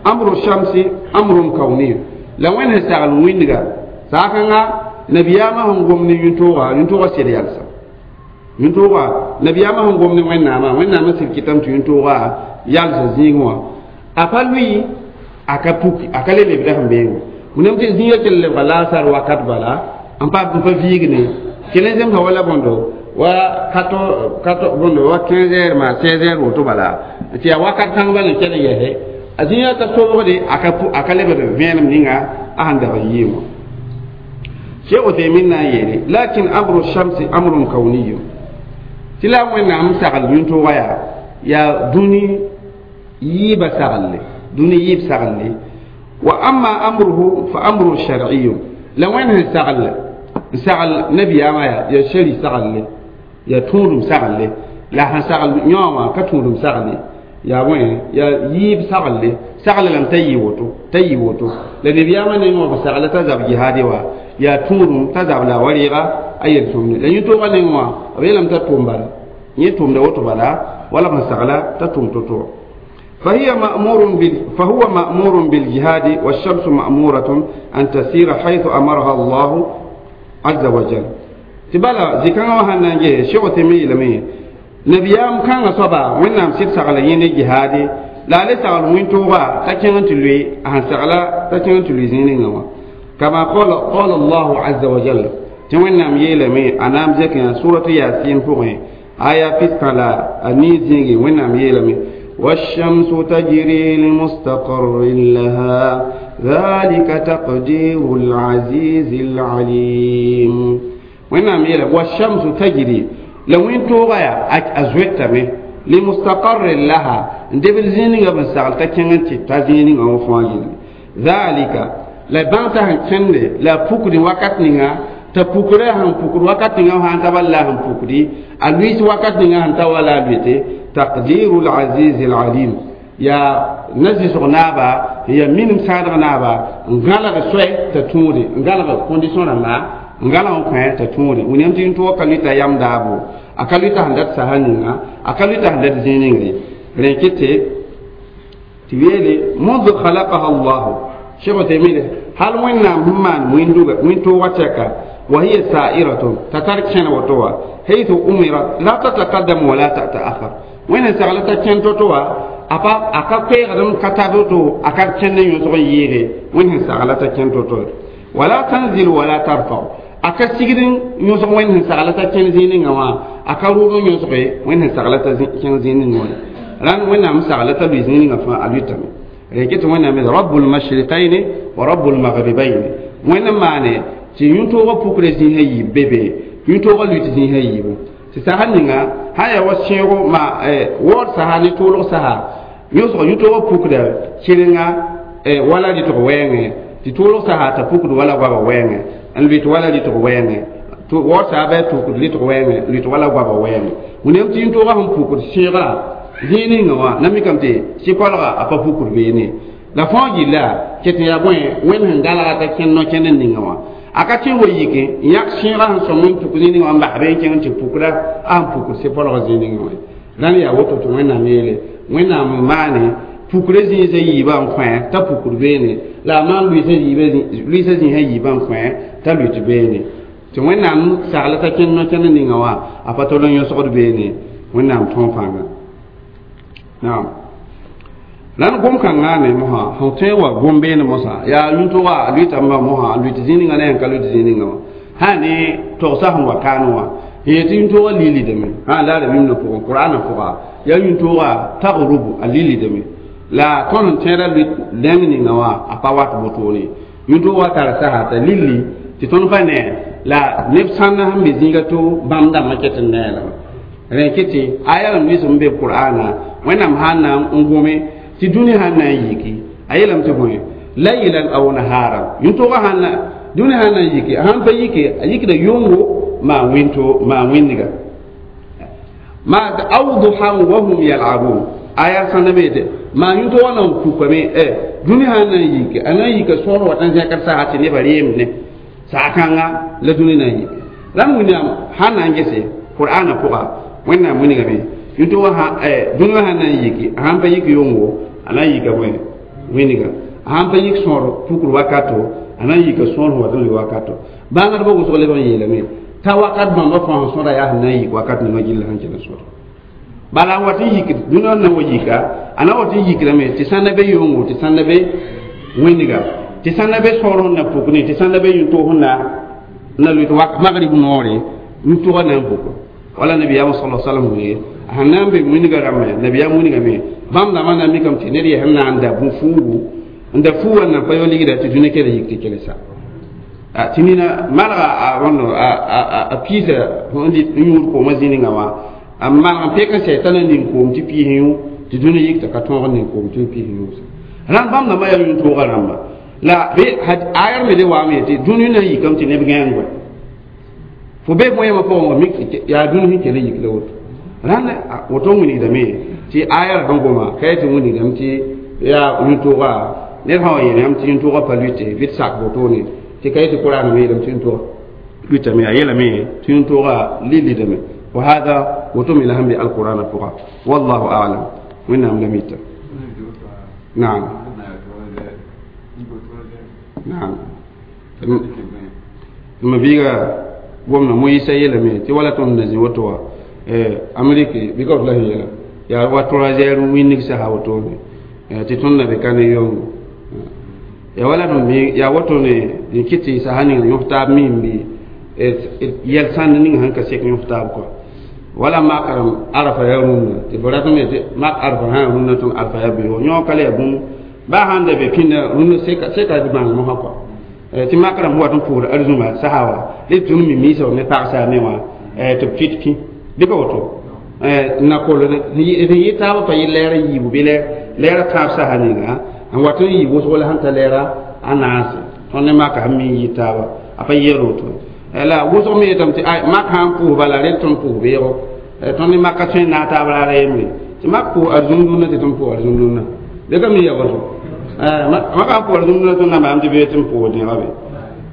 amru shamsi amrun kauni la wẽnd sẽn sagl wĩndga saakãnga nabiyaamã sẽn gom ne yũn-toogã yũn-toogã sed yalsa yũn-toogã nabiyaamã sẽn gom ne wẽnnaamã wẽnnaamã sɩd kɩtame tɩ yũn-toogã yalsa zĩigẽ wã a pa lʋɩ a ka puki a ka le lebda sẽn beengẽ wẽnnaam tɩ zĩigã kell lebga laasar wakat bala n pa n pa viig ne kell n zemsa wala bõndo wa 14 14 bõndo wa 15 heures ma 16 heures woto bala tɩ yaa wakat kãng bala n kell n yɛse a zĩigã ka sobgde a ka lebd vẽenem ninga a sẽn dag n yɩɩ wã Cheikh Uthaymin na n yeele lakin amru shamsi amrun kawniyun tɩ la wẽnnaam sagl yũn-toogã yaa yaa dũni yiibã saglle dũni yiib saglle wa amma amruhu fa amrun shar'iyun la wẽnd sẽn sagl n sagl nabiyaamã yaa yaa shari saglle yaa tũudum saglle la sẽn sagl yõ wã ka tũudum sagle yaa bõe yaa yiib saglle sagle lame t'a yɩ woto t'a yɩ woto la nabiyaamã nengẽ wã b sagla t'a zab jihaade wa yaa tũudum t'a zab la wa rɩɩga a yel-sõmde la yũ-toogã nengẽ wã b yeelame t'a tʋm bala yẽ tʋmda woto bala wala b sẽn sagla t'a tʋm to-to فهي مأمور بال فهو مأمور بالجهاد والشمس مأمورة أن تسير حيث أمرها الله عز وجل تبالا زكاة وهنا نجي شو تمي لمي نبيام كان صبا وإنهم سيد سغلا يني جهادي لا ليس على وين توغا تكين تلوي أهن سغلا تكين تلوي زينين كما قال الله عز وجل توينام يلمي أنام زكاة سورة ياسين فوقي آية فيسكالا أني وينام يلمي والشمس تجري لمستقر لها ذلك تقدير العزيز العليم وإنهم يلا والشمس تجري لو إن توغايا أزويتمي لمستقر لها ندبل زينيغا بن ساغل تكينتي تازينيغا وفواجل ذلك لا بانتا هنكند لا بوكري وقت نيغا ta pukre han pukur wakat ninga han taballa han pukri a luis wakat ninga han tawala bete taqdirul aziz al alim ya nazi naaba ya minim sãadg naaba n gãlg soɛ t'a tũude n gãlg condition rãmba n gãlg n kõ t'a tũude william tɩ yũn-toogã ka lʋɩta yam daabo a ka lʋɩta sẽn dat sasa ninga a ka lʋɩta sẽn dat zĩig ningre rẽ kete tɩ weele منذ خلقها الله شيخ تيمية هل وين maan wĩntoogã tɛka وهي سائرة تترك وتوا حيث أمرت لا تتقدم ولا تتأخر وين سغلتا كن تتوا أبا أكا كيغدم كتابتو أكا كن يوسف ييغي وين سغلتا كن تتوا ولا تنزل ولا ترفع أكا سيغدن يوسف وين سغلتا كن زينين وا أكا رودو يوسف وين سغلتا كن زينين وا ران وين أم سغلتا لزينين فا ألوتامي Rẽk tɩ Wẽnnaam rabbul mashriqayn wa rabbul maghribayn. Wẽnd maane tɩ yũtoogã pukra zĩisã yiib be be, yũtoogã luit zĩisã yiibu. Tɩ saha ninga sã yaa wa sẽego ma waood saha ne tʋʋlg saha yõsg yũtoogã pukda sɩrenga wala rɩtg wɛɛngẽ, tɩ tʋʋlg saha t'a pukd wala goabã wɛɛngẽ n lʋɩt wala rɩtg wɛɛngẽ. Waood saha bɩ a tukd rɩtg wɛɛngẽ lʋɩt wala goabã wɛɛngẽ. Wẽnnaam tɩ yũtoogã sẽn pukd sẽegã zĩig ninga wã na mikame tɩ sɩ-koalga a pa pukd beene. La fãa gilla ket n yaa bõe Wẽnd sẽn galga t'a kẽnd no-kẽnd ninga wã a ka tẽ wa yik n yãk sẽegã sẽn sõm n puk zĩig ninga wã n bas be n kẽng tɩ pukda a sẽn pukd sɩ-poalgã zĩig ninga wã. Rãnd yaa woto tɩ Wẽnnaam yeele Wẽnnaam n maane pukra zĩisã yiibã n kõ t'a pukd beene, la a maan lʋɩɩsã zĩisã yiibã n kõ t'a lʋɩt beene. Tɩ Wẽnnaam sagla t'a kẽnd no-kẽnd ninga wã a pa tol n yõsgd beene. Wẽnnaam tõog pãnga. Naam. La gom kãngã ne mosã sẽn tõe wa gom beene mosã yaa yũtogã a lʋɩtame mosã a lʋɩt zĩig ninga ne sẽn ka lʋɩt zĩig ninga wã sã ne togsã sẽn wa kaan wã yetɩ yũtogã lilidame sã la rabĩmdã pʋgẽ Qur'anã pʋga yaa yũtogã tagrubu a lilidame. La tõnd sẽn tẽedã lʋɩt dẽng ninga wã a pa wat wotone. Yũtogã tara saha t'a lilli tɩ tõnd pa ne la neb sãnda sẽn be zĩiga to bãmb dãmbã ket n ne lame. Rẽ kɩ tɩ aya n lʋɩs n be Qur'ana Wẽnnaam sãn na n gome tɩ dũni sãn na n yiki a yeelame tɩ bõe laylan aw naharan yũtogã sãn na dũni sãn na n yiki a sãn pa yike a yikda yʋngo maa wĩnto maa wĩndga ma aw duhan wa hum yal'abun aya sãnda be tɩ maa yũtogã na n pukame dũni sãn na n yike a na n yika sõor wat n zẽkd saha tɩ nebã reemd ne saha kãnga la dũni na n yike. La Wẽnnaam sãn na n gese Qur'ana pʋga Wẽnnaam wilgame yũtogã dũni wã sãn na n yiki a sãn pa yik yʋngo a na n yika bõe wĩndga, a sãn pa yik sõor pukr wakato a na n yika sõor sẽn wat n lʋɩ wakato. Bãngdbã wʋsg leb n yeelame t'a wakat bãmba fãa sẽn sõda yaa sẽn na n yik wakat ninga gilla sẽn kell n sõda. Bala n wat n yik dũni wã na wa yika a na wat n yikrame tɩ sãnda be yʋngo tɩ sãnda be wĩndga tɩ sãnda be sõor sẽn na puk ne tɩ sãnda be yũtoog sẽn na lʋɩt magrib noore yũtogã na n puka. Wala nabiyaam sallallahu alaihi wasallam wee sẽn na n be wĩndgã rãmbã nabiyaam wĩndgame bãmb dãmbã na n mikame tɩ ned yaa sẽn na n da bũ-fuugu n da fuu wã na n pa yao ligda tɩ dũni kell yik tɩ kelsa tɩ nina malga a wãndo a piisa n yũud koomã zĩ ninga wã a malg n pek n sɛ t'a na ning koom tɩ piis yũ tɩ dũni yik t'a ka tõog n ning koom tɩ piis yũ. Rãnd bãmb dãmbã yaa yũtoogã rãmba la be ayar me de waame yetɩ dũni na n yikame tɩ neb gãeng fo be bõe pʋgẽ wã mik yaa dũni sẽn kell n yik la woto. Rãnd woto n wilgdame tɩ ayar sẽn goma ka tɩ wilgdame tɩ yaa yũtoogã ned sã wa yeel yãmb tɩ yũtoogã pa lʋɩte bɩ d sak wotone tɩ ka yetɩ Qur'an me yeelame tɩ yũtoogã lʋɩtame a yeelame tɩ yũtoogã lilidame wa hada woto me la sẽn be alqur'ana pʋga wallahu a'lam. Wẽnnaam la mita. Naam. Naam. Ma biiga gomna Moyisa yeelame tɩ wala tõnd na zĩ woto wã Ameriki bɩ ka la sẽn yeela yaa wa 3 heures wĩnnig saha wotone tɩ tõnd na be ka ne yʋngo ya wala tõnd yaa woto ne n kɩ tɩ saha ning yõs taab mim bɩ yɛl sãnd ning sẽn ka sek yõs taab kɔa wala mak arafa yaa rũndã tɩ fo ratame tɩ mak arafa sã rũndã tõnd arafa yaa beoog yõ ka la yaa bũmb baa sãn da be pĩnda rũndã seka d bãng mosã kɔa tɩ mak rãmb wat n pʋʋsd arzũma saha wã d tʋm mi miisã ne pagsa me wã tɩ b fɩt pĩ bɩ ka woto na kol n yɩ taabã pa yɩ lɛɛr n yiibu bɩ lɛɛrã tãab saha ninga n wat n yɩ wʋsg la sẽn ta lɛɛra a naase tõnd ne maka sẽn mi n yɩ taaba a pa yɛɛr woto la wʋsg me yetame tɩ mak sã n pʋʋs bala rel tõnd pʋʋs beoogo tõnd ne maka tõe n naag taab raara yembre tɩ mak pʋʋs arzũm-dũnna tɩ tõnd pʋʋs arzũm-dũnna bɩ ka mi ya woto maka sãn pʋʋs arzũm-dũnna tõnd na n baam tɩ bee tɩ n pʋʋs dẽega be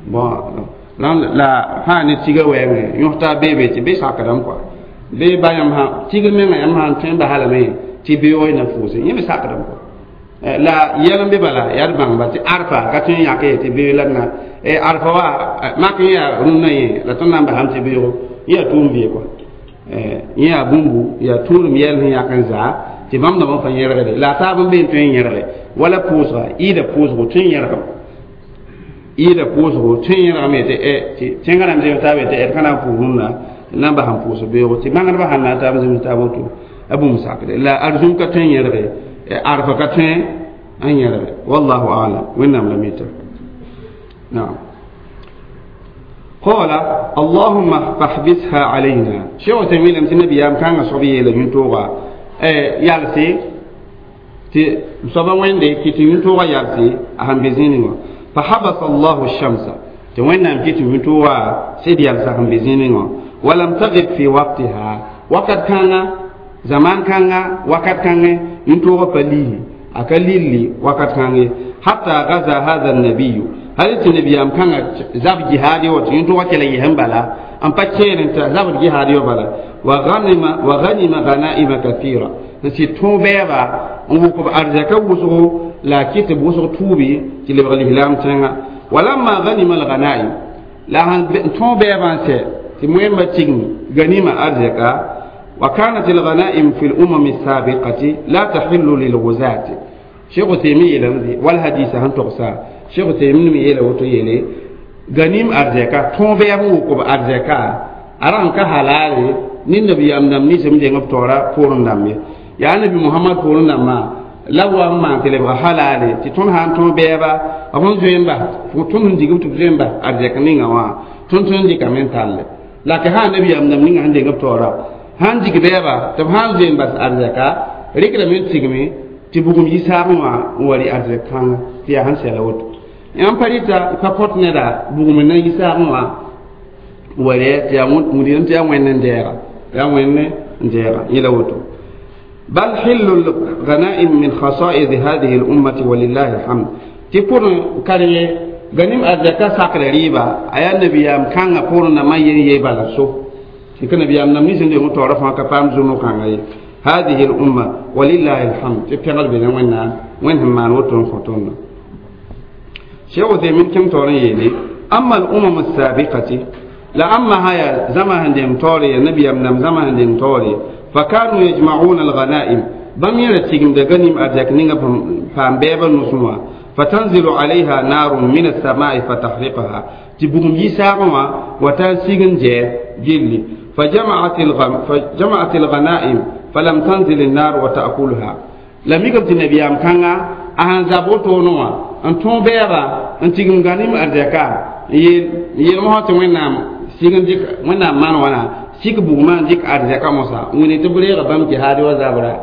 bon la fãa ne tiga wɛɛngẽ yõs taab beebe tɩ be sakdame kɔa be ba yãmb sã tigr menga yãmb sã n tõe n basa lame tɩ beoog y na pʋʋse yẽ me sakdame kɔa la yɛl n be bala yaa d bãngba tɩ arfa ka tõe n yãk ye tɩ beoog la d na arfa wa mak yẽ yaa rũnnã yẽ la tõnd na n basame tɩ beoogo yẽ yaa tʋʋm vɩ kɔa yẽ yaa bũmbu yaa tũudem yɛl sẽn yãk n zaa tɩ bãmb dãmbã pa yẽrgde la a taab n be n tõe n yẽrge wala pʋʋsga ɩɩda pʋʋsgo tõe n yẽrgame ɩɩda pʋʋsgo tõe n yẽrgame tɩ tɩ tẽngã rãmb zems taab tɩ d ka na n pʋʋs rũnnã na n bas n pʋʋs beoogo tɩ bãngdbã sãn na n taab zems taab woto a bũmb sakde la arzũm ka tõe n yẽrge arfa ka tõe N yẽlge wallahu alam wẽnnaam la mita naam. قال اللهم فاحبسها علينا شيخ تيمين لم تنبي يام كان صبي يلا ينتوغا يالسي تي صبا وين دي كي ينتوغا يالسي اهم بزيني فحبس الله الشمس تي وين نام كي ينتوغا سيد يالسا هم بزيني ولم تغب في وقتها وقت كان زمان كان وقت كان ينتوغا فليه akalili wakat kange hatta gaza hadha an-nabiy hal tɩ nabiyaam kãngã zab jihaad wã tɩ yẽn-tʋgã kell n yɩsẽ bala n pa kẽer n t'a zabd jihaad wã bala wa ghanima ghanaima kathira n sɩd tõog bɛɛba n wʋk b arzɛka wʋsgo la a kɩt tɩ b wʋsg tuubi tɩ lebg lislaam tẽnga walamma ghanima alghanaim la sãn tõog bɛɛbã n sɛ tɩ moẽmbã tigm ganima arzɛka wa kanat alghanaim fi lumam alsabiqati la tahillu lilghuzati Cheikh Utaymi yeelame wal hadisa sẽn togsa Cheikh Utaymi me yeela woto yeele ganim arzɛka tõog bɛɛb n wʋk b arzɛka a ra sẽn ka halaale ne nabiyaam dãmb ninsem n deng b taoora poorẽ dãmb ye yaa nabi Mohamad poorẽ dãmbã la b wa n maan tɩ lebga halaale tɩ tõnd sã n tõog bɛɛba b sẽn zoe n bas tõnd sẽn dig b tɩ b zoe n bas arzɛk ninga wã tõnd tõe n dɩkame n talle la ka sã nabiyaam dãmb ninga sẽn deng b taoora sãn dig bɛɛba tɩ b sã n zoe n bas arzɛka rɩkdame n tigme tɩ bugum yisaagẽ wã n wa rɩ arzɛk kãnga tɩ yaa sẽn sɛla woto yãmb pa rɩta pa kõt neda bugum n na yisaagẽ wã n wa rɩ tɩ yaa wĩdrem tɩ yaa wẽnd n dɛɛga yaa wẽnd n dɛɛga yẽla woto bal hillu lghanaim min khasa'id hadhihi lummati walillahi alhamd tɩ pʋrẽ karenge ganim arzɛka sakra rɩɩba a yaa nabiyaam kãngã pʋrẽ nambã yen yee bala so tɩ ka nabiyaam nam nins n deng taoorã fãa ka paam zũnu kãnga ye هذه الأمة ولله الحمد تبتغل بنا وين وين هم ما نوتون خطونا شيخ عثيمين كم تورين يلي أما الأمم السابقة لا أما هيا زمان ديم توري النبي أمنم زمان ديم توري فكانوا يجمعون الغنائم بم يرتيجم دغنيم أرجاك نينغا فام بيبا نسموا فتنزل عليها نار من السماء فتحرقها تبغم يساغما وتنسيغن جي جلي فجمعت الغنائم فلم تنزل النار وتأكلها لم يكن النبي أم كان أهان زابوتو نوا أن تون بيرا أن تيغم غنيم أرجاكا يل مهات وينام سيغن ديك وينام مان وانا سيك بوغما ديك أرجاكا موسى وين تبري غبام جهاد وزابرا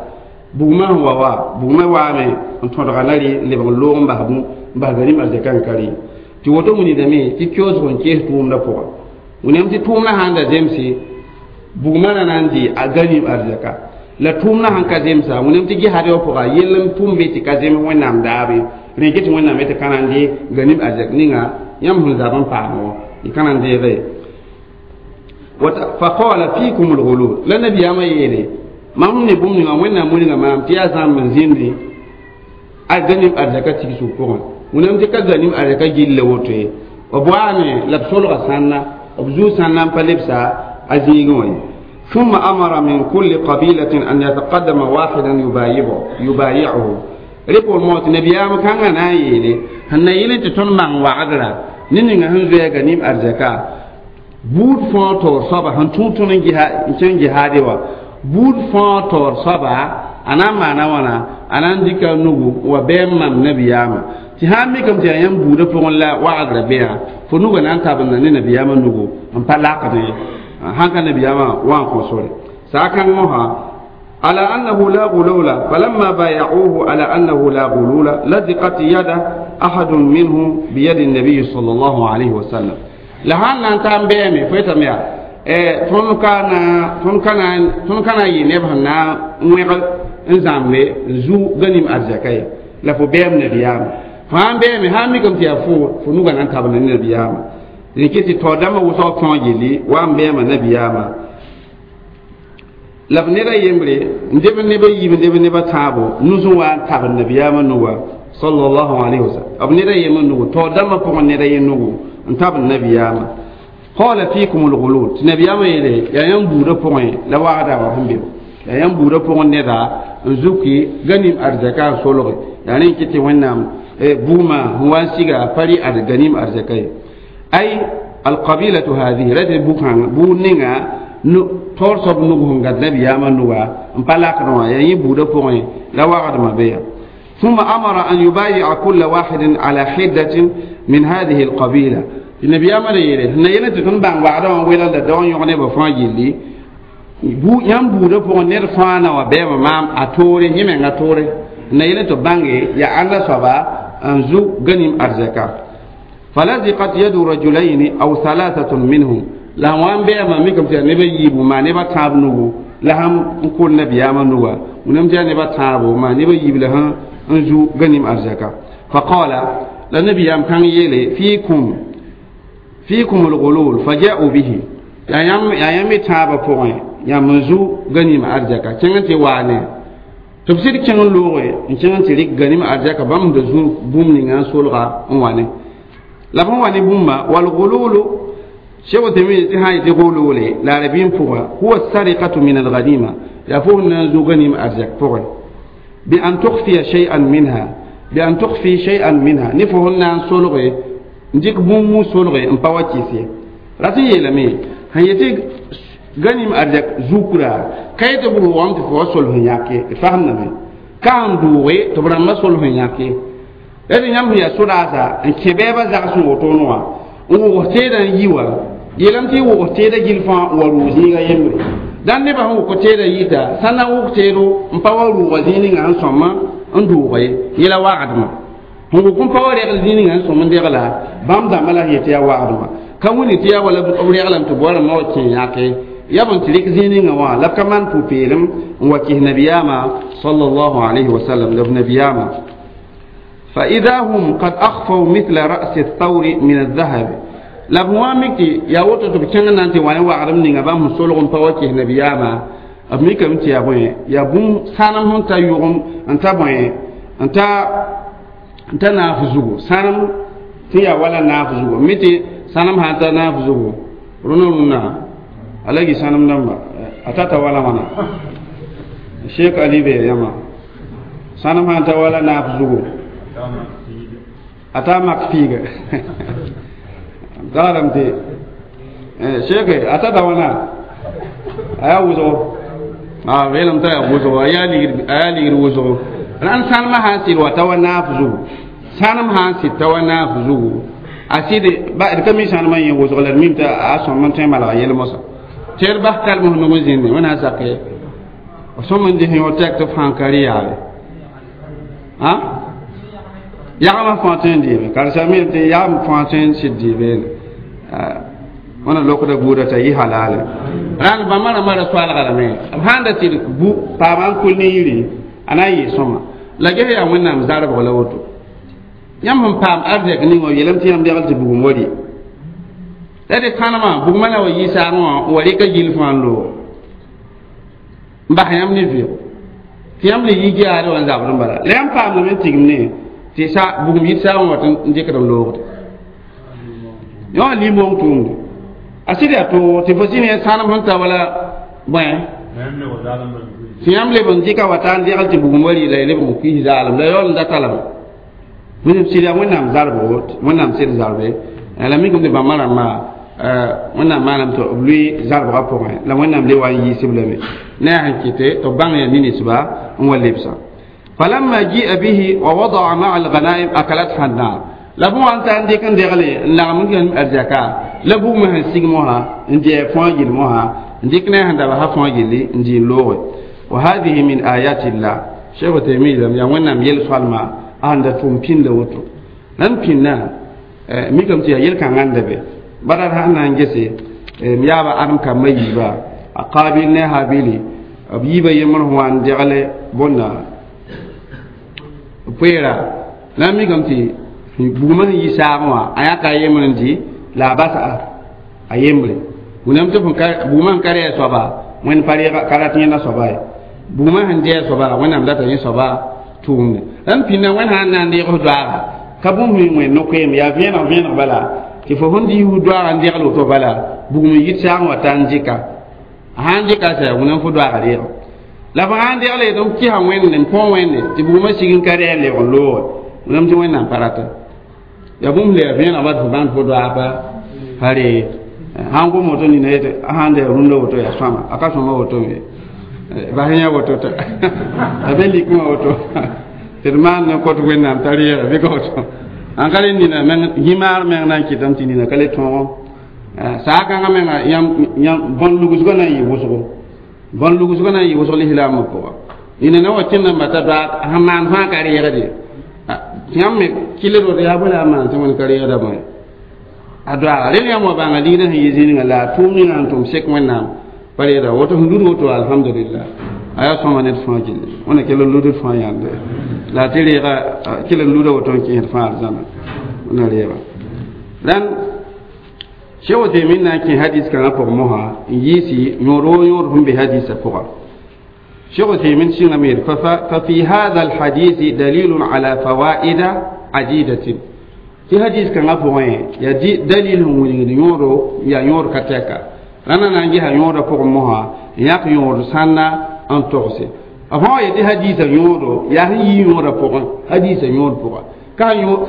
بوغما هو وا بوغما وامي أن تون غنالي لبغ لوم بهبو بهغنيم أرجاكا كاري تي woto muni dame ti kyoz gon ke tuum da poa wʋnem tɩ tʋʋmdã sãn da zemse bugmã na na n dɩ a ganim arzɛka la tʋʋmdã sãn ka zemsa wʋnem tɩ gesad wã pʋga yell n tʋm be tɩ ka zems wẽnnaam daabe rẽke tɩ wẽnnaam tɩ ka na n dɩ ganim arzɛk ninga yãmb sẽn zab n paam wã y ka na n deege fa qala fikum lghulul la nabiyaamã yeele mam ne bũmb ninga wẽnnaam wilga maam tɩ yaa zãmb n zĩndi a ganim arzɛka tigsg pʋgẽ wʋnem tɩ ka ganim arzɛka gillle woto ye b waame la b solga sãnna b zuu sãnna n pa lebsa a zĩigẽ wã ye ثم أمر من كل قبيلة أن يتقدم واحدا يبايعه ريبول موت نبيام كان نايلي هن يلي تون مان وعدرا نينغا هن زوya ganim arzaka buud fãa taoor soaba sẽn tũ tõnd n kẽng jihaade wã buud fãa taoor soaba a na n maana wãna a na n dɩka nugu wa bɛɛm mam nabiyaamã tɩ sã n mikame tɩ yaa yãmb buudã pʋgẽ la wagrã be yã fo nugã na n tabenda ne nabiyaamã nugu n pa lakd ye sãn ka nabiyaamã wa n kõ sore saa-kãng mosã على أنه لا غلول فلما بايعوه على أنه لا غلول لزقت يد أحد منهم بيد النبي صلى الله عليه وسلم لهان نان تام بيمي فيتم يا تون كان ينبه نا ويغل نزامبي زو غنيم أرزكاي لا فو بيم نبيام فان بيمي هامي كم تيا فو فنوغا نان تابن نبيام لكي تودama wʋsg fãa yelli wa n beema nabiyaamã la b neda yembre n deb neb a yiib n deb neb a tãabo nus n wa n tabd nabiyaamã nuga sallallahu alayhi wasallam b neda yemã nugu taoor dãmbã pʋgẽ neda ye nugu n tabd nabiyaamã qala fikum alghulul tɩ nabiyaamã yeele yaa yãmb buudã pʋgẽ la wagda wã sẽn be yaa yãmb buudã pʋgẽ neda n zuki ganim arzɛka n solge yaa rẽ n kɩ tɩ wẽnnaam bugmã sẽn wa n siga pa rɩ ganim arzɛka ye ay alqabilatu hadihi ra tɩ buud ninga taoor soab nug sẽn gãd nabiyaamã nuga n pa lakd wã yaa yẽ buudã pʋgẽ la wagdmã be ya ثم أمر أن يبايع كل واحد على حدة من هذه القبيلة. النبي أمر يلي هنا يلي بان وعدا ويلا دون يغني بفان يلي bu yãmb buudã pʋgẽ ned fãa na wa bɛɛbã maam a toore yẽ menga toore na yẽl tɩ bãnge yaa ãnda soaba n zu ganim arzɛka falaziqat yadu rajulayni aw thalathatun minhum la sẽn wa n bɛɛmã mikame tɩ yaa nebã yiibu maa nebã tãab nugu la sãn n kʋl nabiyaamã nuga wẽnnaam tɩ yaa nebã tãabo maa nebã yiib la sẽn n zu ganim arzɛka faqala la nabiyaam kãng yeele fiikum fiikum lgulul faja'u bihi yaa yãmb me tãabã pʋgẽ yãmb n zu ganim arzɛka kẽng n tɩ waane tɩ b sɩd kẽng n looge n kẽng n tɩ rɩk ganim arzɛka bãmb da zu bũmb ninga n solga n wa ne la b sẽn wa ne bũmba walgululu sheikh Uthaymeen tɩ sã n yetɩ gulule la arabɩn pʋga huwa sarikatu min alganima yaa fo sẽn na n zu ganim arzɛk pʋgẽ bi an tukhfiya shay'an minha bi an tukhfi shay'an minha ne fo sẽn na n solge n dɩk bũmb solge n pa wa kɩs ye rat n yeelame sẽn yetɩ ganim arzɛk zukra ka yetɩ b rʋʋgame tɩ fo wa sol sẽn yãke d fasemdame ka sẽn dʋʋge tɩ b rãmbã sol sẽn yãke la tɩ yãmb sẽn yaa sodaasa n kẽ bɛɛbã zags n wotone wã n wʋgs teedã n yi wa yeelame tɩ y wʋgs teedã gill fãa n wa rʋʋg zĩiga yembre dãn nebã sẽn wʋk teedã yita sã na n wʋk teedo n pa wa rʋʋga zĩig ninga sẽn sõm n dʋʋga ye yẽla wagdmã sẽn wʋk n pa wa regl zĩig ninga sẽn sõm n degla bãmb dãmbã la sẽn yetɩ yaa wagdmã ka wĩni tɩ yaa wala b reglame tɩ bua rãmbã wa kẽ yãke ya b n tɩ rɩk zĩig ninga wã la b ka maan pʋ-peelem n wa kɩs nabiyaamã sallallahu alayhi wa sallam la b nabiyaamã فإذا هم قد أخفوا مثل رأس الثور من الذهب la b wã mik tɩ yaa woto tɩ b kẽng na n tɩ wa ne wagdem ninga bãmb sẽn solg n pa wa kɩs nabiyaamã b mikame tɩ yaa bõe yaa bũmb sãnem sẽn ta yʋgem n ta bõe n ta naaf zugu sãnem tɩ yaa wala naaf zugu mi tɩ sãnem sã n ta naaf zugu rũnã rũnã alagi sãnem dãmba a tata wala wãna sheik ali be yãma sãnem sã n ta wala naaf zugu a ta mak fiiga tagadame tɩ sheike a tata wãna a yaa wʋsgo b yeelame t'a yaa wʋsgo a yaa ligd wʋsgo rãnd sãnemã sã n sɩd wa ta wa naaf zugu sãnem sã n sɩd ta wa naaf zugu a sɩd d ka mi sãnemã yẽ wʋsg la d mim tɩ a sõm n tõe n malga yel mosã tɩ d bas kalms nug n zĩnde wẽnnaam sake sõm n dɩs yõ tɛk tɩ b fãa ka rɩ yaabe yagmã fãa tõe n dɩɩbe karsame tɩ yagm fãa tõe n sɩd dɩɩbe wẽna lokda buudã t'a yɩ halale rãnd bãmba rãmbã ra soalga lame b sãn da tɩ bu paama n kul ne yiri a na n yɩ sõma la ges yaa wẽnnaam zarbg la woto yãmb sẽn paam arzɛk ning wã yeelame tɩ yãmb degl tɩ bugum wa rɩ la tɩ kãnemã bugmã la wa yɩ saagẽ wã n wa rɩka gill fãa n loog n bas yãmb ne vɩʋg tɩ yãmb le yi geaade wã n zabd n bala la yãmb paamdame n tigim ne tɩ sa bugum yit saagẽ wã tɩ n dɩkd n loogde yõ limong tʋʋmde a sɩd yaa toog tɩ fo zĩ ne sãnem sẽn ta wala bõe tɩ yãmb leb n dɩka wa taa n degl tɩ bugum wa rɩ la y leb n kuis zaalem la yaool n da talame wẽnnaam sɩd yaa wẽnnaam zarbgo wẽnnaam sɩd zarbe la mikame tɩ bãmba rãmbã wẽnnaam maaname tɩ b lʋɩ zarbgã pʋgẽ la wẽnnaam le wa n yiisb lame ne yaa sẽn kɩte tɩ b bãng yaa ninsba n wa lebsã falamma ji'a bihi wa wada'a ma'a alghanaim akalatha annar la b wa n ta n dɩk n degle n lagem n gãnem arzɛka la bugmã sẽn sig mosã n dɩ fõa gill mosã n dɩk ne sẽn dabsa fõa gilli n dɩ n looge wa hadihi min ayati llah cheikh Uthaymeen lam yaa wẽnnaam yel-soalma a sẽn da tʋʋm pĩnda woto la n pĩnnã mikame tɩ yaa yel-kãngã n da be bara sãn na n gese m yaaba adem kambã yiiba a qaabil ne a habili b yiibã yembr sẽn wa n degle bõnda poeera la n mikame tɩ bugmã sẽn yi saagẽ wã a yãka a yembr n dɩ la a basa a yembre wẽnnaam tɩ bugmã sẽn ka rɩ a soaba wẽnd pa ka rat yẽnda soaba ye bugmã sẽn dɩ a soaba wẽnnaam data yẽ soaba tʋʋmde la n pĩnda wẽnd sã n na n deeg f doaaga ka bũmb sẽn wẽnd no-koeem yaa vẽeneg vẽeneg bala tɩ fo sẽn dɩ doaaga n degl woto bala bugum n yit saagẽ wa ta n dɩka a sã n dɩka sɛ wẽnnaam fo doaaga reego la f sã n degle tɩ m kɩsa wẽnde n põo wẽnde tɩ bugmã sig n ka rɩ a lebg n looge wẽnnaam tɩ wẽnnaam pa rata yaa bũmb le yaa vẽeneg ba tɩ fo bãnd fo doaag pa ree sãn gom woto nina yetɩ sãn da rũndã woto yaa sõama a ka sõma woto me bas yã woto t'a a be likmã woto Tɩ d maan ne kõt wẽnnaam t'a reega bɩ ka woto n ka le nina meng yĩmaar meng na n kɩtame tɩ nina ka le tõogo saag-kãngã menga yãmb bõn lugsgã na n yɩ wʋsgo bõn lugsgã na n yɩ wʋsg lislaambã pʋga nina na wa kẽnd n bata doaag sẽn maan fãa ka reegde tɩ yãmb me kɩld woto yaa bõe la a maan tɩ wẽnd ka reegda bõe a doaaga rel yãmb wa bãnga ligdã sẽn yɩ zĩnigã la a tʋʋm ninga sẽn tʋm sek wẽnnaam pa reeda woto sẽn lud woto alhamdulillah a yaa sõma ned fãa gilli wẽna kell n ludd fãa yãnde la tɩ reega kell n luda woto n kẽesd fãa arzãna wẽna reega rãnd Cheikh Uthaymin na n kẽ hadis kãngã pʋgẽ mosã n yiisi yõod woo yõod sẽn be hadisã pʋga Cheikh Uthaymin sɩngame yeel fa fi hadha alhadisi dalilun ala fawaida adidatin tɩ hadis kãngã pʋgẽ yaa dalil sẽn wilgd yõodo yaa yõod ka tɛka rãndã na n gesa yõodã pʋgẽ mosã n yãk yõod sãnda n togse b sã wa yetɩ hadisã yõodo yaa sẽn yii yõodã pʋgẽ hadisã yõod pʋga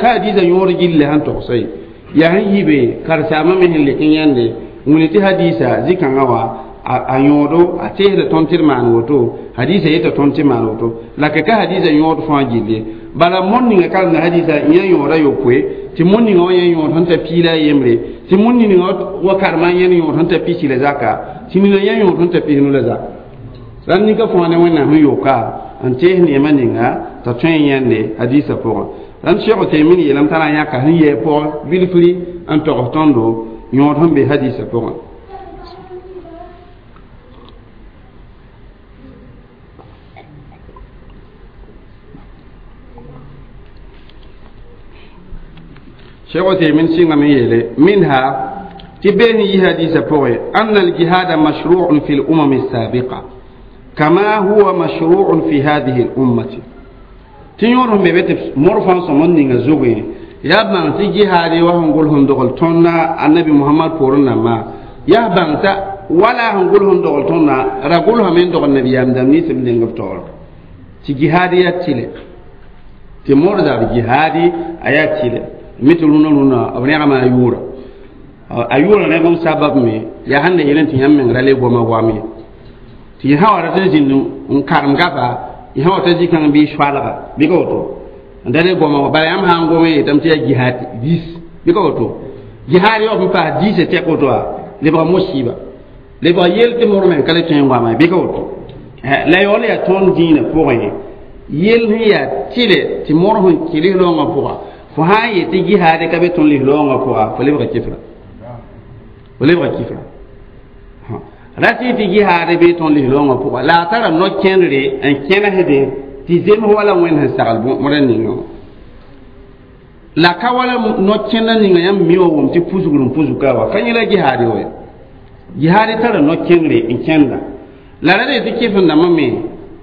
ka hadisã yõod gilli sẽn togsa ye yaa sẽn yi be karsaamã me sẽn lek n yãnde wilg tɩ hadisa zĩ-kãngã wã a yõodo a teesda tõnd tɩ d maan woto hadisa yeta tõnd tɩ maan woto la ka ka hadisa yõod fãa gilli bala mõnd ninga karemda hadisa yã yõoda yopoe tɩ mõnd ninga wã yã yõod sẽn ta piila a yembre tɩ mõnd ninga wa karema yẽnd yõod sẽn ta pisi la zaka tɩ nina yã yõod sẽn ta pisnu la zaka rãnd nika fãa ne wẽnnaam sẽn yoka n tees neemã ninga t'a tõe n yãnde hadisa pʋgẽ rãnd Cheikh Uthaymin yeelame t'a na n yãka sẽn yɛɛ pʋgẽ bilfri n togs tõndo yõod sẽn be hadisa pʋgẽ Cheikh Uthaymin sɩngame yeele minha tɩ bee sẽn yi hadisa pʋgẽ anna aljihada mashru'un fi lumam alsabiqa kama huwa mashru'un fi hadihi lummati tɩ yõod sẽn be be tɩ mor fãa sõm n ninga zugẽ yaa bãng tɩ jihaade wa sẽn gʋls n dogl tõnda annabi Mohamad poorẽ nambã yaa bãng t'a wala sẽn gʋls n dogl tõnda ra gʋlsame n dogl nabiyaam dãmb nins b neng b taoor tɩ jihaad yaa tɩlɛ tɩ mor zab jihaadi a yaa tɩlɛ mi tɩ rũnã rũnã b rẽgma a yʋʋra a yʋʋra rẽgem sabab me yaa sẽn da yel tɩ yãmb meng ra le goma goam ye tɩ sã wa rat n zĩnd n karem gaba y sã wa ta zĩ-kãng bɩ soalga bɩ ka woto n da le goma bala yãmb sã n gom yetame tɩ yaa jihaad dis bɩ ka woto jihaad yaoop n paas diisã tɛk woto wa lebga mosiiba lebga yel tɩ mor meng ka le tõe n goama bɩ ka woto la yaool yaa tõnd dĩinã pʋgẽ yel sẽn yaa tɩlɛ tɩ mor sẽn kɩls raoongã pʋga fo sã n yet tɩ jihaad ka be tõnd lis-raoongã pʋga fo lebga kɩfra fo lebga kɩfra ra tɩ tɩ jihaad be tõnd lis-raoongã pʋga la a tara no-kẽndre n kẽnesdẽ tɩ zems wala wẽnd sẽn sagl bõra ninga wã la ka wala no-kẽndã ninga yãmb mi wa wʋm tɩ pusgr n pusga wa ka yẽ la jihaad wa jihaad tara no-kẽngre n kẽnda la ra tɩ kɩf-n-dãmbã me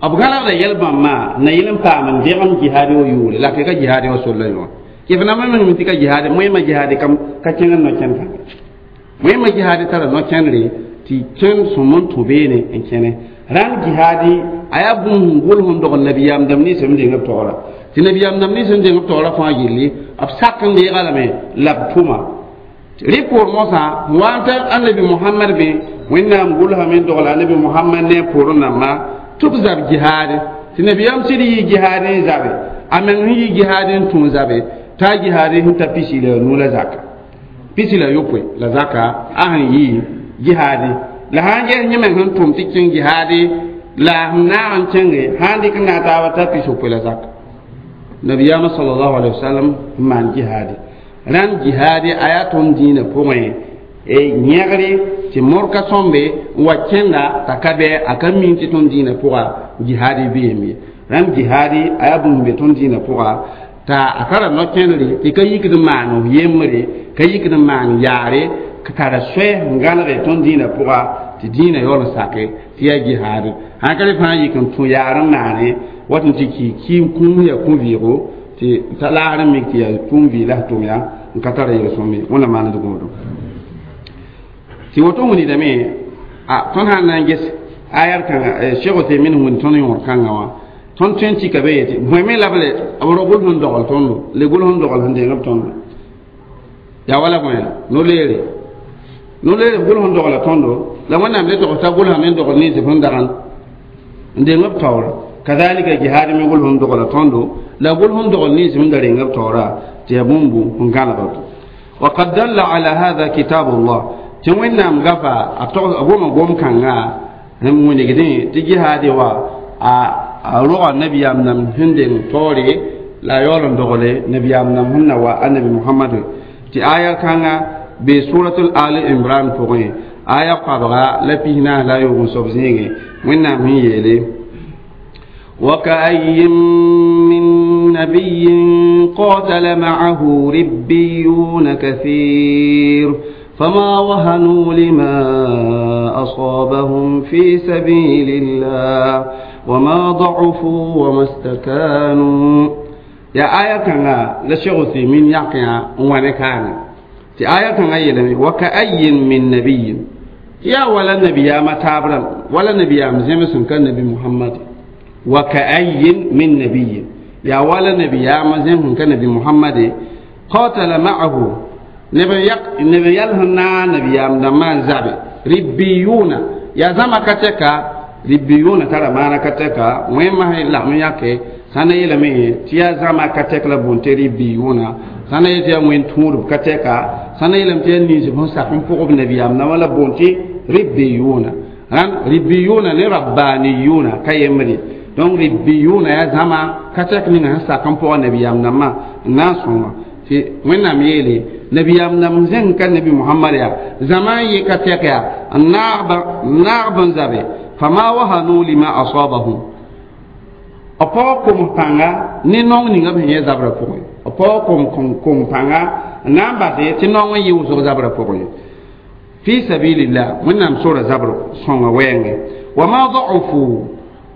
b gãlgda yɛl-bãmbã na yel n paam n degem jihaad wa yʋʋre la ka jihaad wa sol la yõ kɩf-n-dãmbã meng tɩ ka jihaad moẽmã jihaad ka kẽng n no-kẽnd kãnga moẽmã jihaad tara no-kẽndre tɩ kẽnd sõm n tũ beene n kẽne rãnd jihaadi a yaa bũmb sẽn gʋls n dogl nabiyaam dãmb nins b deng b taoora tɩ nabiyaam dãmb nins n deng b taoora fãa gilli b sak n deega lame la b tʋma rɩ poor mosã wa n tar annabi Mohamad be wẽnnaam gʋlsame n dogla annabi Mohamad ne a poorẽ nambã tɩ b zab jihaade tɩ nabiyaam sɩd yɩ jihaad n zabe a meng sẽn yɩ jihaad n tũ zabe t'a jihaad sẽn ta pisi la nu la zaka pisi la yopoe la zaka a sẽn yɩ jihaade la sã n ges yẽ meng sẽn tʋm tɩ kẽng jihaade la sẽn naag n kẽnge sã n dɩk n naag taaba t'a pis-yopoe la zaka nabiyaamã sallallahu alaihi wasallam n maan jihaade rãnd jihaade a yaa tõnd dĩinã pʋgẽ yẽgre tɩ mor ka sõmbe n wa kẽnda t'a ka bɩ a ka min tɩ tõnd dĩinã pʋga jihaade beem ye rãnd jihaade a yaa bũmb be tõnd dĩinã pʋga t'a a tara no-kẽndre tɩ ka yikd n maan yembre ka yikd n maan yaare ka tara soɛ n gãlge tõnd dĩinã pʋga tɩ dĩinã yaool n sake tɩ yaa jihaad sãn ka le fãa yik n tũ yaar n naane wat n tɩ ki kiim kũum yaa kũ-vɩɩgo tɩ t'a laagr n mik tɩ yaa tũum vɩɩ la tʋm yaa n ka tara yel-sõm ye wẽnna maand gũudum tɩ woto wilgdame a tõnd sã n na n ges ayar kãnga Cheikh Uthaymin wĩnd tõnd yõod kãngã wã tõnd tõe n tika be yetɩ bõe me la b le b ro gʋls n dogl tõndo le gʋls n dogl sẽn deng b tõndo yaa wala bõe no-leere no-leere b gʋls n dogla tõndo la wẽnnaam le togs t'a gʋlsame n dogl nins sẽn dagan n deng b taoora Kadhalika jihad mi gol sẽn dogla tõndo la gol sẽn dogl nins sẽn da reng b taoora tɩ yaa bũmbu n gãlg. وقد دل على هذا كتاب الله tɩ Wẽnnaam gafa a goma gom-kãngã n wilgdẽ tɩ jihaade wa a roga nabiyaam nam sẽn deng taoore la a yaool n dogle nabiyaam nam sẽn na wa annabi Mohamad tɩ aya kãnga be suratul Ali Imran pʋgẽ aya koabga la 44 la yoog n soab zĩigẽ Wẽnnaam sẽn yeele وكأي من نبي قاتل معه ربيون كثير فما وهنوا لما أصابهم في سبيل الله وما ضعفوا وما استكانوا. يا آية كان لا شيخ عثيمين يقيا وانا كان تي آية كان يلمي وكأي من نبي يا ولا نبي يا ما تابرم ولا نبي يا مزمسن كان نبي محمد وكأي من نبي يا ولا نبي يا مزمسن كان نبي محمد قاتل معه نبي يلهنا نبي يا مدمان زابي ربيون يا زما كتكا ربيون ترى ما كتكا وين ما هي لا يake sana yelame tɩ yaa zãma ka tɛk la bũn tɩ ribiyʋna sãna yet yaa wẽn tũudb ka tɛka sãna yeelame tɩ yaa nins sẽn sak n pʋgb nabiyaam nambã la bũn tɩ ribiyʋna rãn ribiyʋna ne rabbaniyʋna ka yembre donc ribiyʋna yaa zãma ka tɛk ninga sẽn sak n pʋga nabiyaam nambã n na n sõnga tɩ Wẽnnaam yeele nabiyaam nam zẽng ka nabi Mohamad yaa zãma n yɩ ka tɛk yaa n naag b n zabe fama wahanu lima asabahum b paoog kom pãnga ne naong ninga b sẽn yẽ zabrã pʋgẽ b paoog kom pãnga n na n bas tɩ naong n yɩ wʋsg zabrã pʋgẽ fi sabilillah Wẽnnaam sora zabr sõnga wɛɛngẽ wama da'ufu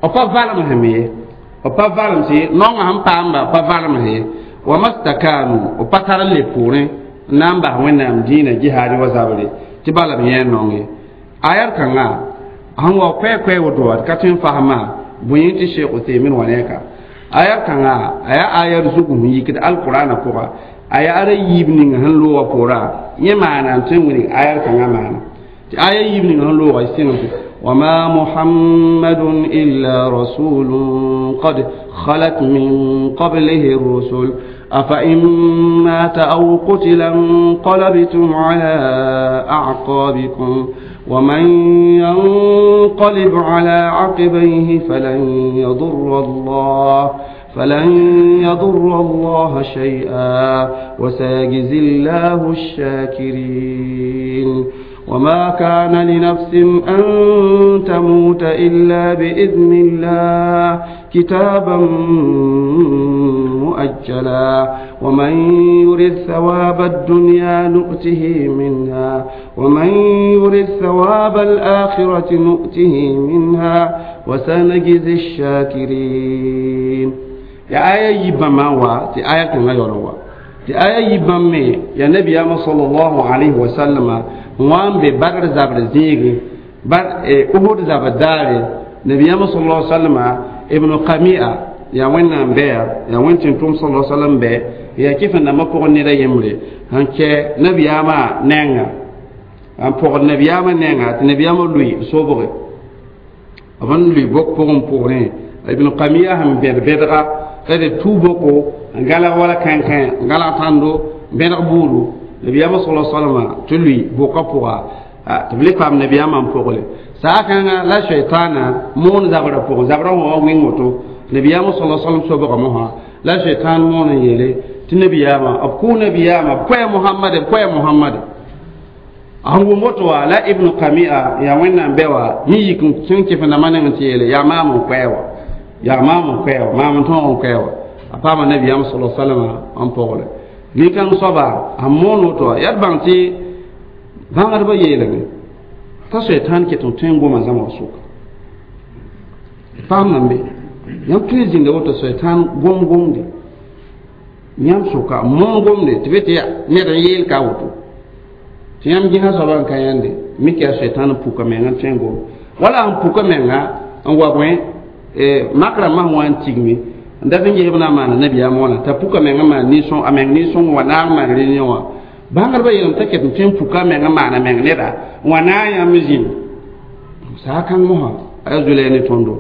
b pa valem ye b pa valem sɩ naongã sẽn paamba b pa valem ye wama stakanu b pa tar n le poorẽ n na n bas Wẽnnaam dĩinã jihaad wa zabre tɩ bala b yẽ naong ye ayar kãnga sẽn wa koɛɛ-koɛɛ woto wa d ka tõe n fasma bõe tɩ Sheikh Uthaymin wa ne ka aya kãnga a yaa ayar zugu sẽn yikd alqur'ana pʋga a yaa ara yiib ning sẽn loogã poorã yẽ maana n tõe n wilg ayar kãngã maana tɩ aya yiib ning sẽn loogã sɩng وما محمد إلا رسول قد خلت من قبله الرسل أفإن مات أو قتل انقلبتم على أعقابكم ومن ينقلب على عقبيه فلن يضر الله شيئا وسيجزي الله الشاكرين. وما كان لنفس أن تموت إلا بإذن الله كتابا مؤجلا ومن يرد ثواب الدنيا نؤته منها ومن يرد ثواب الآخرة نؤته منها وسنجزي الشاكرين. يا آية يبما وا تي آية كما يروا تي آية يبما يا نبي صلى الله عليه وسلم وان ببدر زبر زيغي بر أحد زبر داري نبي صلى الله عليه وسلم ابن قميئة يا وين بير يا وين تنتم صلى الله عليه وسلم بي يا كيف ان ما بوغ نيدا يمري هانك نبي ما نينغا ان بوغ نبي ما نينغا نبي ما لوي سوبغي ابن لوي بوك بوغ بوغ ابن قميئة هم بير بيدغا تدي توبوكو غالا ولا كان كان غالا تاندو بيدغ بورو نبي ما صلى الله عليه وسلم تلوي بوكا بوغا تبلي فام نبي ما بوغلي ساكان لا شيطان مون زبر بوغ زبر هو وين موتو نبي ما صلى الله عليه وسلم سوبغ موها لا شيطان مون يلي تنبي ما ابكو نبي ما بوي محمد بوي محمد أهو موتو لا ابن قميئة يا وين بيوا ييكم تنكي فنمان تيلي يا مامو كويوا يا مامو كويوا مامو تون كويوا أفهم النبي صلى الله عليه وسلم أم بوغلي لكن صبا أمون وتو يربان تي بانغر بيلمي تشيطان كتون تنغو ما زمان سوق فهم نبي يوم تيزين دوت شيطان غوم غوم دي يوم سوكا مون غوم دي تبيت يا نير يل كاوتو تيام جيها صبا كاين دي ميكي شيطان بوكا مينغا تنغو ولا أم بوكا مينغا أن وابوين makra ma wan tigmi nda fin je ibna mana nabi ya mona ta puka menga ma ni son ameng ni son wana ma ri ni wa bangar ba yelem ta ket tin puka menga mana meng ne da wana ya mizin sa kan mo ha azule ni tondo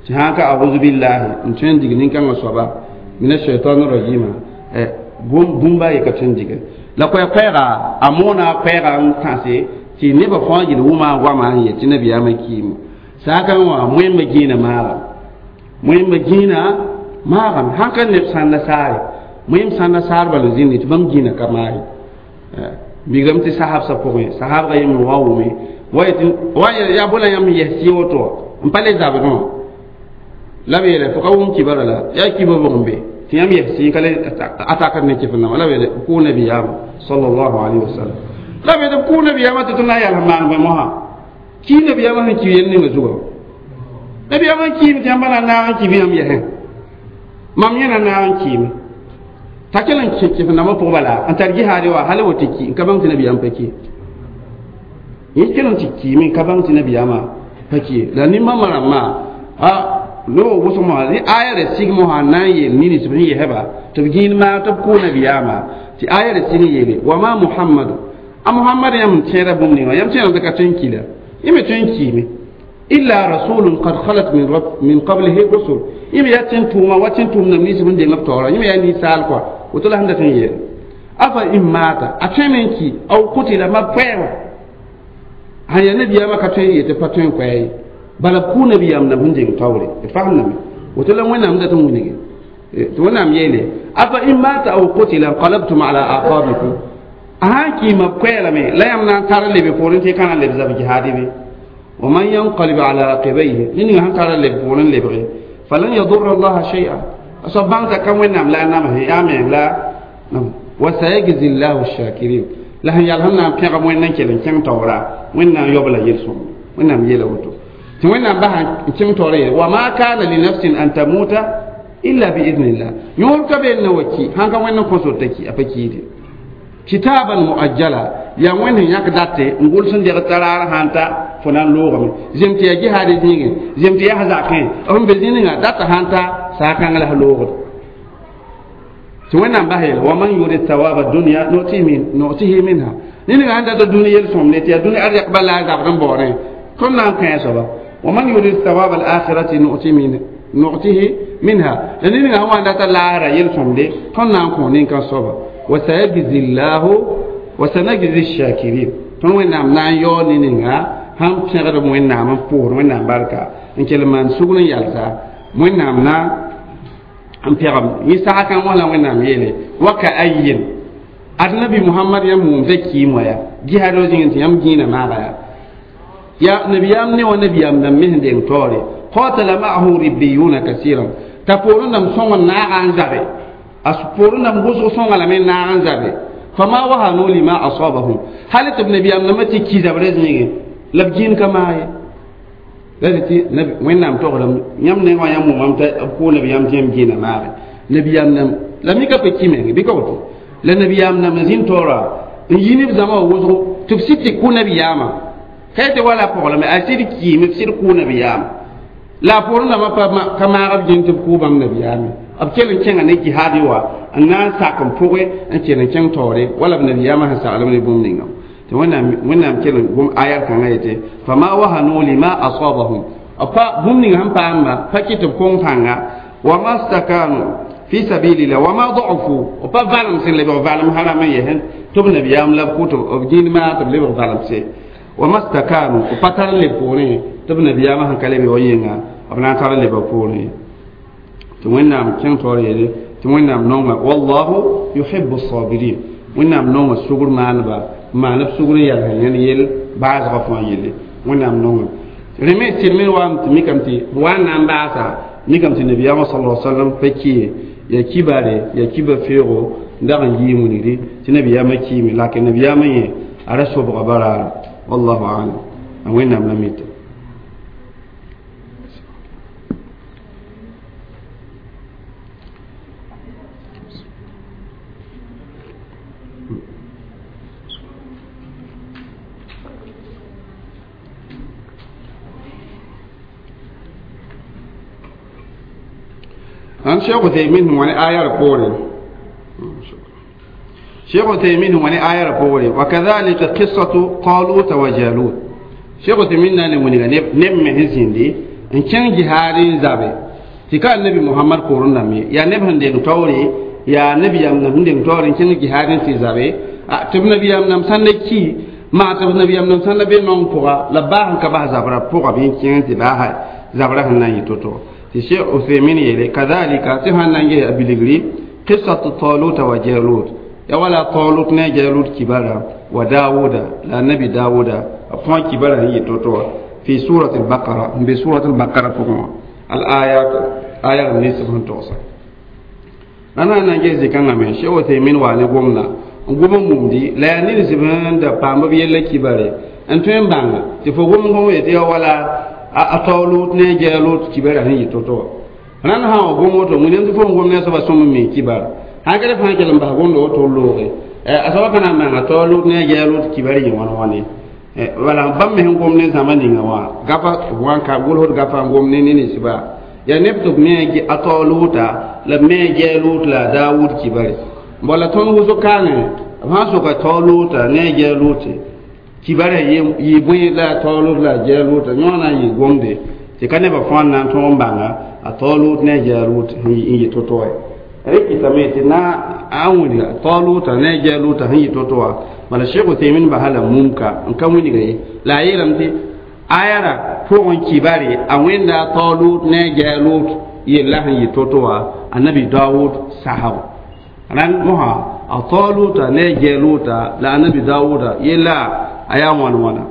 Tɩ sã n ka auzu billahi n tõe n dig nin-kãngã soaba mina shaitan rajima bũmba ye ka tõe n dige la koɛɛ-koɛɛga a moona a koɛɛga n tãse tɩ nebã fãa yel wʋma goama n yet tɩ nabiyaamã kiime saakã wã wẽmba gĩinã maagame wẽmba gĩinã maagame sãn ka neb sãn nasaare wẽm sãn nasaar bal n zĩndi tɩ bãmb gĩinã ka maage bigrame tɩ sahabsã pʋgẽ sahabga yem wa wʋme wa yaa bõe la yãmb yɛs sɩ woto n pa le zabdẽ wã la b yeele fo ka wʋm kibara la yaa kiba bʋg n be tɩ yãmb yɛs sɩ ka le atakd ne kɩf-nãma la b yeele kʋʋ nabiyaamã sallallahu alayhi wa sallam la b yeele kʋʋ nabiyaamã tɩ tɩ na n yals maan bõe mosã kii nabiyaamã sẽn ki yel ninga zugã nabiyaamã n kiime tɩ yãmba na n naag n ki bɩ yãmb yɛsẽ mam yẽ na naag n kiime t'a kell n kẽ kɩf-nambã pʋg bala n tar jihaade wa hal woto ki n ka bãng tɩ nabiyaam pa ki yẽ kell n tɩ kiime n ka bãng tɩ nabiyaamã pa ki la nin-bãmbã rãmbã a no wʋsg mosã rẽ aya ra sig mosã n na n yeel nins b sẽn yɛsba tɩ b gĩin maag tɩ b kʋʋ nabiyaamã tɩ aya ra sig n yeele wa ma muhammadu a muhammad yãmb n tẽeda bũmb ninga yãmb tẽedame tɩ ka tõe n ki la yẽ me tõe n kiime illa rasulun qad khalat min qablihi rusul yẽ me yaa tẽn tʋʋma wa tẽn tʋʋm nam ninsb n deng b taoora yẽ me yaa ninsaal kɔa woto la sẽn dat n yeel afa in maata a tõeme n ki aw kutila ma koɛɛga sãn yaa nabiyaamã ka tõe n yetɩ pa tõe n koɛɛ ye bala b kʋʋ nabiyaam nam sẽn deng taoore d fagemdame woto la wẽnnaam dat n wilge tɩ wẽnnaam yeele afa in maata aw kutila nqalabtum ala aqabikum a sãn kiima b koɛɛlame la yãmb na n tar n lebe poorẽ tɩ y ka na n leb zab jihaadi be ومن ينقلب على عقبيه نين هان ترى لبون لبغي فلن يضر الله شيئا أصبحت كم ونام لا نام يا من لا نعم وسيجزي الله الشاكرين لا يالهم نام كيغ وين نكلن كم تورا وين نام يوبلا يلسون وين نام يلا وتو وين نام بها كم تورا وما كان لنفس أن تموت إلا بإذن الله يوم كبين نوكي هان كم وين كونسولتكي أبكيدي كتابا مؤجلا يا وين ياك داتي نقول سن ديغ ترار هانتا fo na n loogame zem tɩ yaa jihaad zĩigẽ zem tɩ yaa zakẽ b be zĩningã data sãn ta saakãng la loogd tɩ wẽnnaam bas yeele wa man yurid thawaba dunya nu'tihi minha niningã sẽn data dũni yel-sõmde tɩ yaa dũni arzɛk bala a zabd n baoorẽ tõnd na n kõ a soaba wa man yurid thawaba al-akhirati nu'tihi minha la niningã sẽn wa n data laasra yel-sõmde tõnd na n kõ nin-kã soaba wa sayajzi llahu wa sanajzi shakirin tõnd wẽnnaam na n yao niningã sãn pẽgd wẽnnaam n pʋʋsd wẽnnaam barka n kell maan sugr n yalsa wẽnnaam na n pɛgem yẽ sagkã wã la wẽnnaam yeele wa ka ayin ad nabi muhammad yãmb wʋmda kiim wã ya jihaad zĩngẽ tɩ yãmb gĩinã maaga ya ya nabiyaam ne wa nabiyaam dãmb me sẽn deng taoore qatala ma'ahu ribbiyuna kasiran t'a poorẽ dãmb sõng n naaga n zabe a poorẽ dãmb wʋsg sõnga lame n naag n zabe fama wahanu lima asabahum hal tɩ b nabiyaam dãmbã tɩ ki zabrã zĩigẽ la b gĩin ka maag ye la tɩ wẽnnaam togdame yãmb nengã wã yãmb wʋmame t'a b kʋʋ nabiyaam tɩ yãmb gĩinã maage nabiyaam dãmb la mika pa ki meng bɩ ka woto la nabiyaam dãmb n zĩnd taoora n yi neb zãma wã wʋsgo tɩ b sɩd tɩ kʋ nabiyaamã ka tɩ wala pɔglame a sɩd kiime b sɩd kʋʋ nabiyaamã la a poorẽ dãmbã pa maag b gĩin tɩ b kʋʋ bãmb nabiyaame b kell n kẽnga ne jihaadi wa n na n sak n pʋgẽ n kell n kẽng taoore wala b nabiyaamã sẽn saglem ne bũmb ninga tɩ wẽnnaam kell n gom ayar kãngã yetɩ fama wahanu lima asabahum pa bũmb ning sẽn paamba pa kɩ tɩ b kong pãnga wama stakanu fi sabilillah wama da'ufu pa valem sẽn lebg valem harame yɛsẽ tɩ b nabiyaam la b kʋ tɩ b gĩin maag tɩ b lebg valemse wama stakanu pa tar n leb poorẽ tɩ b nabiyaamã sẽn ka lebe wa yĩnga b na n tar n leba poorẽ tɩ wẽnnaam kẽng taoor yeele tɩ wẽnnaam nonga wallahu yuhibu sabirin wẽnnaam nonga sugr maaneba maan b sugr n yals yẽnd yel baasgã fãa yelle wẽnnaam nonga rẽ me sɩd me waam tɩ mikame tɩ wa n na n baasa mikame tɩ nabiyaamã sala sallam pa kiye ya kibare ya kiba feego n dag n yɩɩ wilgdi tɩ nabiyaamã kiime lakin nabiyaamã yẽ a ra sobga baraara wallahu alam a wẽnnaam la mita an Cheikh Uthaymin wani ayar kore Cheikh Uthaymin wani ayar kore wa kadhalika qissatu Talut wa Jalut Cheikh Uthaymin na ne wani ne ne me hizindi N kẽng jihaad n zabe tɩ ka annabi Mohamad poorẽ dãmb ye yaa neb sẽn deng taoore yaa nabiyaam dãmb sẽn deng taoore n kẽng jihaad n tɩ zabe tɩ b nabiyaam dãmb sãn da ki maa tɩ b nabiyaam dãmb sãn da be nong pʋga la baa sẽn ka bas zabrã pʋga bɩ n kẽng tɩ baasa zabrã sẽn na n yɩ to-to tɩ Cheikh Uthaymin yeele kadhalika tɩ sãn na n ges a bilgri qissatu Taluta wa Jalut ya wala Talut ne Jalut kibara wa Dawuda la nabi Dawuda a fãa kibara sẽn yɩ to-to wã fi surat al-Baqara n be surat al-Baqara pʋgẽ wã al-ayat aya rãmb nins b sẽn togsa la na n na n ges zĩ-kãngã me Cheikh Uthaymin waa ne gomdã n gom n mumdi la yaa nins b sẽn da paam b yella kibare n tõe n bãnga tɩ fo gom gom yetɩ ya wala a Taolut ne Jalut kibara sẽn yɩ to-to wã rãnd sã n gom woto wẽnnaam tɩ fo n gom ne a soaba sõm n mi kibar sã ka fãa kell n bas gomda woto looge a soaba ka na n maanga Taolut ne Jalut kibar yɩ wãn wãne wala bãmb me sẽn gom ne zãma ninga wã gafa wãn ka gʋlsd gafa n gom ne ne ninsba yaa neb tɩ b me a Taoluta la b me Jalut la a Dawud kibare wala tõnd wʋsg kaangẽ b sã n soka Taoluta ne Jalut kibare yɩ bõe la a Taolut la a Jaluta yõ na n yɩ gomde tɩ ka nebã fãa n na n tõog n bãnga a Taolut ne Jalut n yɩ to-to wã rɩkɩtame tɩ na a wilga Taluta ne Jaluta sẽn yɩ to-to wã bala Cheikh Uthaymin basa la mumka n ka wilga ye la a yeelame tɩ ayara pʋgẽ kibare a wẽnda Talut ne Jalut yella sẽn yɩ to-to wã annabi Dawud sasgo rãnd mosã a Taluta ne Jaluta la annabi Dawuda yella a yaa wãn wãna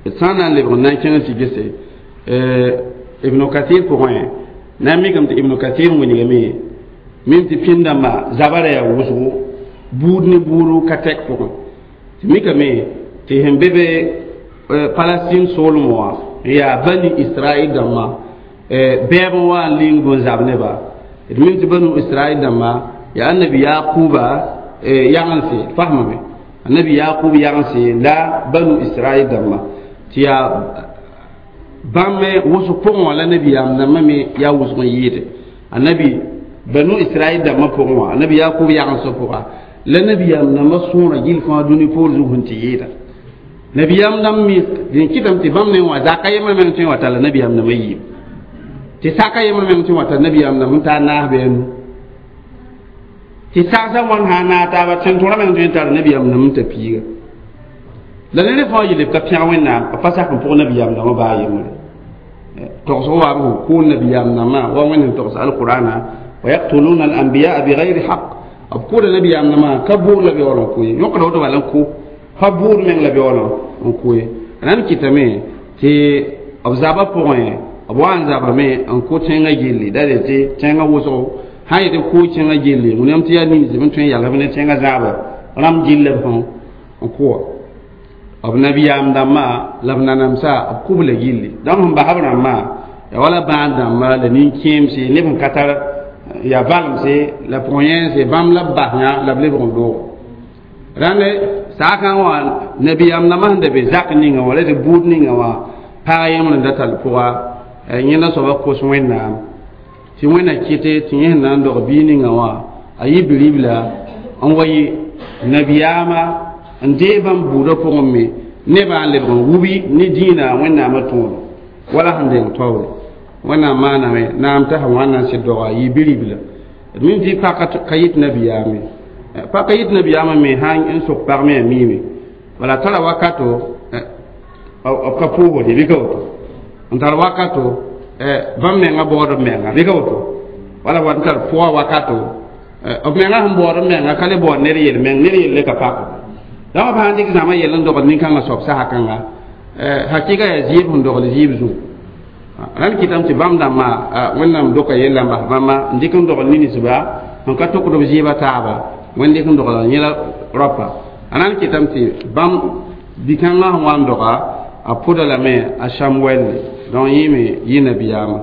d sã n na n lebg n na n kẽng tɩ gese Ibnu Kathir pʋgẽ na n mikame tɩ Ibnu Kathir wilgame mim tɩ pĩnd-dãmbã zabra yaa wʋsgo buud ne buuru ka tɛk pʋgẽ tɩ mikame tɩ sẽn be be Palestine soolem wã n yaa Bani Israel dãmbã bɛɛb n wa n ling bõn zab neba d mim tɩ Banu Israel dãmbã yaa annabi Yaquba yagense fasmame annabi Yaqub yagense la Banu Israel dãmbã tɩ yaa bãmb me wʋsg pʋgẽ wã la nabiyaam dãmbã me yaa wʋsg n yɩɩde annabi Banu Israel dãmbã pʋgẽ wã annabi Yaqub yagensã pʋga la nabiyaam dãmbã sõora gill fãa dũni poor zug sẽn tɩ yɩɩda nabiyaam dãmb me dẽn kɩtame tɩ bãmb ne wã zaka yembr meng tõe n wa talla nabiyaam dãmbã yiib tɩ saka yembr meng tõe n wa tall nabiyaam dãmb n taa naas bɩ a nu tɩ sagsã wãn sã n naag taaba tẽn-tõrã meng tõe n tar nabiyaam dãmb n ta piiga la ned fãa yele b ka pẽg Wẽnnaam b pa sak n pʋg nabiyaam dãmbã baa yembre togsg wa b sẽn kʋʋl nabiyaam dãmbã wa Wẽnd sẽn togs alqur'ana wa yaqtuluna al-anbiyaa bighayri haqq b kʋʋda nabiyaam dãmbã ka buud la beool n kʋ ye yõkda woto bala n kʋ pa buud meng la beool n kʋ ye rãnd kɩtame tɩ b zabã pʋgẽ b wa n zabame n kʋ tẽngã gilli da tɩ tẽngã wʋsgo sã n yetɩ kʋʋ tẽngã gilli wẽnnaam tɩ yaa nins b tõe n yalsb ne tẽngã zãaba rãmb gilla b sẽn n kʋ wã b nabiyaam dãmbã la b nanamsa b kʋb la gilli dãmb sẽn bas b rãmbã ya wala bãad dãmba la nin-kẽemse neb sẽn ka tar yaa valemse la pʋg-yẽense bãmb la b bas yã la b lebg n doog rãnd saakã wã nabiyaam dãmbã sẽn da be zak ninga wã la tɩ buud ninga wã pag yembr n da tall pʋga yẽnda soaba kos Wẽnnaam tɩ Wẽnna kɩte tɩ yẽ sẽn na n dog bia ninga wã a yɩ biribla n wa yɩ nabiyaamã n dee bãmb buudã pʋgẽ me nebã n lebg n wubi ne dĩinã Wẽnnaamã tõodo wala sẽn deng taoore Wẽnnaam maaname naam t'a sẽn wãn na n sɩd doga yɩ biribla d mim tɩ paka ka yɩt nabiyaame paka yɩt nabiyaamã me sã n sok pag me a miime wala tara wakato b ka pʋʋsde bɩ ka woto n tar wakato bãmb menga baood b menga bɩ ka woto wala wat n tar pʋga wakato b menga sẽn baood b menga ka le baood ned yel meng ned yelle ka pako dãmb sã n dɩk zãma yell n dogd nin-kãngã soab sasa kãnga hakɩga yaa zɩɩb sẽn dogl zɩɩb zugu rãnd kɩtame tɩ bãmb dãmbã Wẽnnaam doka yella n bas bãmba n dɩk n dogl ninsba sẽn ka tokd b zɩɩbã taaba Wẽnd dɩk n dogla yẽla raopa rãnd kɩtame tɩ bãmb bi-kãngã sẽn wa n doga a pʋda lame a Samuɛlle donc yẽ me yɩ nabiyaamã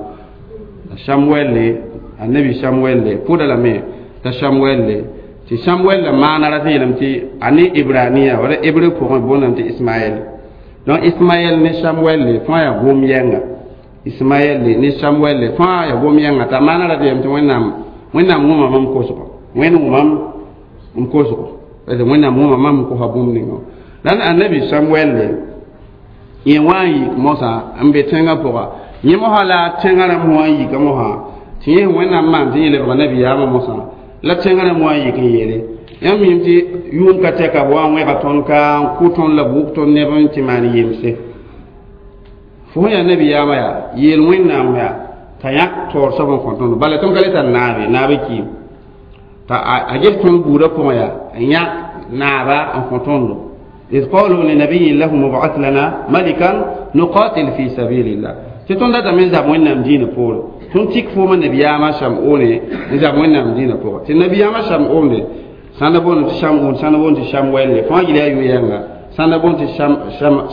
a Samuɛlle annabi Samuɛlle pʋda lame t'a Samuɛlle tɩ Samuɛl la maana rat n yeelame tɩ a ne Ibraniya wala hébreu pʋgẽ boondame tɩ Ismaɛl donc Ismaɛl ne Samuɛlle fãa yaa gom yɛnga Ismaɛl ne Samuɛl fãa yaa gom yɛnga t'a maana rat yeelame tɩ Wẽnnaam Wẽnnaam wʋma mam kosgo Wẽnd wʋmam n kosgo Wẽnnaam wʋma mam n kosa bũmb ninga la annabi Samuɛl yẽ wa n yik mosã n be tẽngã pʋga Yẽ mosã la tẽngã rãmb wã n yika mosã tɩ yẽ Wẽnnaam maan tɩ yẽ lebga nabiyaamã mosã la tẽngã rãmb wã n yik n yeele yãmb miime tɩ yʋʋm ka tɛka b wa n wẽga tõnd ka n kʋ tõnd la b wʋk tõnd neb n tɩ maan yemse fo sẽn yaa nabiyaamã yaa yeel Wẽnnaam yaa t'a yãk taoor soab n kõ tõndo bala tõnd ka le tar naabe naabã kiim t'a a ges tõnd buudã pʋgẽ yaa n yãk naaba n kõ tõndo إذ قالوا لنبي لهم ابعث لنا ملكا نقاتل في سبيل الله tɩ tõnd datame n zab Wẽnnaam dĩinã poore tõnd tik foomã nabiyaamã Shamone n zab Wẽnnaam dĩinã pʋgẽ tɩ nabiyaamã Shamone sãn da boond tɩ Shamun sãn da boond tɩ Samuel fãa yel yaa yu-yɛnga sãn da boond tɩ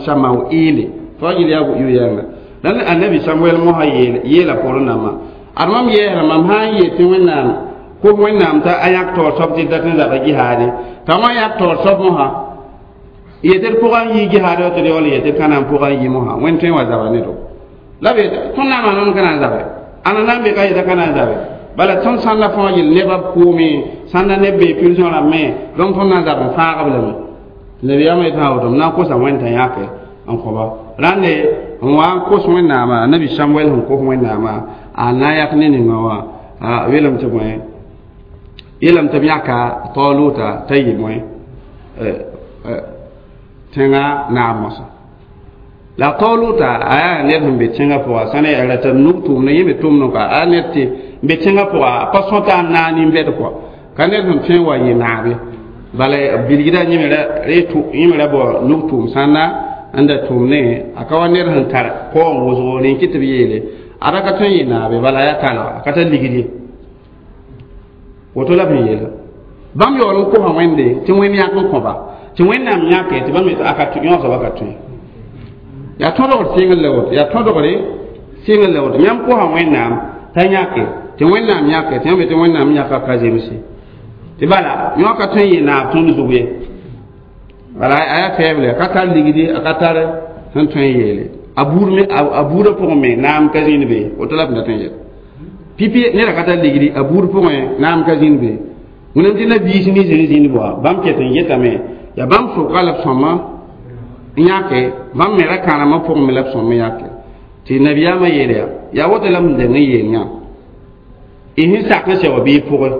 Shamauile fãa yel yaa yu-yɛnga la annabi Samuel mosã yeela poorẽ nambã ad mam yɛɛsra mam sã n yeel tɩ Wẽnnaam kos Wẽnnaam t'a a yãk taoor soab tɩ dat n zaba jihaade t'a wã yãk taoor soab mosã yetɩ d pʋgã n yi jihaade wa tɩ d yaool yetɩ d ka na n pʋgã n yi mosã Wẽnd tõe n wa zaba ne do la b tõnd na n maan ka na n zabe ãnda na n be ka yeta ka na n zabe bala tõnd sãn la fãa yel nebã kʋʋme sãn da neb bee prison rãmbẽ donc tõnd na n zab n fãagb lame nabiyaamã yetɩ sã woto m na n kosa Wẽnd t'a yãke n kõba rãnde n wa n kos Wẽnnaamã nabi Samuel sẽn kos Wẽnnaamã a na n yak ne ninga wã yeelame tɩ bõe yeelame tɩ b yãka Taluta t'a yɩ bõe tẽngã naab mosã la Taluta a yaa ned sẽn be tẽngã pʋga sã ne yaa rata nug tʋʋmdã yẽ me tʋmdẽ kɔa a ned tɩ n be tẽngã pʋga a pa sõta n naag nin-bɛd kɔa ka ned sẽn tõe n wa yɩ naabe bala bilgdã yẽ me ra bao nug tʋʋm sãnda n da tʋʋmdẽ a ka wa ned sẽn tar kaoong wʋsgo rẽ kɩ tɩ b yeele a ra ka tõe n yɩ naabe bala a yaa talga a ka tar ligd ye woto la b sẽn yeela bãmb yaool n kosa Wẽnde tɩ Wẽnd yãk n kõba tɩ Wẽnnaam yãke tɩ bãmb a ka yõosa ka tõe yaa tõdgr sɩngr la woto yaa tõdgre sɩngr la woto yãmb kosa Wẽnnaam t'a yãke tɩ Wẽnnaam yãke tɩ yãmb tɩ Wẽnnaam yãka ka zemse tɩ bala yõ ka tõe n yɩ naab tõnd zug ye bala a yaa faible a ka tar ligdi a ka tar sẽn tõe n yeele a buud me a buudã pʋgẽ me naam ka zĩnd be woto la b da tõe n yel pipi neda ka tar ligdi a buud pʋgẽ naam ka zĩnd be Wẽnnaam tɩ nabiis nins n zĩnd bʋa bãmb ket n yetame yaa bãmb sʋka la b sõma n yãke bãmb me ra kãremã pʋgẽ me la b sõm n yãke tɩ nabiyaamã yeel yaa yaa woto la m deng n yeel yã y sẽn sak n sɛ wa bɩ y pʋgẽ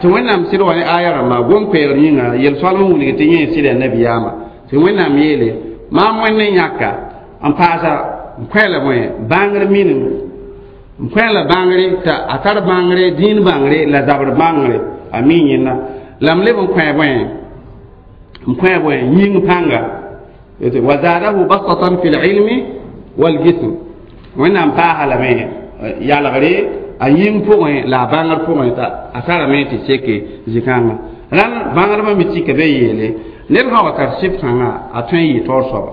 tɩ Wẽnnaam sɩd wa ne aya rãmbã gom-koɛɛgr yĩnga yel-soalem n wilg tɩ yẽ n sɩda nabiyaamã tɩ Wẽnnaam yeele maam Wẽnd n yãka n paasa n koɛɛla bõe bãngr minim n koɛɛla bãngre t'a a tar bãngre dĩin bãngre la zabr bãngre a mi yẽnda la m leb n kõ bõe n kõ bõe yĩng pãnga wa zadahu bastatan fi lilmi waljism Wẽnnaam paasa lame yalgre a yĩng pʋgẽ la a bãngr pʋgẽ t'a a tarame tɩ seke zĩ-kãngã rãnd bãngdbã me tika be yeele ned sã wa tar sɩf kãngã a tõe n yɩ taoor soaba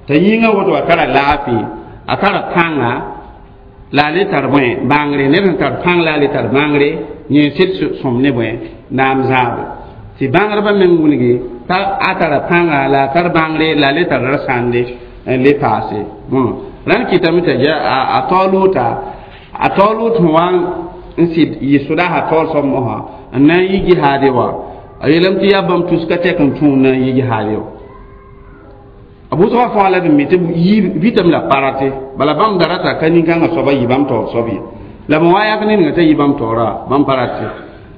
t'a yĩngã woto a tara laafɩ a tara pãnga la a le tar bõe bãngre ned sẽn tar pãng la a le tar bãngre yẽ sɩd sõm ne bõe naam zãabo tɩ bãngdbã meng wilgi t'a a tara pãnga la a tar bãngre la a le tar ra-sãnde n le paase rãnd kɩtame t'a a Taluta a Talut sẽn wa n sɩd yɩ sʋdaasã taoor soab mosã n na n yi jihaade wa a yeelame tɩ yaa bãmb tus ka tɛk n tũum na n yi jihaade wa a bʋsgã fãa la d mi tɩ vitame la parate bala bãmb da rata ka nin-kãngã soaba yɩ bãmb taoor soab ye la b wa yak ninga t'a yɩ bãmb taoora bãmb pa rate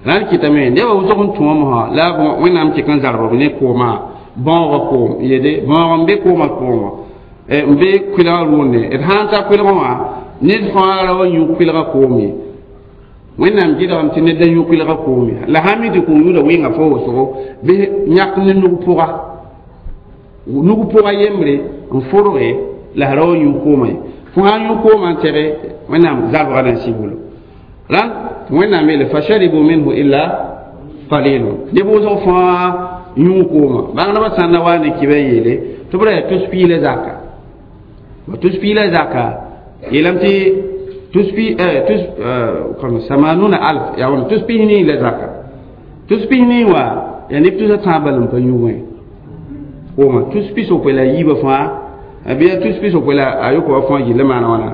la n kɩtame nebã wʋsg n tũwã mosã la Wẽnnaam kɩk n zarb b ne koomã bãoogã koom yede bãoog n be koomã pʋgẽ wã n be kʋɩlgã rʋʋnde d sã n ta kʋɩlgã wã ned fãa ra wa yũ kʋɩlgã koom ye Wẽnnaam gɩdgame tɩ ned da yũ kʋɩlgã koom ye la sã mi tɩ kom-yũudã wɩnga fo wʋsgo bɩ yãk ne nug pʋga nug pʋga yembre n fʋrge la ra wa yũ koomã ye fo sã n yũ koomã n tɛge Wẽnnaam zabgã na n sig wolo rãnd Wẽnnaam yeele fasharibu minhu illa qalilun neb wʋsg fãa yũ koomã bãngdbã sãn na wa ne kibã yeele tɩ b ra yaa tus piila zaka wa tus piila zaka yeelame tɩ tus pi tus samanuna alf yaa wãna tus pis-nii la zaka tus pis-nii wã yaa neb tusa tãab bal n pa yũ wẽ koomã tus pis-yopoe la a yiibã fãa bɩ yaa tus pis-yopoe la a yokobã fãa yɩl maana wãna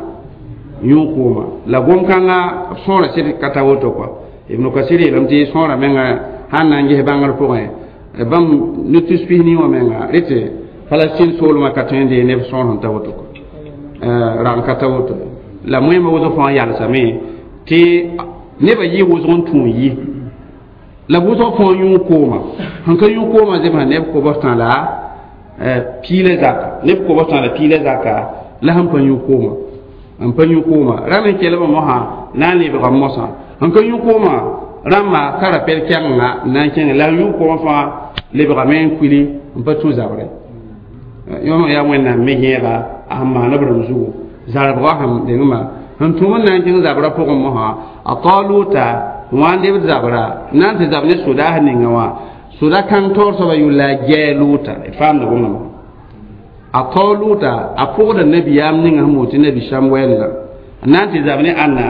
yũ koomã la gom-kãngã b sõora sɩd ka ta woto kɔa Ibn Kasir yeelame tɩ sõora menga sãn na n ges bãngr pʋgẽ bãmb ne tus pis-nii wã menga rete Palestine soolmã ka tõe n dee neb sõor sẽn ta woto kɔa Rag n ka ta woto la moẽmã wʋsg fãa yalsame tɩ nebã yɩ wʋsg n tũ n yi la wʋsg fãa yũ kooma sẽn ka yũ koomã zemsa neb kobs tã la piila zaka neb kobs tã la piila zaka la sẽn pa yũ kooma n pa yũ kooma rãmb n kelbã mosã na n lebga mosã sẽn ka yũ kooma rãmba ka rapɛl kɛgenga n na n kẽnge la sẽn yũ koomã fãa lebgame n kuili n pa tũ zabrɛ yõm yaa wẽnnaam me yẽega a sẽn maan b rãmb zugu zarbgã sẽn dengmã sẽn tũm n na n kẽng zabrã pʋgẽ mosã a taluta wã n debd zabra na n tɩ zab ne sodaas ninga wã soda kãng taoor soaba yʋl la a gɛɛ-lʋʋta d faamda bõmba a taoluta a pʋgda nabiyaam ninga sẽn moon tɩ nabi samuɛl la n na n tɩ zab ne ãnna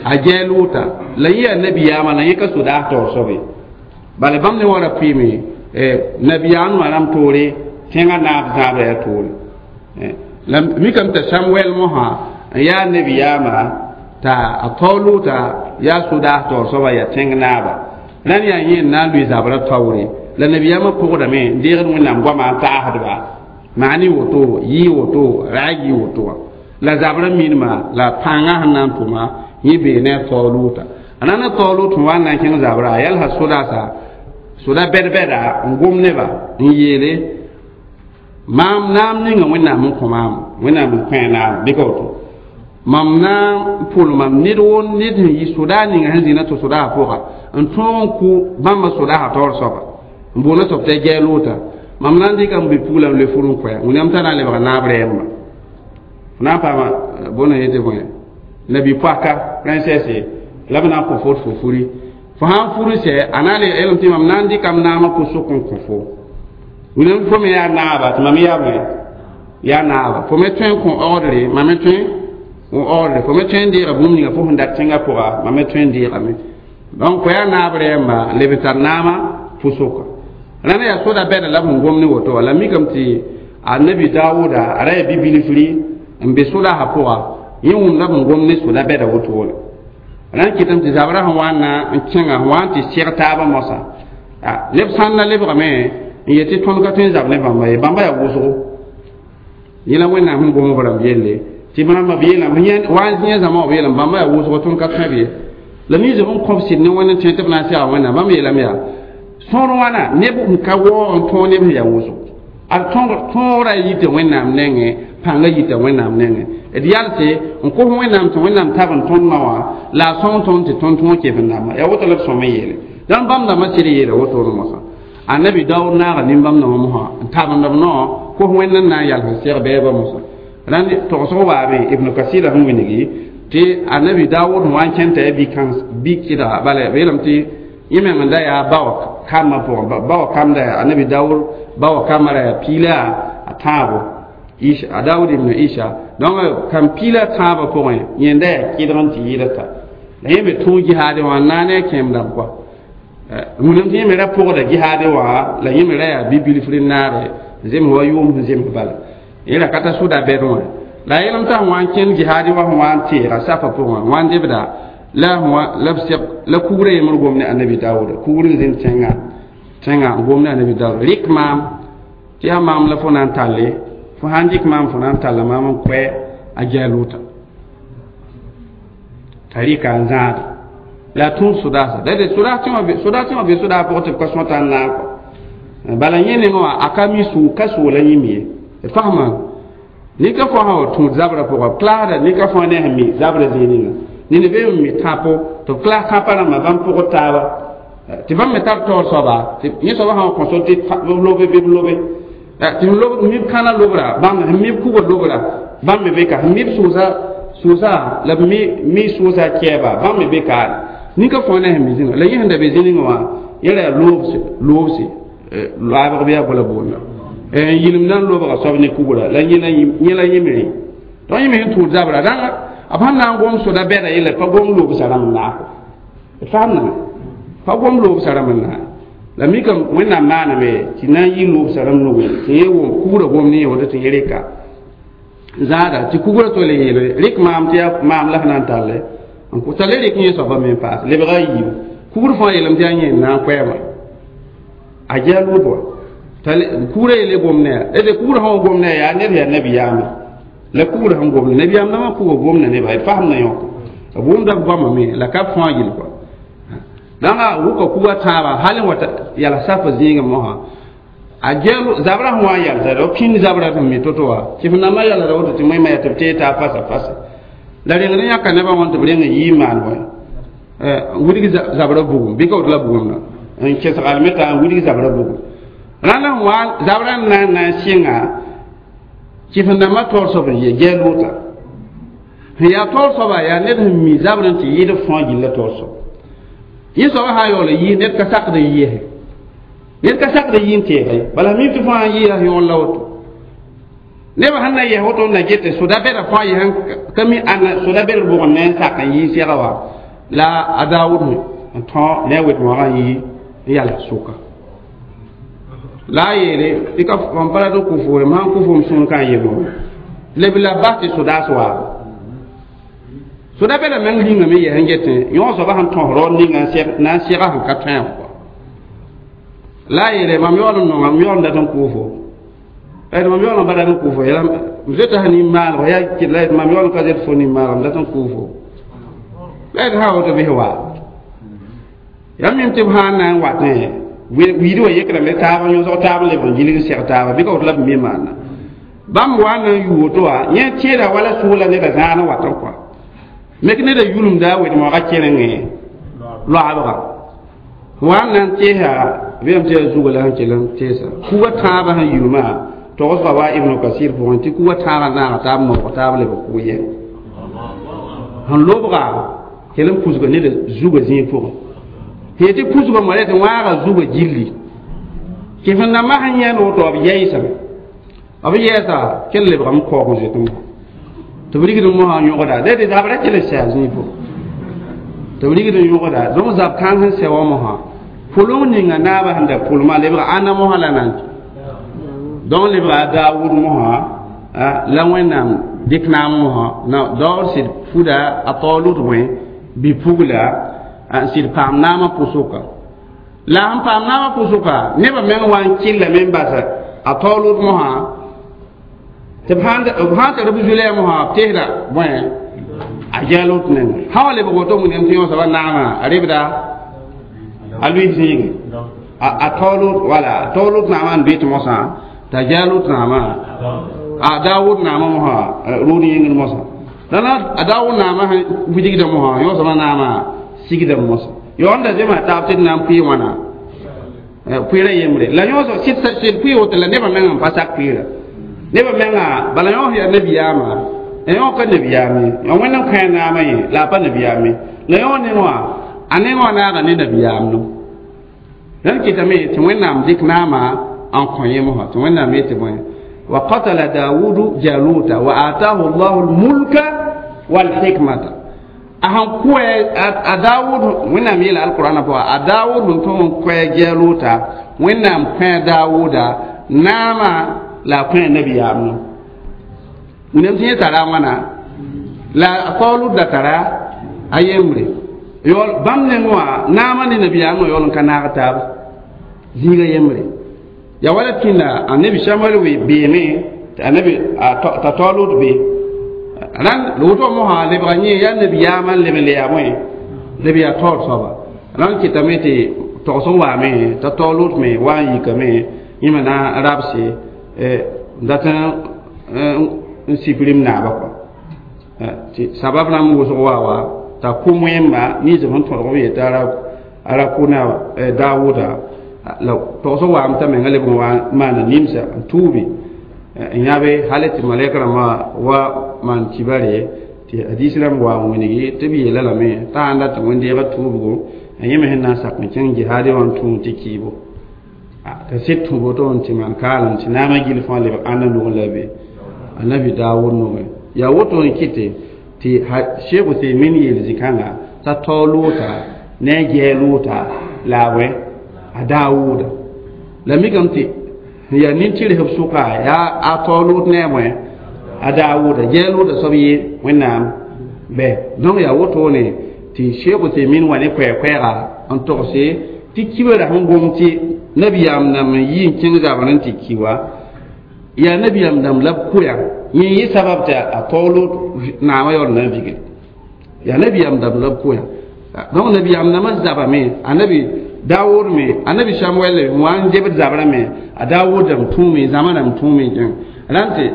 a gɛɛ-lʋʋta la yẽ yaa nabiyaamã la yẽ ka sodaas taoor soab ye bala bãmb ne wã ra pʋɩɩme nabiyaamdmã rãmb toore tẽngã naab zãabra yaa toore la mikame t'a samuɛl mosã n yaa nabiyaamã t'a a taoluta yaa sodaas taoor soaba yaa tẽng naaba rãnd yaa yẽ n na n lʋɩ zabrã taoore la nabiyaamã pʋgdame n deegd wẽnnaam goamã n taasdba maani woto yɩ woto raag yɩ woto wã la zabrã minma la pãngã sẽn na n tʋma yẽ bee ne a taoluta a na n taolut sẽn wa n na n kẽng zabrã a yalsa sodaasa soda bɛd-bɛda n gom neba n yeele maam naam ninga wẽnnaam n kõ maam wẽnnaam n kõ a naam bɩ ka woto mam na n pʋl mam ned wo ned sẽn yi sodaa ninga sẽn zĩna tɩ sodaasã pʋga n tõog n kʋ bãmba sodaasã taoor soaba n boona soab tɩ a gɛɛ loota mam na n dɩka m bi-pugla n loe fur n koɛ wẽnnaam t'a na n lebga naab rɛɛmba f na n paama bõna yetɩ bõe nabi-poaka princesse la b na n kõ fo tɩ fo furi fo sã n furi sɛ a na n le yeelame tɩ mam na n dɩka m naamã pʋsʋk n kõ fo wẽnnaam fo me yaa naaba tɩ mam yaa bõe yaa naaba fo me tõe n kõ ordre mam me tõe n ordre fo me tõe n deega bũmb ninga fo sẽn dat tẽngã pʋga mam me tõe n deegame donc fo yaa naab rɛɛmba n leb n tar naamã pʋsʋka rãnd yaa soda bɛda la b sẽn gom ne woto wa la mikame tɩ annabi daawuda a ra yaa bi-bilfri n be sodaasã pʋga yẽ wũmda b sẽn gom ne soda bɛda wotone rãnd kɩtame tɩ zabrã sẽn wa n na n kẽnga sẽn wa n tɩ seg taabã mosã neb sãn na lebgame n yet tɩ tõnd ka tõe n zab ne bãmba ye bãmba yaa wʋsgo yẽ la wẽnnaam sẽn gom b rãmb yelle tɩ b rãmba b yeelame wa n zĩ zãma wã b yeelame bãmba yaa wʋsgo tõnd ka tõe b ye la ninsb n kõb sɩd ne wẽnd n tõe tɩ b na n sega wẽnnaam bãmb yeelame yaa sõor wãna neb n ka waoog n tõog neb sẽn yaa wʋsgo a tõogrã yita wẽnnaam nengẽ pãngã yita wẽnnaam nengẽ d yalse n kos wẽnnaam tɩ wẽnnaam tab n tõnd ma wã la a sõng tõnd tɩ tõnd tõog kef n dãmba yaa woto la b sõm n yeele dãmb bãmb dãmbã sɩd yeela wotone mosã annabi daood naaga nin-bãmb dãmbã mosã n tabend b nao kos wẽnd n na n yals n seg bɛɛbã mosã rãnd togsg waame ibnu kasira sẽn wilgi tɩ annabi daood sẽn wa n kẽn t'a yaa bi-kɩdga bala b yeelame tɩ yẽ meng n da yaa bawa kambã pʋgẽ bawa kamda yaa annabi daood bawa kambã ra yaa piila a tãabo isha a daood ibn isha donc kam piila tãabã pʋgẽ yẽnda yaa kɩdg n tɩ yɩɩda ta la yẽ me tõog jihaadẽ wã n na ne a kẽem dãmb kɔa wẽnnaam tɩ yẽ me ra pʋgda jihaadẽ wã la yẽ me ra yaa bi-bilfr n naare n zems wa yʋʋm sẽn zems bala yẽ ra ka ta sʋda bɛd wã la a yeelame t'a sẽn wa n kẽnd jihaadẽ wã sẽn wa n teega safã pʋgẽ wã n debda la la b seg la kugrã yembr gom ne annabi daooda kugr n zĩnd tẽngã tẽngã n gom ne annabi daooda rɩk maam tɩ yaa maam la fo na n talle fo sãn dɩk maam fo na n talla maam n koɛ a gɛɛ-lʋʋta t'a rɩka n zãada la a tũud sodaasa la d sodaas tẽwã be sodaas pʋgẽ tɩ b ka sõta n naag kɔ bala yẽ nengẽ wã a ka mi sʋʋg ka soola yĩm ye d fasma nika fo sã wa tũud zabrã pʋga b klaasda nika fãa ne sẽn mi zabrã zĩig ninga ned be n mi tãpo tɩ b klaas tãpã rãmbã bãmb pʋgd taaba tɩ bãmb me tar taoor soaba tɩ yẽ soaba sã wa kõ so tɩ b lobe bɩ b lobe tɩ sẽn lob mib kãna lobra bãmb sẽn mib kugr lobra bãmb me be ka sẽn mib sʋʋsa sʋʋsa la b mi sʋʋsa kɛɛba bãmb me be ka nika fãa ne sẽn mi zĩnga la yẽ sẽn da be zĩ-ninga wã yẽ ra yaa loobse loobse laabg bɩ yaa bala boonda n yĩlem na n lobga soab ne kugra la yẽ la yẽmre donc yẽ me sẽn tũud zabra rãnga b sẽn na n gom soda bɛda yella pa gom loobsã rãmb n naako d faamdame pa gom loobsã rãmb n naa la mikame wẽnnaam maaname tɩ na n yɩ loobsã rãmb nugẽ tɩ yẽ wʋm kugrã gom ne yẽ woto tɩ yẽ reka zãada tɩ kugrã tole yeele rɩk maam tɩ yaa maam la f na n talle n t'a le rɩk yẽ soaba me n paas lebga a yiibu kugr fãa yeelame tɩ yaa yẽ n na n koɛɛma a gɛa lood wa kugrã yeele gom ne ya d kugrã sã wa gom ne yaa ned yaa nabiyaamã La kugrã sẽn gomda nabiyaam dãmbã kuga gomda nebã d fasem na yõk b wʋmda b goamame la ka fãa gill kɔa dãnga wʋka kuga tãabã hal n wa yals safã zĩigẽ mosã a gɛl zabrã sẽn wa n yalsda b pĩnd zabrã sẽn mi to-to wa tɩ f nambã yalsda woto tɩ moẽmã yaa tɩ b tee t'a fasa fasa la rengd n yãka nebã wã tɩ b reng n yɩ n maan bõe n widg zabrã bugum bɩ ka woto la bugumdã n kesg almeta n widg zabrã bugum rãnd n wa zabrã n na n na n sɩnga tɩ f nambã taoor soab n yɛ gɛl loota sẽn yaa taoor soaba yaa ned sẽn mi zabrã tɩ yɩɩd fãa gilla taoor soab yẽ soaba sã n yaool n yɩ ned ka sakd n yɩɩse ned ka sakd n yɩ n teege bala mim tɩ fãa n yɩɩsa yõor la woto nebã sẽn na yɛs woto n na get soda bɛda fãa yɛs ka mi ãnna soda bɛd bʋgẽ ne n sak n yɩ sɛga wa la a Daawud n tõ ne a wet-moagã n yɩ n yals sʋka la a yeele tɩ ka mam pa rat n kʋ fo mam sãn kʋ fo m sũur ka n yemb leb la bas tɩ sodaas waabo soda bɛda meng rĩngame yɛs n getẽ yõ soaba sẽn tõs raood ninga na n sɛga sẽn ka tõe wã la a yeele mam yaool n nonga m yaool n dat n kʋ fo mam yaool n pa dat n kʋ fo m zoeta sã nin-maalg yaa kɩt la mam yaool n ka zoet fo nin-maalg m dat n kʋ fo la d sã woto bɩs wa yaa mim tɩ b sã n na n watẽ wiid wã yekrame taab n yõsg taab n leb n gilg n sɛg taaba bɩ ka woto la b me maana bãmb wa n na n yʋ woto wã yẽ tẽeda wala sʋʋla neda zãad n wat n kɔa mek neda yulumda wed-moagã kelengẽ loabga wa n na n teesa bɩame tɩ yaa zuga la sẽn kell n teesa kuga tãabã sẽn yulmã togsga wa Ibnu Kasir pʋgẽ tɩ kuga tãabã naaga taab moog taab leb kug yɛ sẽn lobga kell n pusga neda zuga zĩig pʋgẽ sẽn tɩ pusga moa tɩ wãaga zuga gilli tɩ sẽn nambã sẽn yãend woto b yɛɛsame b yɛɛsa kell lebgame kaoog n zoet mosã tɩ b rigd n mosã yõgda la tɩ zabra kell n sɛ a zĩig pʋgẽ tɩ b rigd n yõgda donc zab kãng sẽn sɛ wã mosã pʋleng ninga naabã sẽn da pʋlmã lebga ãnna mosã la nan donc lebga a Daawud mosã la Wẽnnaam dɩk naam mosã daoor sɩd fuda a Taolut wẽ bi-pugla n sɩd paam naamã pʋsʋka la sẽn paam naamã pʋsʋka nebã meng wa n kɩllame n basa a Taolut mosã tɩ b sã tar b zulɛ mosã b teesda bõe a Jalut nengã sã wa lebg woto wẽnnaam tɩ yõ soaba naamã a rebda a lʋɩ zĩige a Taolut wala Taolut naamã n doet mosã t'a Jalut naamã a Daawud naamã mosã rʋʋd yĩngr mosã la a Daawud naamã sẽn wilgda mosã yõ soaba naamã sigda mosã yaool da zema taab tɩ d na n pʋɩ wãna pʋɩɩrã yembre la yõ sɩd pʋɩ woto la nebã meng n pa sak pʋɩɩra nebã menga bala yõ yaa nabiyaamã yõ ka nabiyaam ye yõ Wẽnd n kõ a naamã ye la a pa nabiyaam ye la yõ neng wã a neng wã naaga ne nabiyaam no rãnd kɩtame tɩ Wẽnnaam dɩk naamã n kõ yẽ mosã tɩ Wẽnnaam yetɩ bõe wa qatala Dawudu Jaluta wa atahu Llahu lmulka walhikmata a sẽn kʋɛ a Daawud Wẽnnaam yeela alqurana pʋga a Daawud sẽn tõm n kʋɛ Jaluta Wẽnnaam kõ Daawuda naamã la a kõ nabiyaam no wẽnnaam tɩ yẽ tara wãna la a Taolut da tara a yembre yaool bãmb neng wã naamã ne nabiyaamã yaool n ka naag taab zĩiga yembre ya wala tĩnda annabi Samuel we beeme tɩ annabi t'a Taolut be rãnd woto mosã lebga yẽ yaa nabiyaamã n leb n le yaa bõe leb yaa taoor soaba rãnd kɩtame tɩ togs n waame t'a Taolut me wa n yikame yẽme na n rabse dat n siprim naaba kɔa tɩ sabab rãmb wʋsg wa wa t'a kʋ wẽmba nins sẽn tõdg b yetɩ a ra kʋ na Daawuda la togs n waame t'a menga leb n wa n maana nimsa n tuubi n yãbe hal tɩ malɛk rãmbã wa maan kibare tɩ hadis rãmb wa n wilgi tɩ b yeela lame t'a sãn dat tɩ wẽn-deegã tuubgo a yẽ me sẽn na n sak n kẽng jihaadẽ wã n tũu tɩ kiibo t'a sɩd tũ woto n tɩ maan kaalem tɩ naamã gill fãa lebg ãnna nugẽ la be annabi Daawud nugẽ yaa woto n kɩte tɩ Sheikh Uthaymin yeel zĩ-kãnga t'a Taoluta ne a Jaluta la a wẽ a Daawuda la mikame tɩ yaa nin-tɩrs b sʋka yaa a Taolut ne a bõe a Daawuda Jaluta soab yɩ Wẽnnaam bɛ donc yaa wotone tɩ Sheikh Uthaymin wa ne koɛɛ-koɛɛga n togse tɩ kibra sẽn gom tɩ nabiyaam nam n yi n kẽng zabr n tɩ ki wa Yaa nabiyaam dãmb la b koya yẽ yɩ sabab tɩ a taoolo naamã yaool na n vigl yaa nabiyaam dãmb la b koya donc nabiyaam dãmbã zabame a nabi Daawud me anabi Samuel wa n debd zabrã me a Daawud dãmb tũume zãma dãmb tũume jẽ rãn tɩ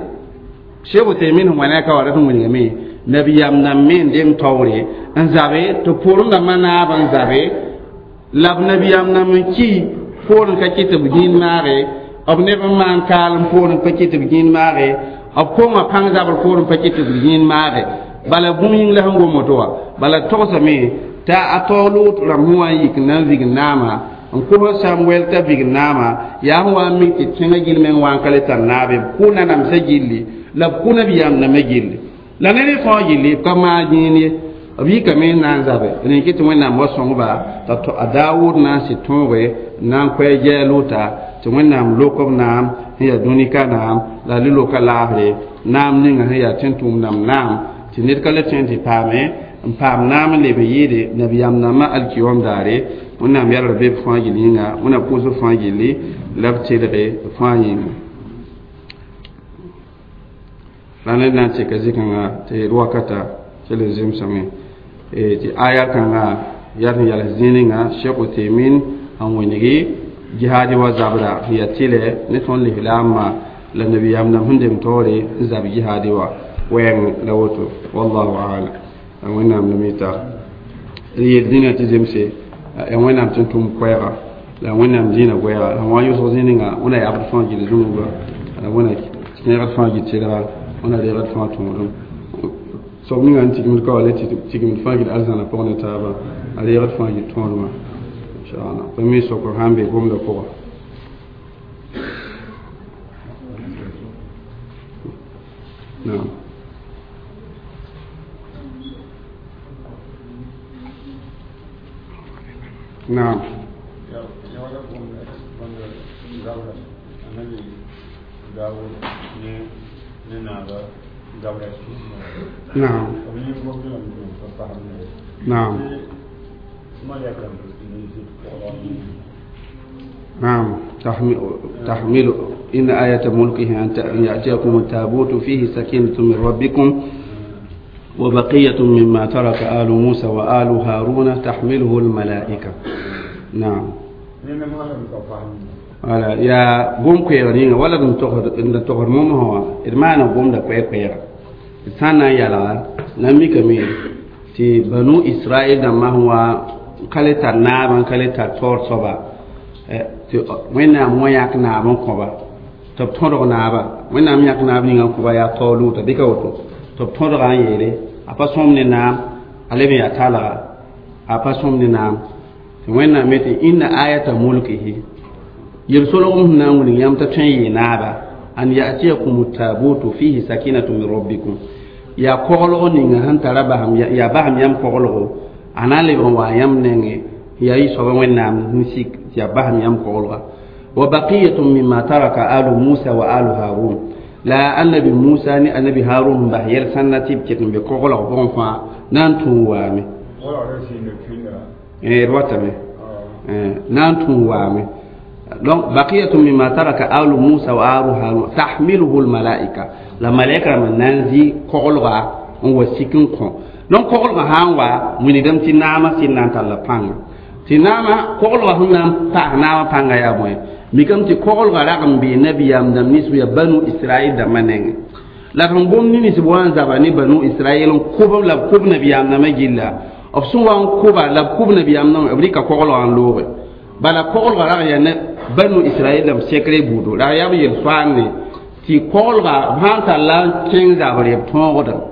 Cheikh Uthaymin sẽn wa ne a ka wa rat n wilgame nabiyaam dãmb me n deng taoore n zabe tɩ pʋʋrem dãmbã naab n zabe la b nabiyaam dãmb n ki poorẽ ka kɩ tɩ b gĩin maage b neb n maan kaalem poorẽ pa kɩ tɩ b gĩin maage b konga pãng zabr poorẽ pa kɩ tɩ b gĩin maage bala bũmb yĩng la sẽn gom woto wã bala togsame t'a a taoolʋʋt rãmb sẽn wa n yik n na n vig naama n kos Samuel t'a vig naama yaa sẽn wa n mik tɩ tẽngã gill meng wa n ka le tar naabe b kʋ nanamsã gilli la b kʋ nabiyaam dãmbã gilli la ned fãa gilli b ka maag yĩin ye b yikame n na n zabe rẽ kɩ tɩ Wẽnnaam wa sõngba t'a a Daawud na n sɩ tõoge n na n koɛɛ jɛɛlʋʋta tɩ Wẽnnaam lok b naam sẽn yaa dũnika naam la a le loka laafre naam ninga sẽn yaa tẽn-tʋʋm dãmb naam tɩ ned ka le tõe n tɩ paame n paam naam n leb n yɩɩde nabiyaam dãmbã alkiyom daare Wẽnnaam yɛlgr be b fãa gill yĩnga Wẽnnaam pʋʋsb fãa gilli la b telge fãa yĩnga la ned na n tɩka zĩ-kãngã tɩ d wakata kell n zemsame tɩ aya kãngã yaa sẽn yals zĩig ninga Cheikh Uthaymin n wẽnegi jihaadi wa zabra sẽn yaa tɩlɛ ne tõnd lislaambã la nabiyaam dãmb sẽn deng taoore n zab jihaadi wa wɛɛng la woto wallahu alam la Wẽnnaam la mi tar d yel zĩnã tɩ zemse yaa Wẽnnaam tɩ n tʋm koɛɛga la Wẽnnaam dĩinã goɛɛga la wã yʋsg zĩig ninga wẽna yabd fãa gill zũnuga la wẽna kẽegd fãa gil tɩlga wẽna reegd fãa tõodem soab ninga n tigimd ka wa le tigimd fãa gil arzãna pʋgẽ ne taaba a reegd fãa gil tõodmã inshallah tõnd mi sokr sãn be gomdã pʋga naam. Naam. Naam. Naam. نعم تحمل إن آية ملكه أن يأتيكم التابوت فيه سكينة من ربكم وبقية مما ترك آل موسى وآل هارون تحمله الملائكة. نعم. Wala yaa gom koɛɛg yĩnga wala d n togsd momsã wã d maana gomda koɛɛ-koɛɛga d sã n na n yalga na n mikame tɩ banu Israɛl dãmbã sẽn wa ka le tar naab n ka le tar taoor soaba tɩ Wẽnnaam wã yãk naab n kõba tɩ b tõdg naaba Wẽnnaam yãk naab ninga n kõba yaa taooluuta bɩ ka woto tɩ b tõdga n yeele a pa sõm ne naam a leb n yaa talga a pa sõm ne naam tɩ Wẽnnaam me tɩ inna ayata mulkihi yel-solgem sẽn na n wilg yãmb t'a tõe n yɩɩ naaba an yatiyakum tabutu fihi sakinatu min rabbikum yaa koglg ninga sẽn tara basam yaa basam yãmb koglgo a na n lebg n waa yãmb nengẽ yaa yɩ soaba Wẽnnaam sẽn sik tɩ yaa basam yãmb koglga wa baqiyatun mimma taraka alu Musa wa alu Harun la annabi Musa ne annabi Harun sẽn bas yɛl sãnna tɩ b ket n be koglg pʋgẽ fãa na n tũu waame d watame na n tũu waame. Donc baqiyatu mimma taraka alu Musa wa alu Harun tahmiluhu almalaika la malaika rãmb na n zĩ koglga n wa sik n kõ. Donc koglgã sã n wa wilgdame tɩ naamã sɩd na n talla pãnga tɩ naamã koglgã sẽn na n paas naamã pãnga yaa bõe mikame tɩ koglgã rag n bee nabiyaam dãmb nins yaa banu Israɛl dãmbã nengẽ la sẽn gom ne nins b wa n zaba ne banu Israɛl n kʋb la b kʋb nabiyaam dãmbã gilla b sẽn wa n kʋba la b kʋb nabiyaam dãmbã b rɩka koglgã n looge bala koglgã rag yaa banu Israɛl dãmb sekre buudo la yaa b yel-soaande tɩ koglgã b sã n tar la n kẽng zabre b tõogdame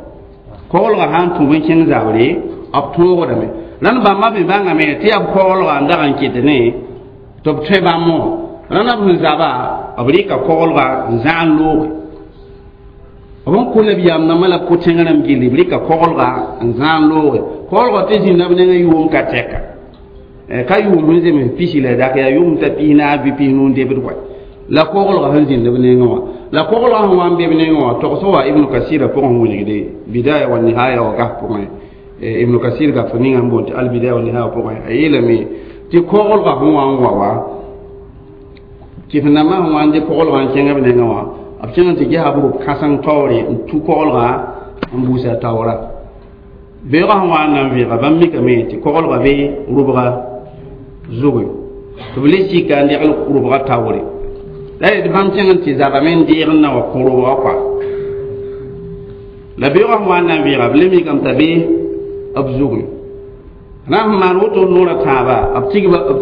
koglgã sã n tũub n kẽng zabre b tõogdame rãnd bãmba me bãngame tɩ yaa b koglgã n dag n ket ne tɩ b tõe bãmb wã rãnd b sẽn zaba b rɩka koglgã n zãg n looge b n kʋ nabiyaam dãmbã la b kʋ tẽng rãmb gilli b rɩka koglgã n zãg n looge koglgã tɩ zĩnda b nengã yʋʋm ka tɛka ka yʋʋm sẽn zems pisi la dak yaa yʋʋm t'a pis naas bɩ pis nuu debd wa la koglgã sẽn zĩnd b nengẽ wã la koglgã sẽn wa n be b nengẽ wã togsg wa Ibnu Kasira pʋgẽ wilgde Bidaya wa Nihaya wa gaf pʋgẽ Ibnu Kasir gaf ninga n boond tɩ Albidaya wa Nihaya pʋgẽ a yeelame tɩ koglgã sẽn wa n wa wa tɩ f nambã sẽn wa n dɩ koglgã n kẽngã b nengẽ wã b kẽng n tɩ gesa b rʋb kãseng taoore n tu koglgã n buusa taoora beoogã sẽn wa n na n vɩɩga bãmb mikame tɩ koglgã be rʋbga zugẽ tɩ b le sika n degl rʋbga taoore la d bãmb kẽng n tɩ zabame n deeg n na wa kõ rʋbga kɔa la beoogã sẽn wa n na n vɩɩga b le mikame t'a be b zugẽ na n maan woto noorã tãaba b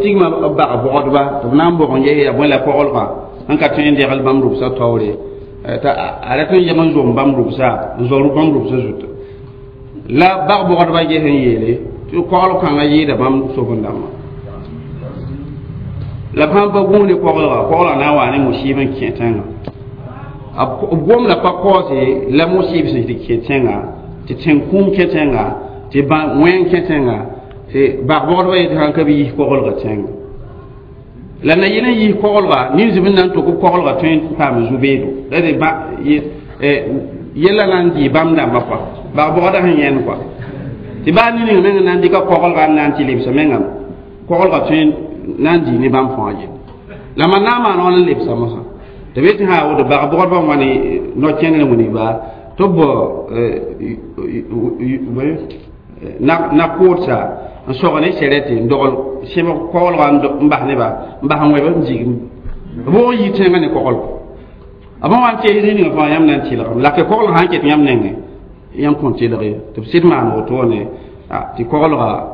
tigma b bag bogdba tɩ b na n bog n ges yaa bõe la koglgã n ka tõe n degl bãmb rʋbsã taoore t'a a rat n yeg n zom bãmb rʋbsa n zao bãmb rʋbsã zuta la bag bogdba ges n yeele tɩ kogl kãngã yɩɩda bãmb soben-dãmbã la b sãn pa gũus ne koglga koglga na n waa ne musɩɩb n kẽ tẽngã b gomda pa kaoose la musɩɩb sẽn tɩ kẽ tẽnga tɩ tẽn-kũum kẽ tẽnga tɩ wẽng kẽ tẽnga tɩ bag-bogdba yetɩ sãn ka b yis koglga tẽnga la na yɩl n yis koglga ninsb n na n tok b koglga tõe n paam zu-beedo la d yella na n dɩ bãmb dãmbã kɔa bag-bogda sẽn yẽnd kɔa tɩ baa ne ning meng n na n dɩka koglga n na n tɩ lebsa mengame koglga tõe na n dɩ ne bãmb fãa yelle la mam na n maan wãn n lebsa mosã tɩ b yetɩ sã woto bag-bogdbã wãne no-kẽndr wilgba tɩ b na-koodsa n sog ne sɛrɛte n dogl sẽbg koglga n bas neba n bas n wẽb n zig b wʋg n yi tẽngã ne koglg b wa n tees rĩninga fãa yãmb na n tɩlgame la ke koglg sã n ket yãmb nengẽ yãmb kõn tɩlg ye tɩ b sɩd maan wotone tɩ koglga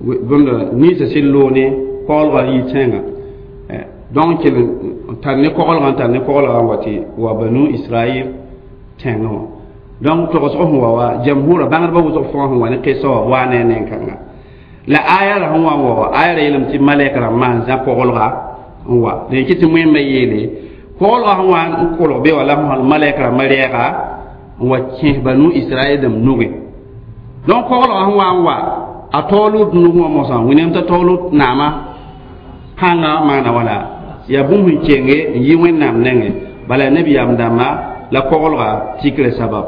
bũmb ninsã sɩd loog ne koglga n yi tẽngã donc kell n tar ne koglgã n tar ne koglgã n wa tɩ wa banu israel tẽngã wã donc togsg sẽn wa wa jamhura bãngdbã wʋsg fãa sẽn wa ne kesa wã waa ne a neng-kãnga la aya la sẽn wa n wa wa aya ra yeelame tɩ malɛk rãmb maan zã koglga n wa dẽn kɩ tɩ wẽmba yeele koglga sẽn wa n kolg be wã la sẽn malɛk rãmbã rɛɛga n wa kẽes banu israel dãmb nugẽ donc koglgã sẽn wa n wa a taoolud nug wã mosã wẽnnaam t'a taoolud naamã pãngã maana wala yaa bũmb sẽn kenge n yi wẽnnaam nengẽ bala nabiyaam dãmba la koglga tikrã sabab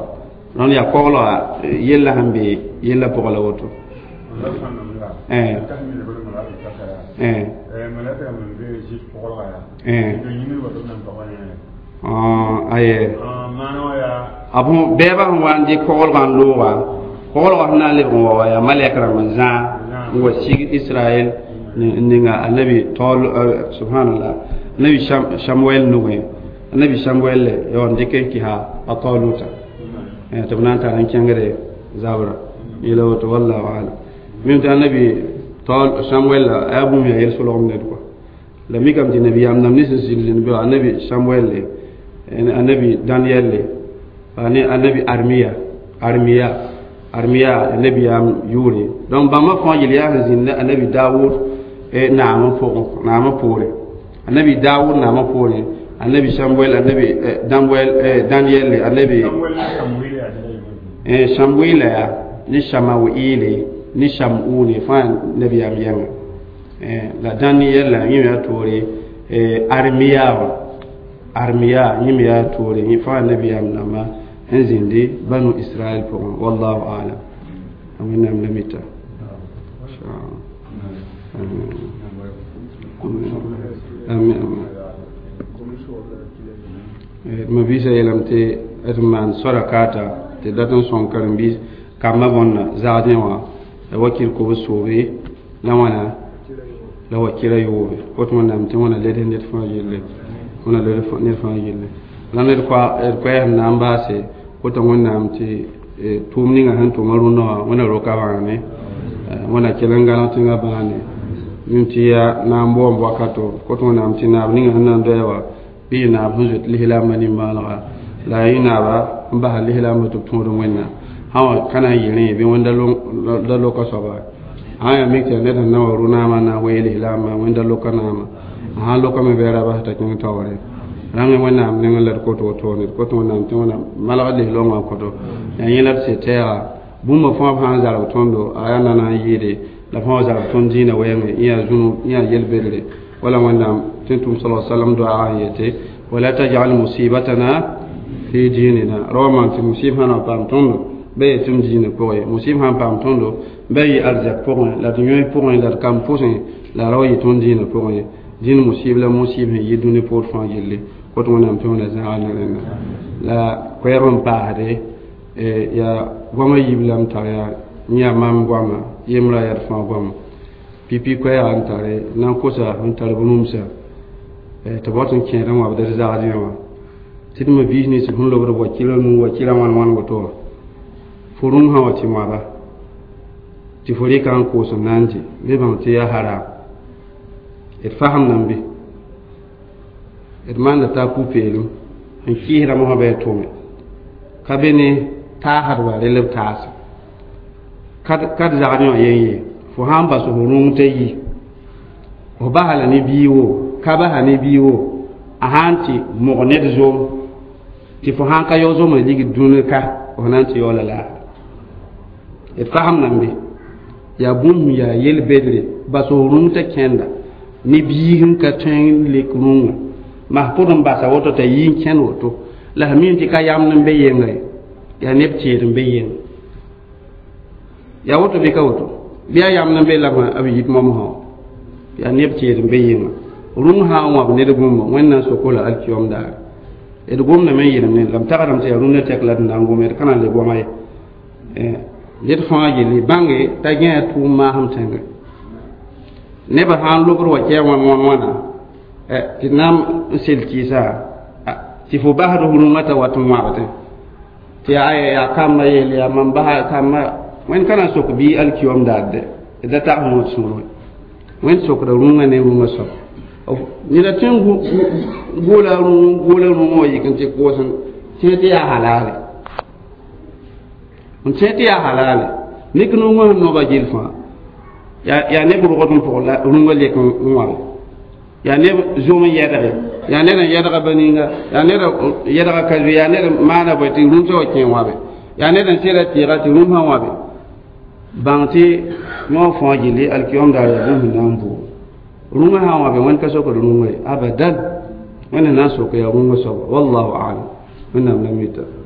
rõnd yaa koglga yella sẽn be yella pʋgã la woto aye bɛɛbã sẽn wa n dɩk koglgã n looga koglgã sẽn na n lebg n wa wa yaa malɛk rãmb n zãag n wa sig israɛl ninga annabi taol subhanallah annabi samuel nugẽ annabi samuel ya n dɩk n kɩsa a taoluta tɩ b na n tar n kẽngde zabra yela woto wallahu alam mim tɩ annabi taol samuel la a yaa bũmb yaa yel-solgem ned kɔa la mikame tɩ nabiyaam dãmb ne sẽn zĩnd zĩnd be annabi samuel le annabi daniel le annabi armiya armiya armiya nabiyaam yʋʋre donc bãmba fãa yel yaa sẽn zĩnd annabi dawud naamã pʋgẽ naamã poore annabi dawud naamã poore annabi samuel annabi damuel daniel le annabi samuel ya ne samawiile ne samune fãa nabiyaam yɛŋa la daniel la yẽ me yaa toore armiya wã armiya yẽ me yaa toore yẽ fãa nabiyaam dãmba n zĩndi banu israɛl pʋgẽ wallahu alam wẽnnaam la mita amin amin ma biisã yeelame tɩ d maan soara kaata tɩ dat n sõng karen-biis kambã bõnna zagdẽ wã la wakil kobs soobe la wãna la wakila yoobe kot wẽnnaam tɩ wãna led ned fãa yelle wãna led ned fãa yelle la ned koɛɛsem na n baase kota wẽnnaam tɩ tʋʋm ninga sẽn tʋma rũndã wã wẽna roka bãane wẽna kell n gãneg tẽngã bãane mim tɩ yaa na n boom wakato kot wẽnnaam tɩ naab ninga sẽn na n doya wã bɩ yɩ naab sẽn zoet lislaambã nimbãanega la a yɩ naaba n basa lislaambã tɩ b tõod wẽnnaam sã wã ka na n yɩ rẽ bɩ wẽnda loka soaba sã yaa mik tɩ yaa ned sẽn na wa rũ-naamã na n wee lislaambã wẽnda loka naamã a sãn lokame bɩ a ra bas t'a kẽng taoore rãmb wẽnnaam nengẽ la d kot wotone d kot wẽnnaam tɩ wẽnnaam malg lislaoongã koto yaa yẽ la d sɩ tɛɛga bũmba fãa b sã n zarb tõndo a yaa na na n yɩɩde la fãa wa zarb tõnd dĩinã wɛɛngẽ yẽ yaa zũnu yẽ yaa yel-bedre wala wẽnnaam tɩ n tʋm sala salam doaagã n yete wala tajal musibatana fi dinina ra wa maan tɩ musib sã na paam tõndo bɩ yetɩ m diinã pʋgẽ musib sã n paam tõndo bɩ yɩ arzɛk pʋgẽ la d yõe pʋgẽ la d kam pʋsẽ la ra wa yɩ tõnd diinã pʋgẽ dĩn musib la musib sẽn yɩ dũni poor fãa gilli. Woto wẽnnaam tɩ wẽna zãaga ne rẽnda la koɛɛg n paasde yaa goamã yiib la m tar yaa yã mam goama yembra yaa d fãa goama pipi koɛɛga n tare na n kosa n tar b rũmsa tɩ b wat n kẽed n wabd d zagdẽ wã tɩ d ma biis nins sẽn lobd wa kɩla nuu wa kɩla wãn wãn woto wã fo rũm sã wa tɩ wãba tɩ fo rɩka n koos n na n dɩ bɩ bãng tɩ yaa haram d fasem nan be d maanda t'a pu-peelem n kɩɩsdame sã bɩ a tʋme ka be ne taasdba rel b taase ka d zagdẽ wã yen ye fo sã n bas f rũng t'a yi f basa la ne bii wo ka basa ne bii wo a sã n tɩ mog ned zom tɩ fo sã n ka yao zomã ligd dũni ka f na n tɩ yaoola laafɩ d fasem nan be yaa bũmb yaa yel-bedre bas f rũng t'a kẽnda ne biig n ka tõe n lek rũngã mas pʋd n basa woto t'a yi n kẽnd woto la f mi tɩ ka yamd n be yenga ye yaa neb tẽed n be yenga yaa woto bɩ ka woto bɩ yaa yamd n be la b yit momsã yaa neb tẽed n be yenga rũng sã n wãb ned bũmba wẽnnaam soko la alkiyom daare d gomdame n yeelem ne la m tagsdame tɩ yaa rũndã tɛk la d na n gome d ka na n le goama ye ned fãa yelle bãnge t'a gãa tʋʋm maasem tẽngẽ nebã sã n lobd wa kɛɛ wãn wãn wãna tɩ d na n sel kɩɩsa tɩ fo basd f rũngã t'a wat n wãbdẽ tɩ yaa yaa kambã yeel yaa mam basa kambã wẽnd ka na n sok bii alkiyom daar dɛ d da tags yõod sũur wẽnd sokda rũngã ne rũngã soab neda tõe n goola rũng goola rũngã wa yik n tɩ koos n tẽ tɩ yaa halaale n tẽ tɩ yaa halaale mik nungã sẽn noba gill fãa yaa neb rogd n pʋg la rũngã lek n wãbe yaa neb zom n yɛdge yaa ned n yɛdga ba-ninga yaa ned yɛdga ka zoe yaa ned maana bõe tɩ rũmsã wa kẽ wãbe yaa ned n sɩda tɩɩga tɩ rũmsã wãbe bãng tɩ yõ fãa gilli alkiyom daar yaa bũmb sẽn na n buug rũngã sã n wãbe wẽnd ka sokd rũngã ye abadan wẽnd na n sok yaa rũngã soaba wallahu alam wẽnnaam la mita.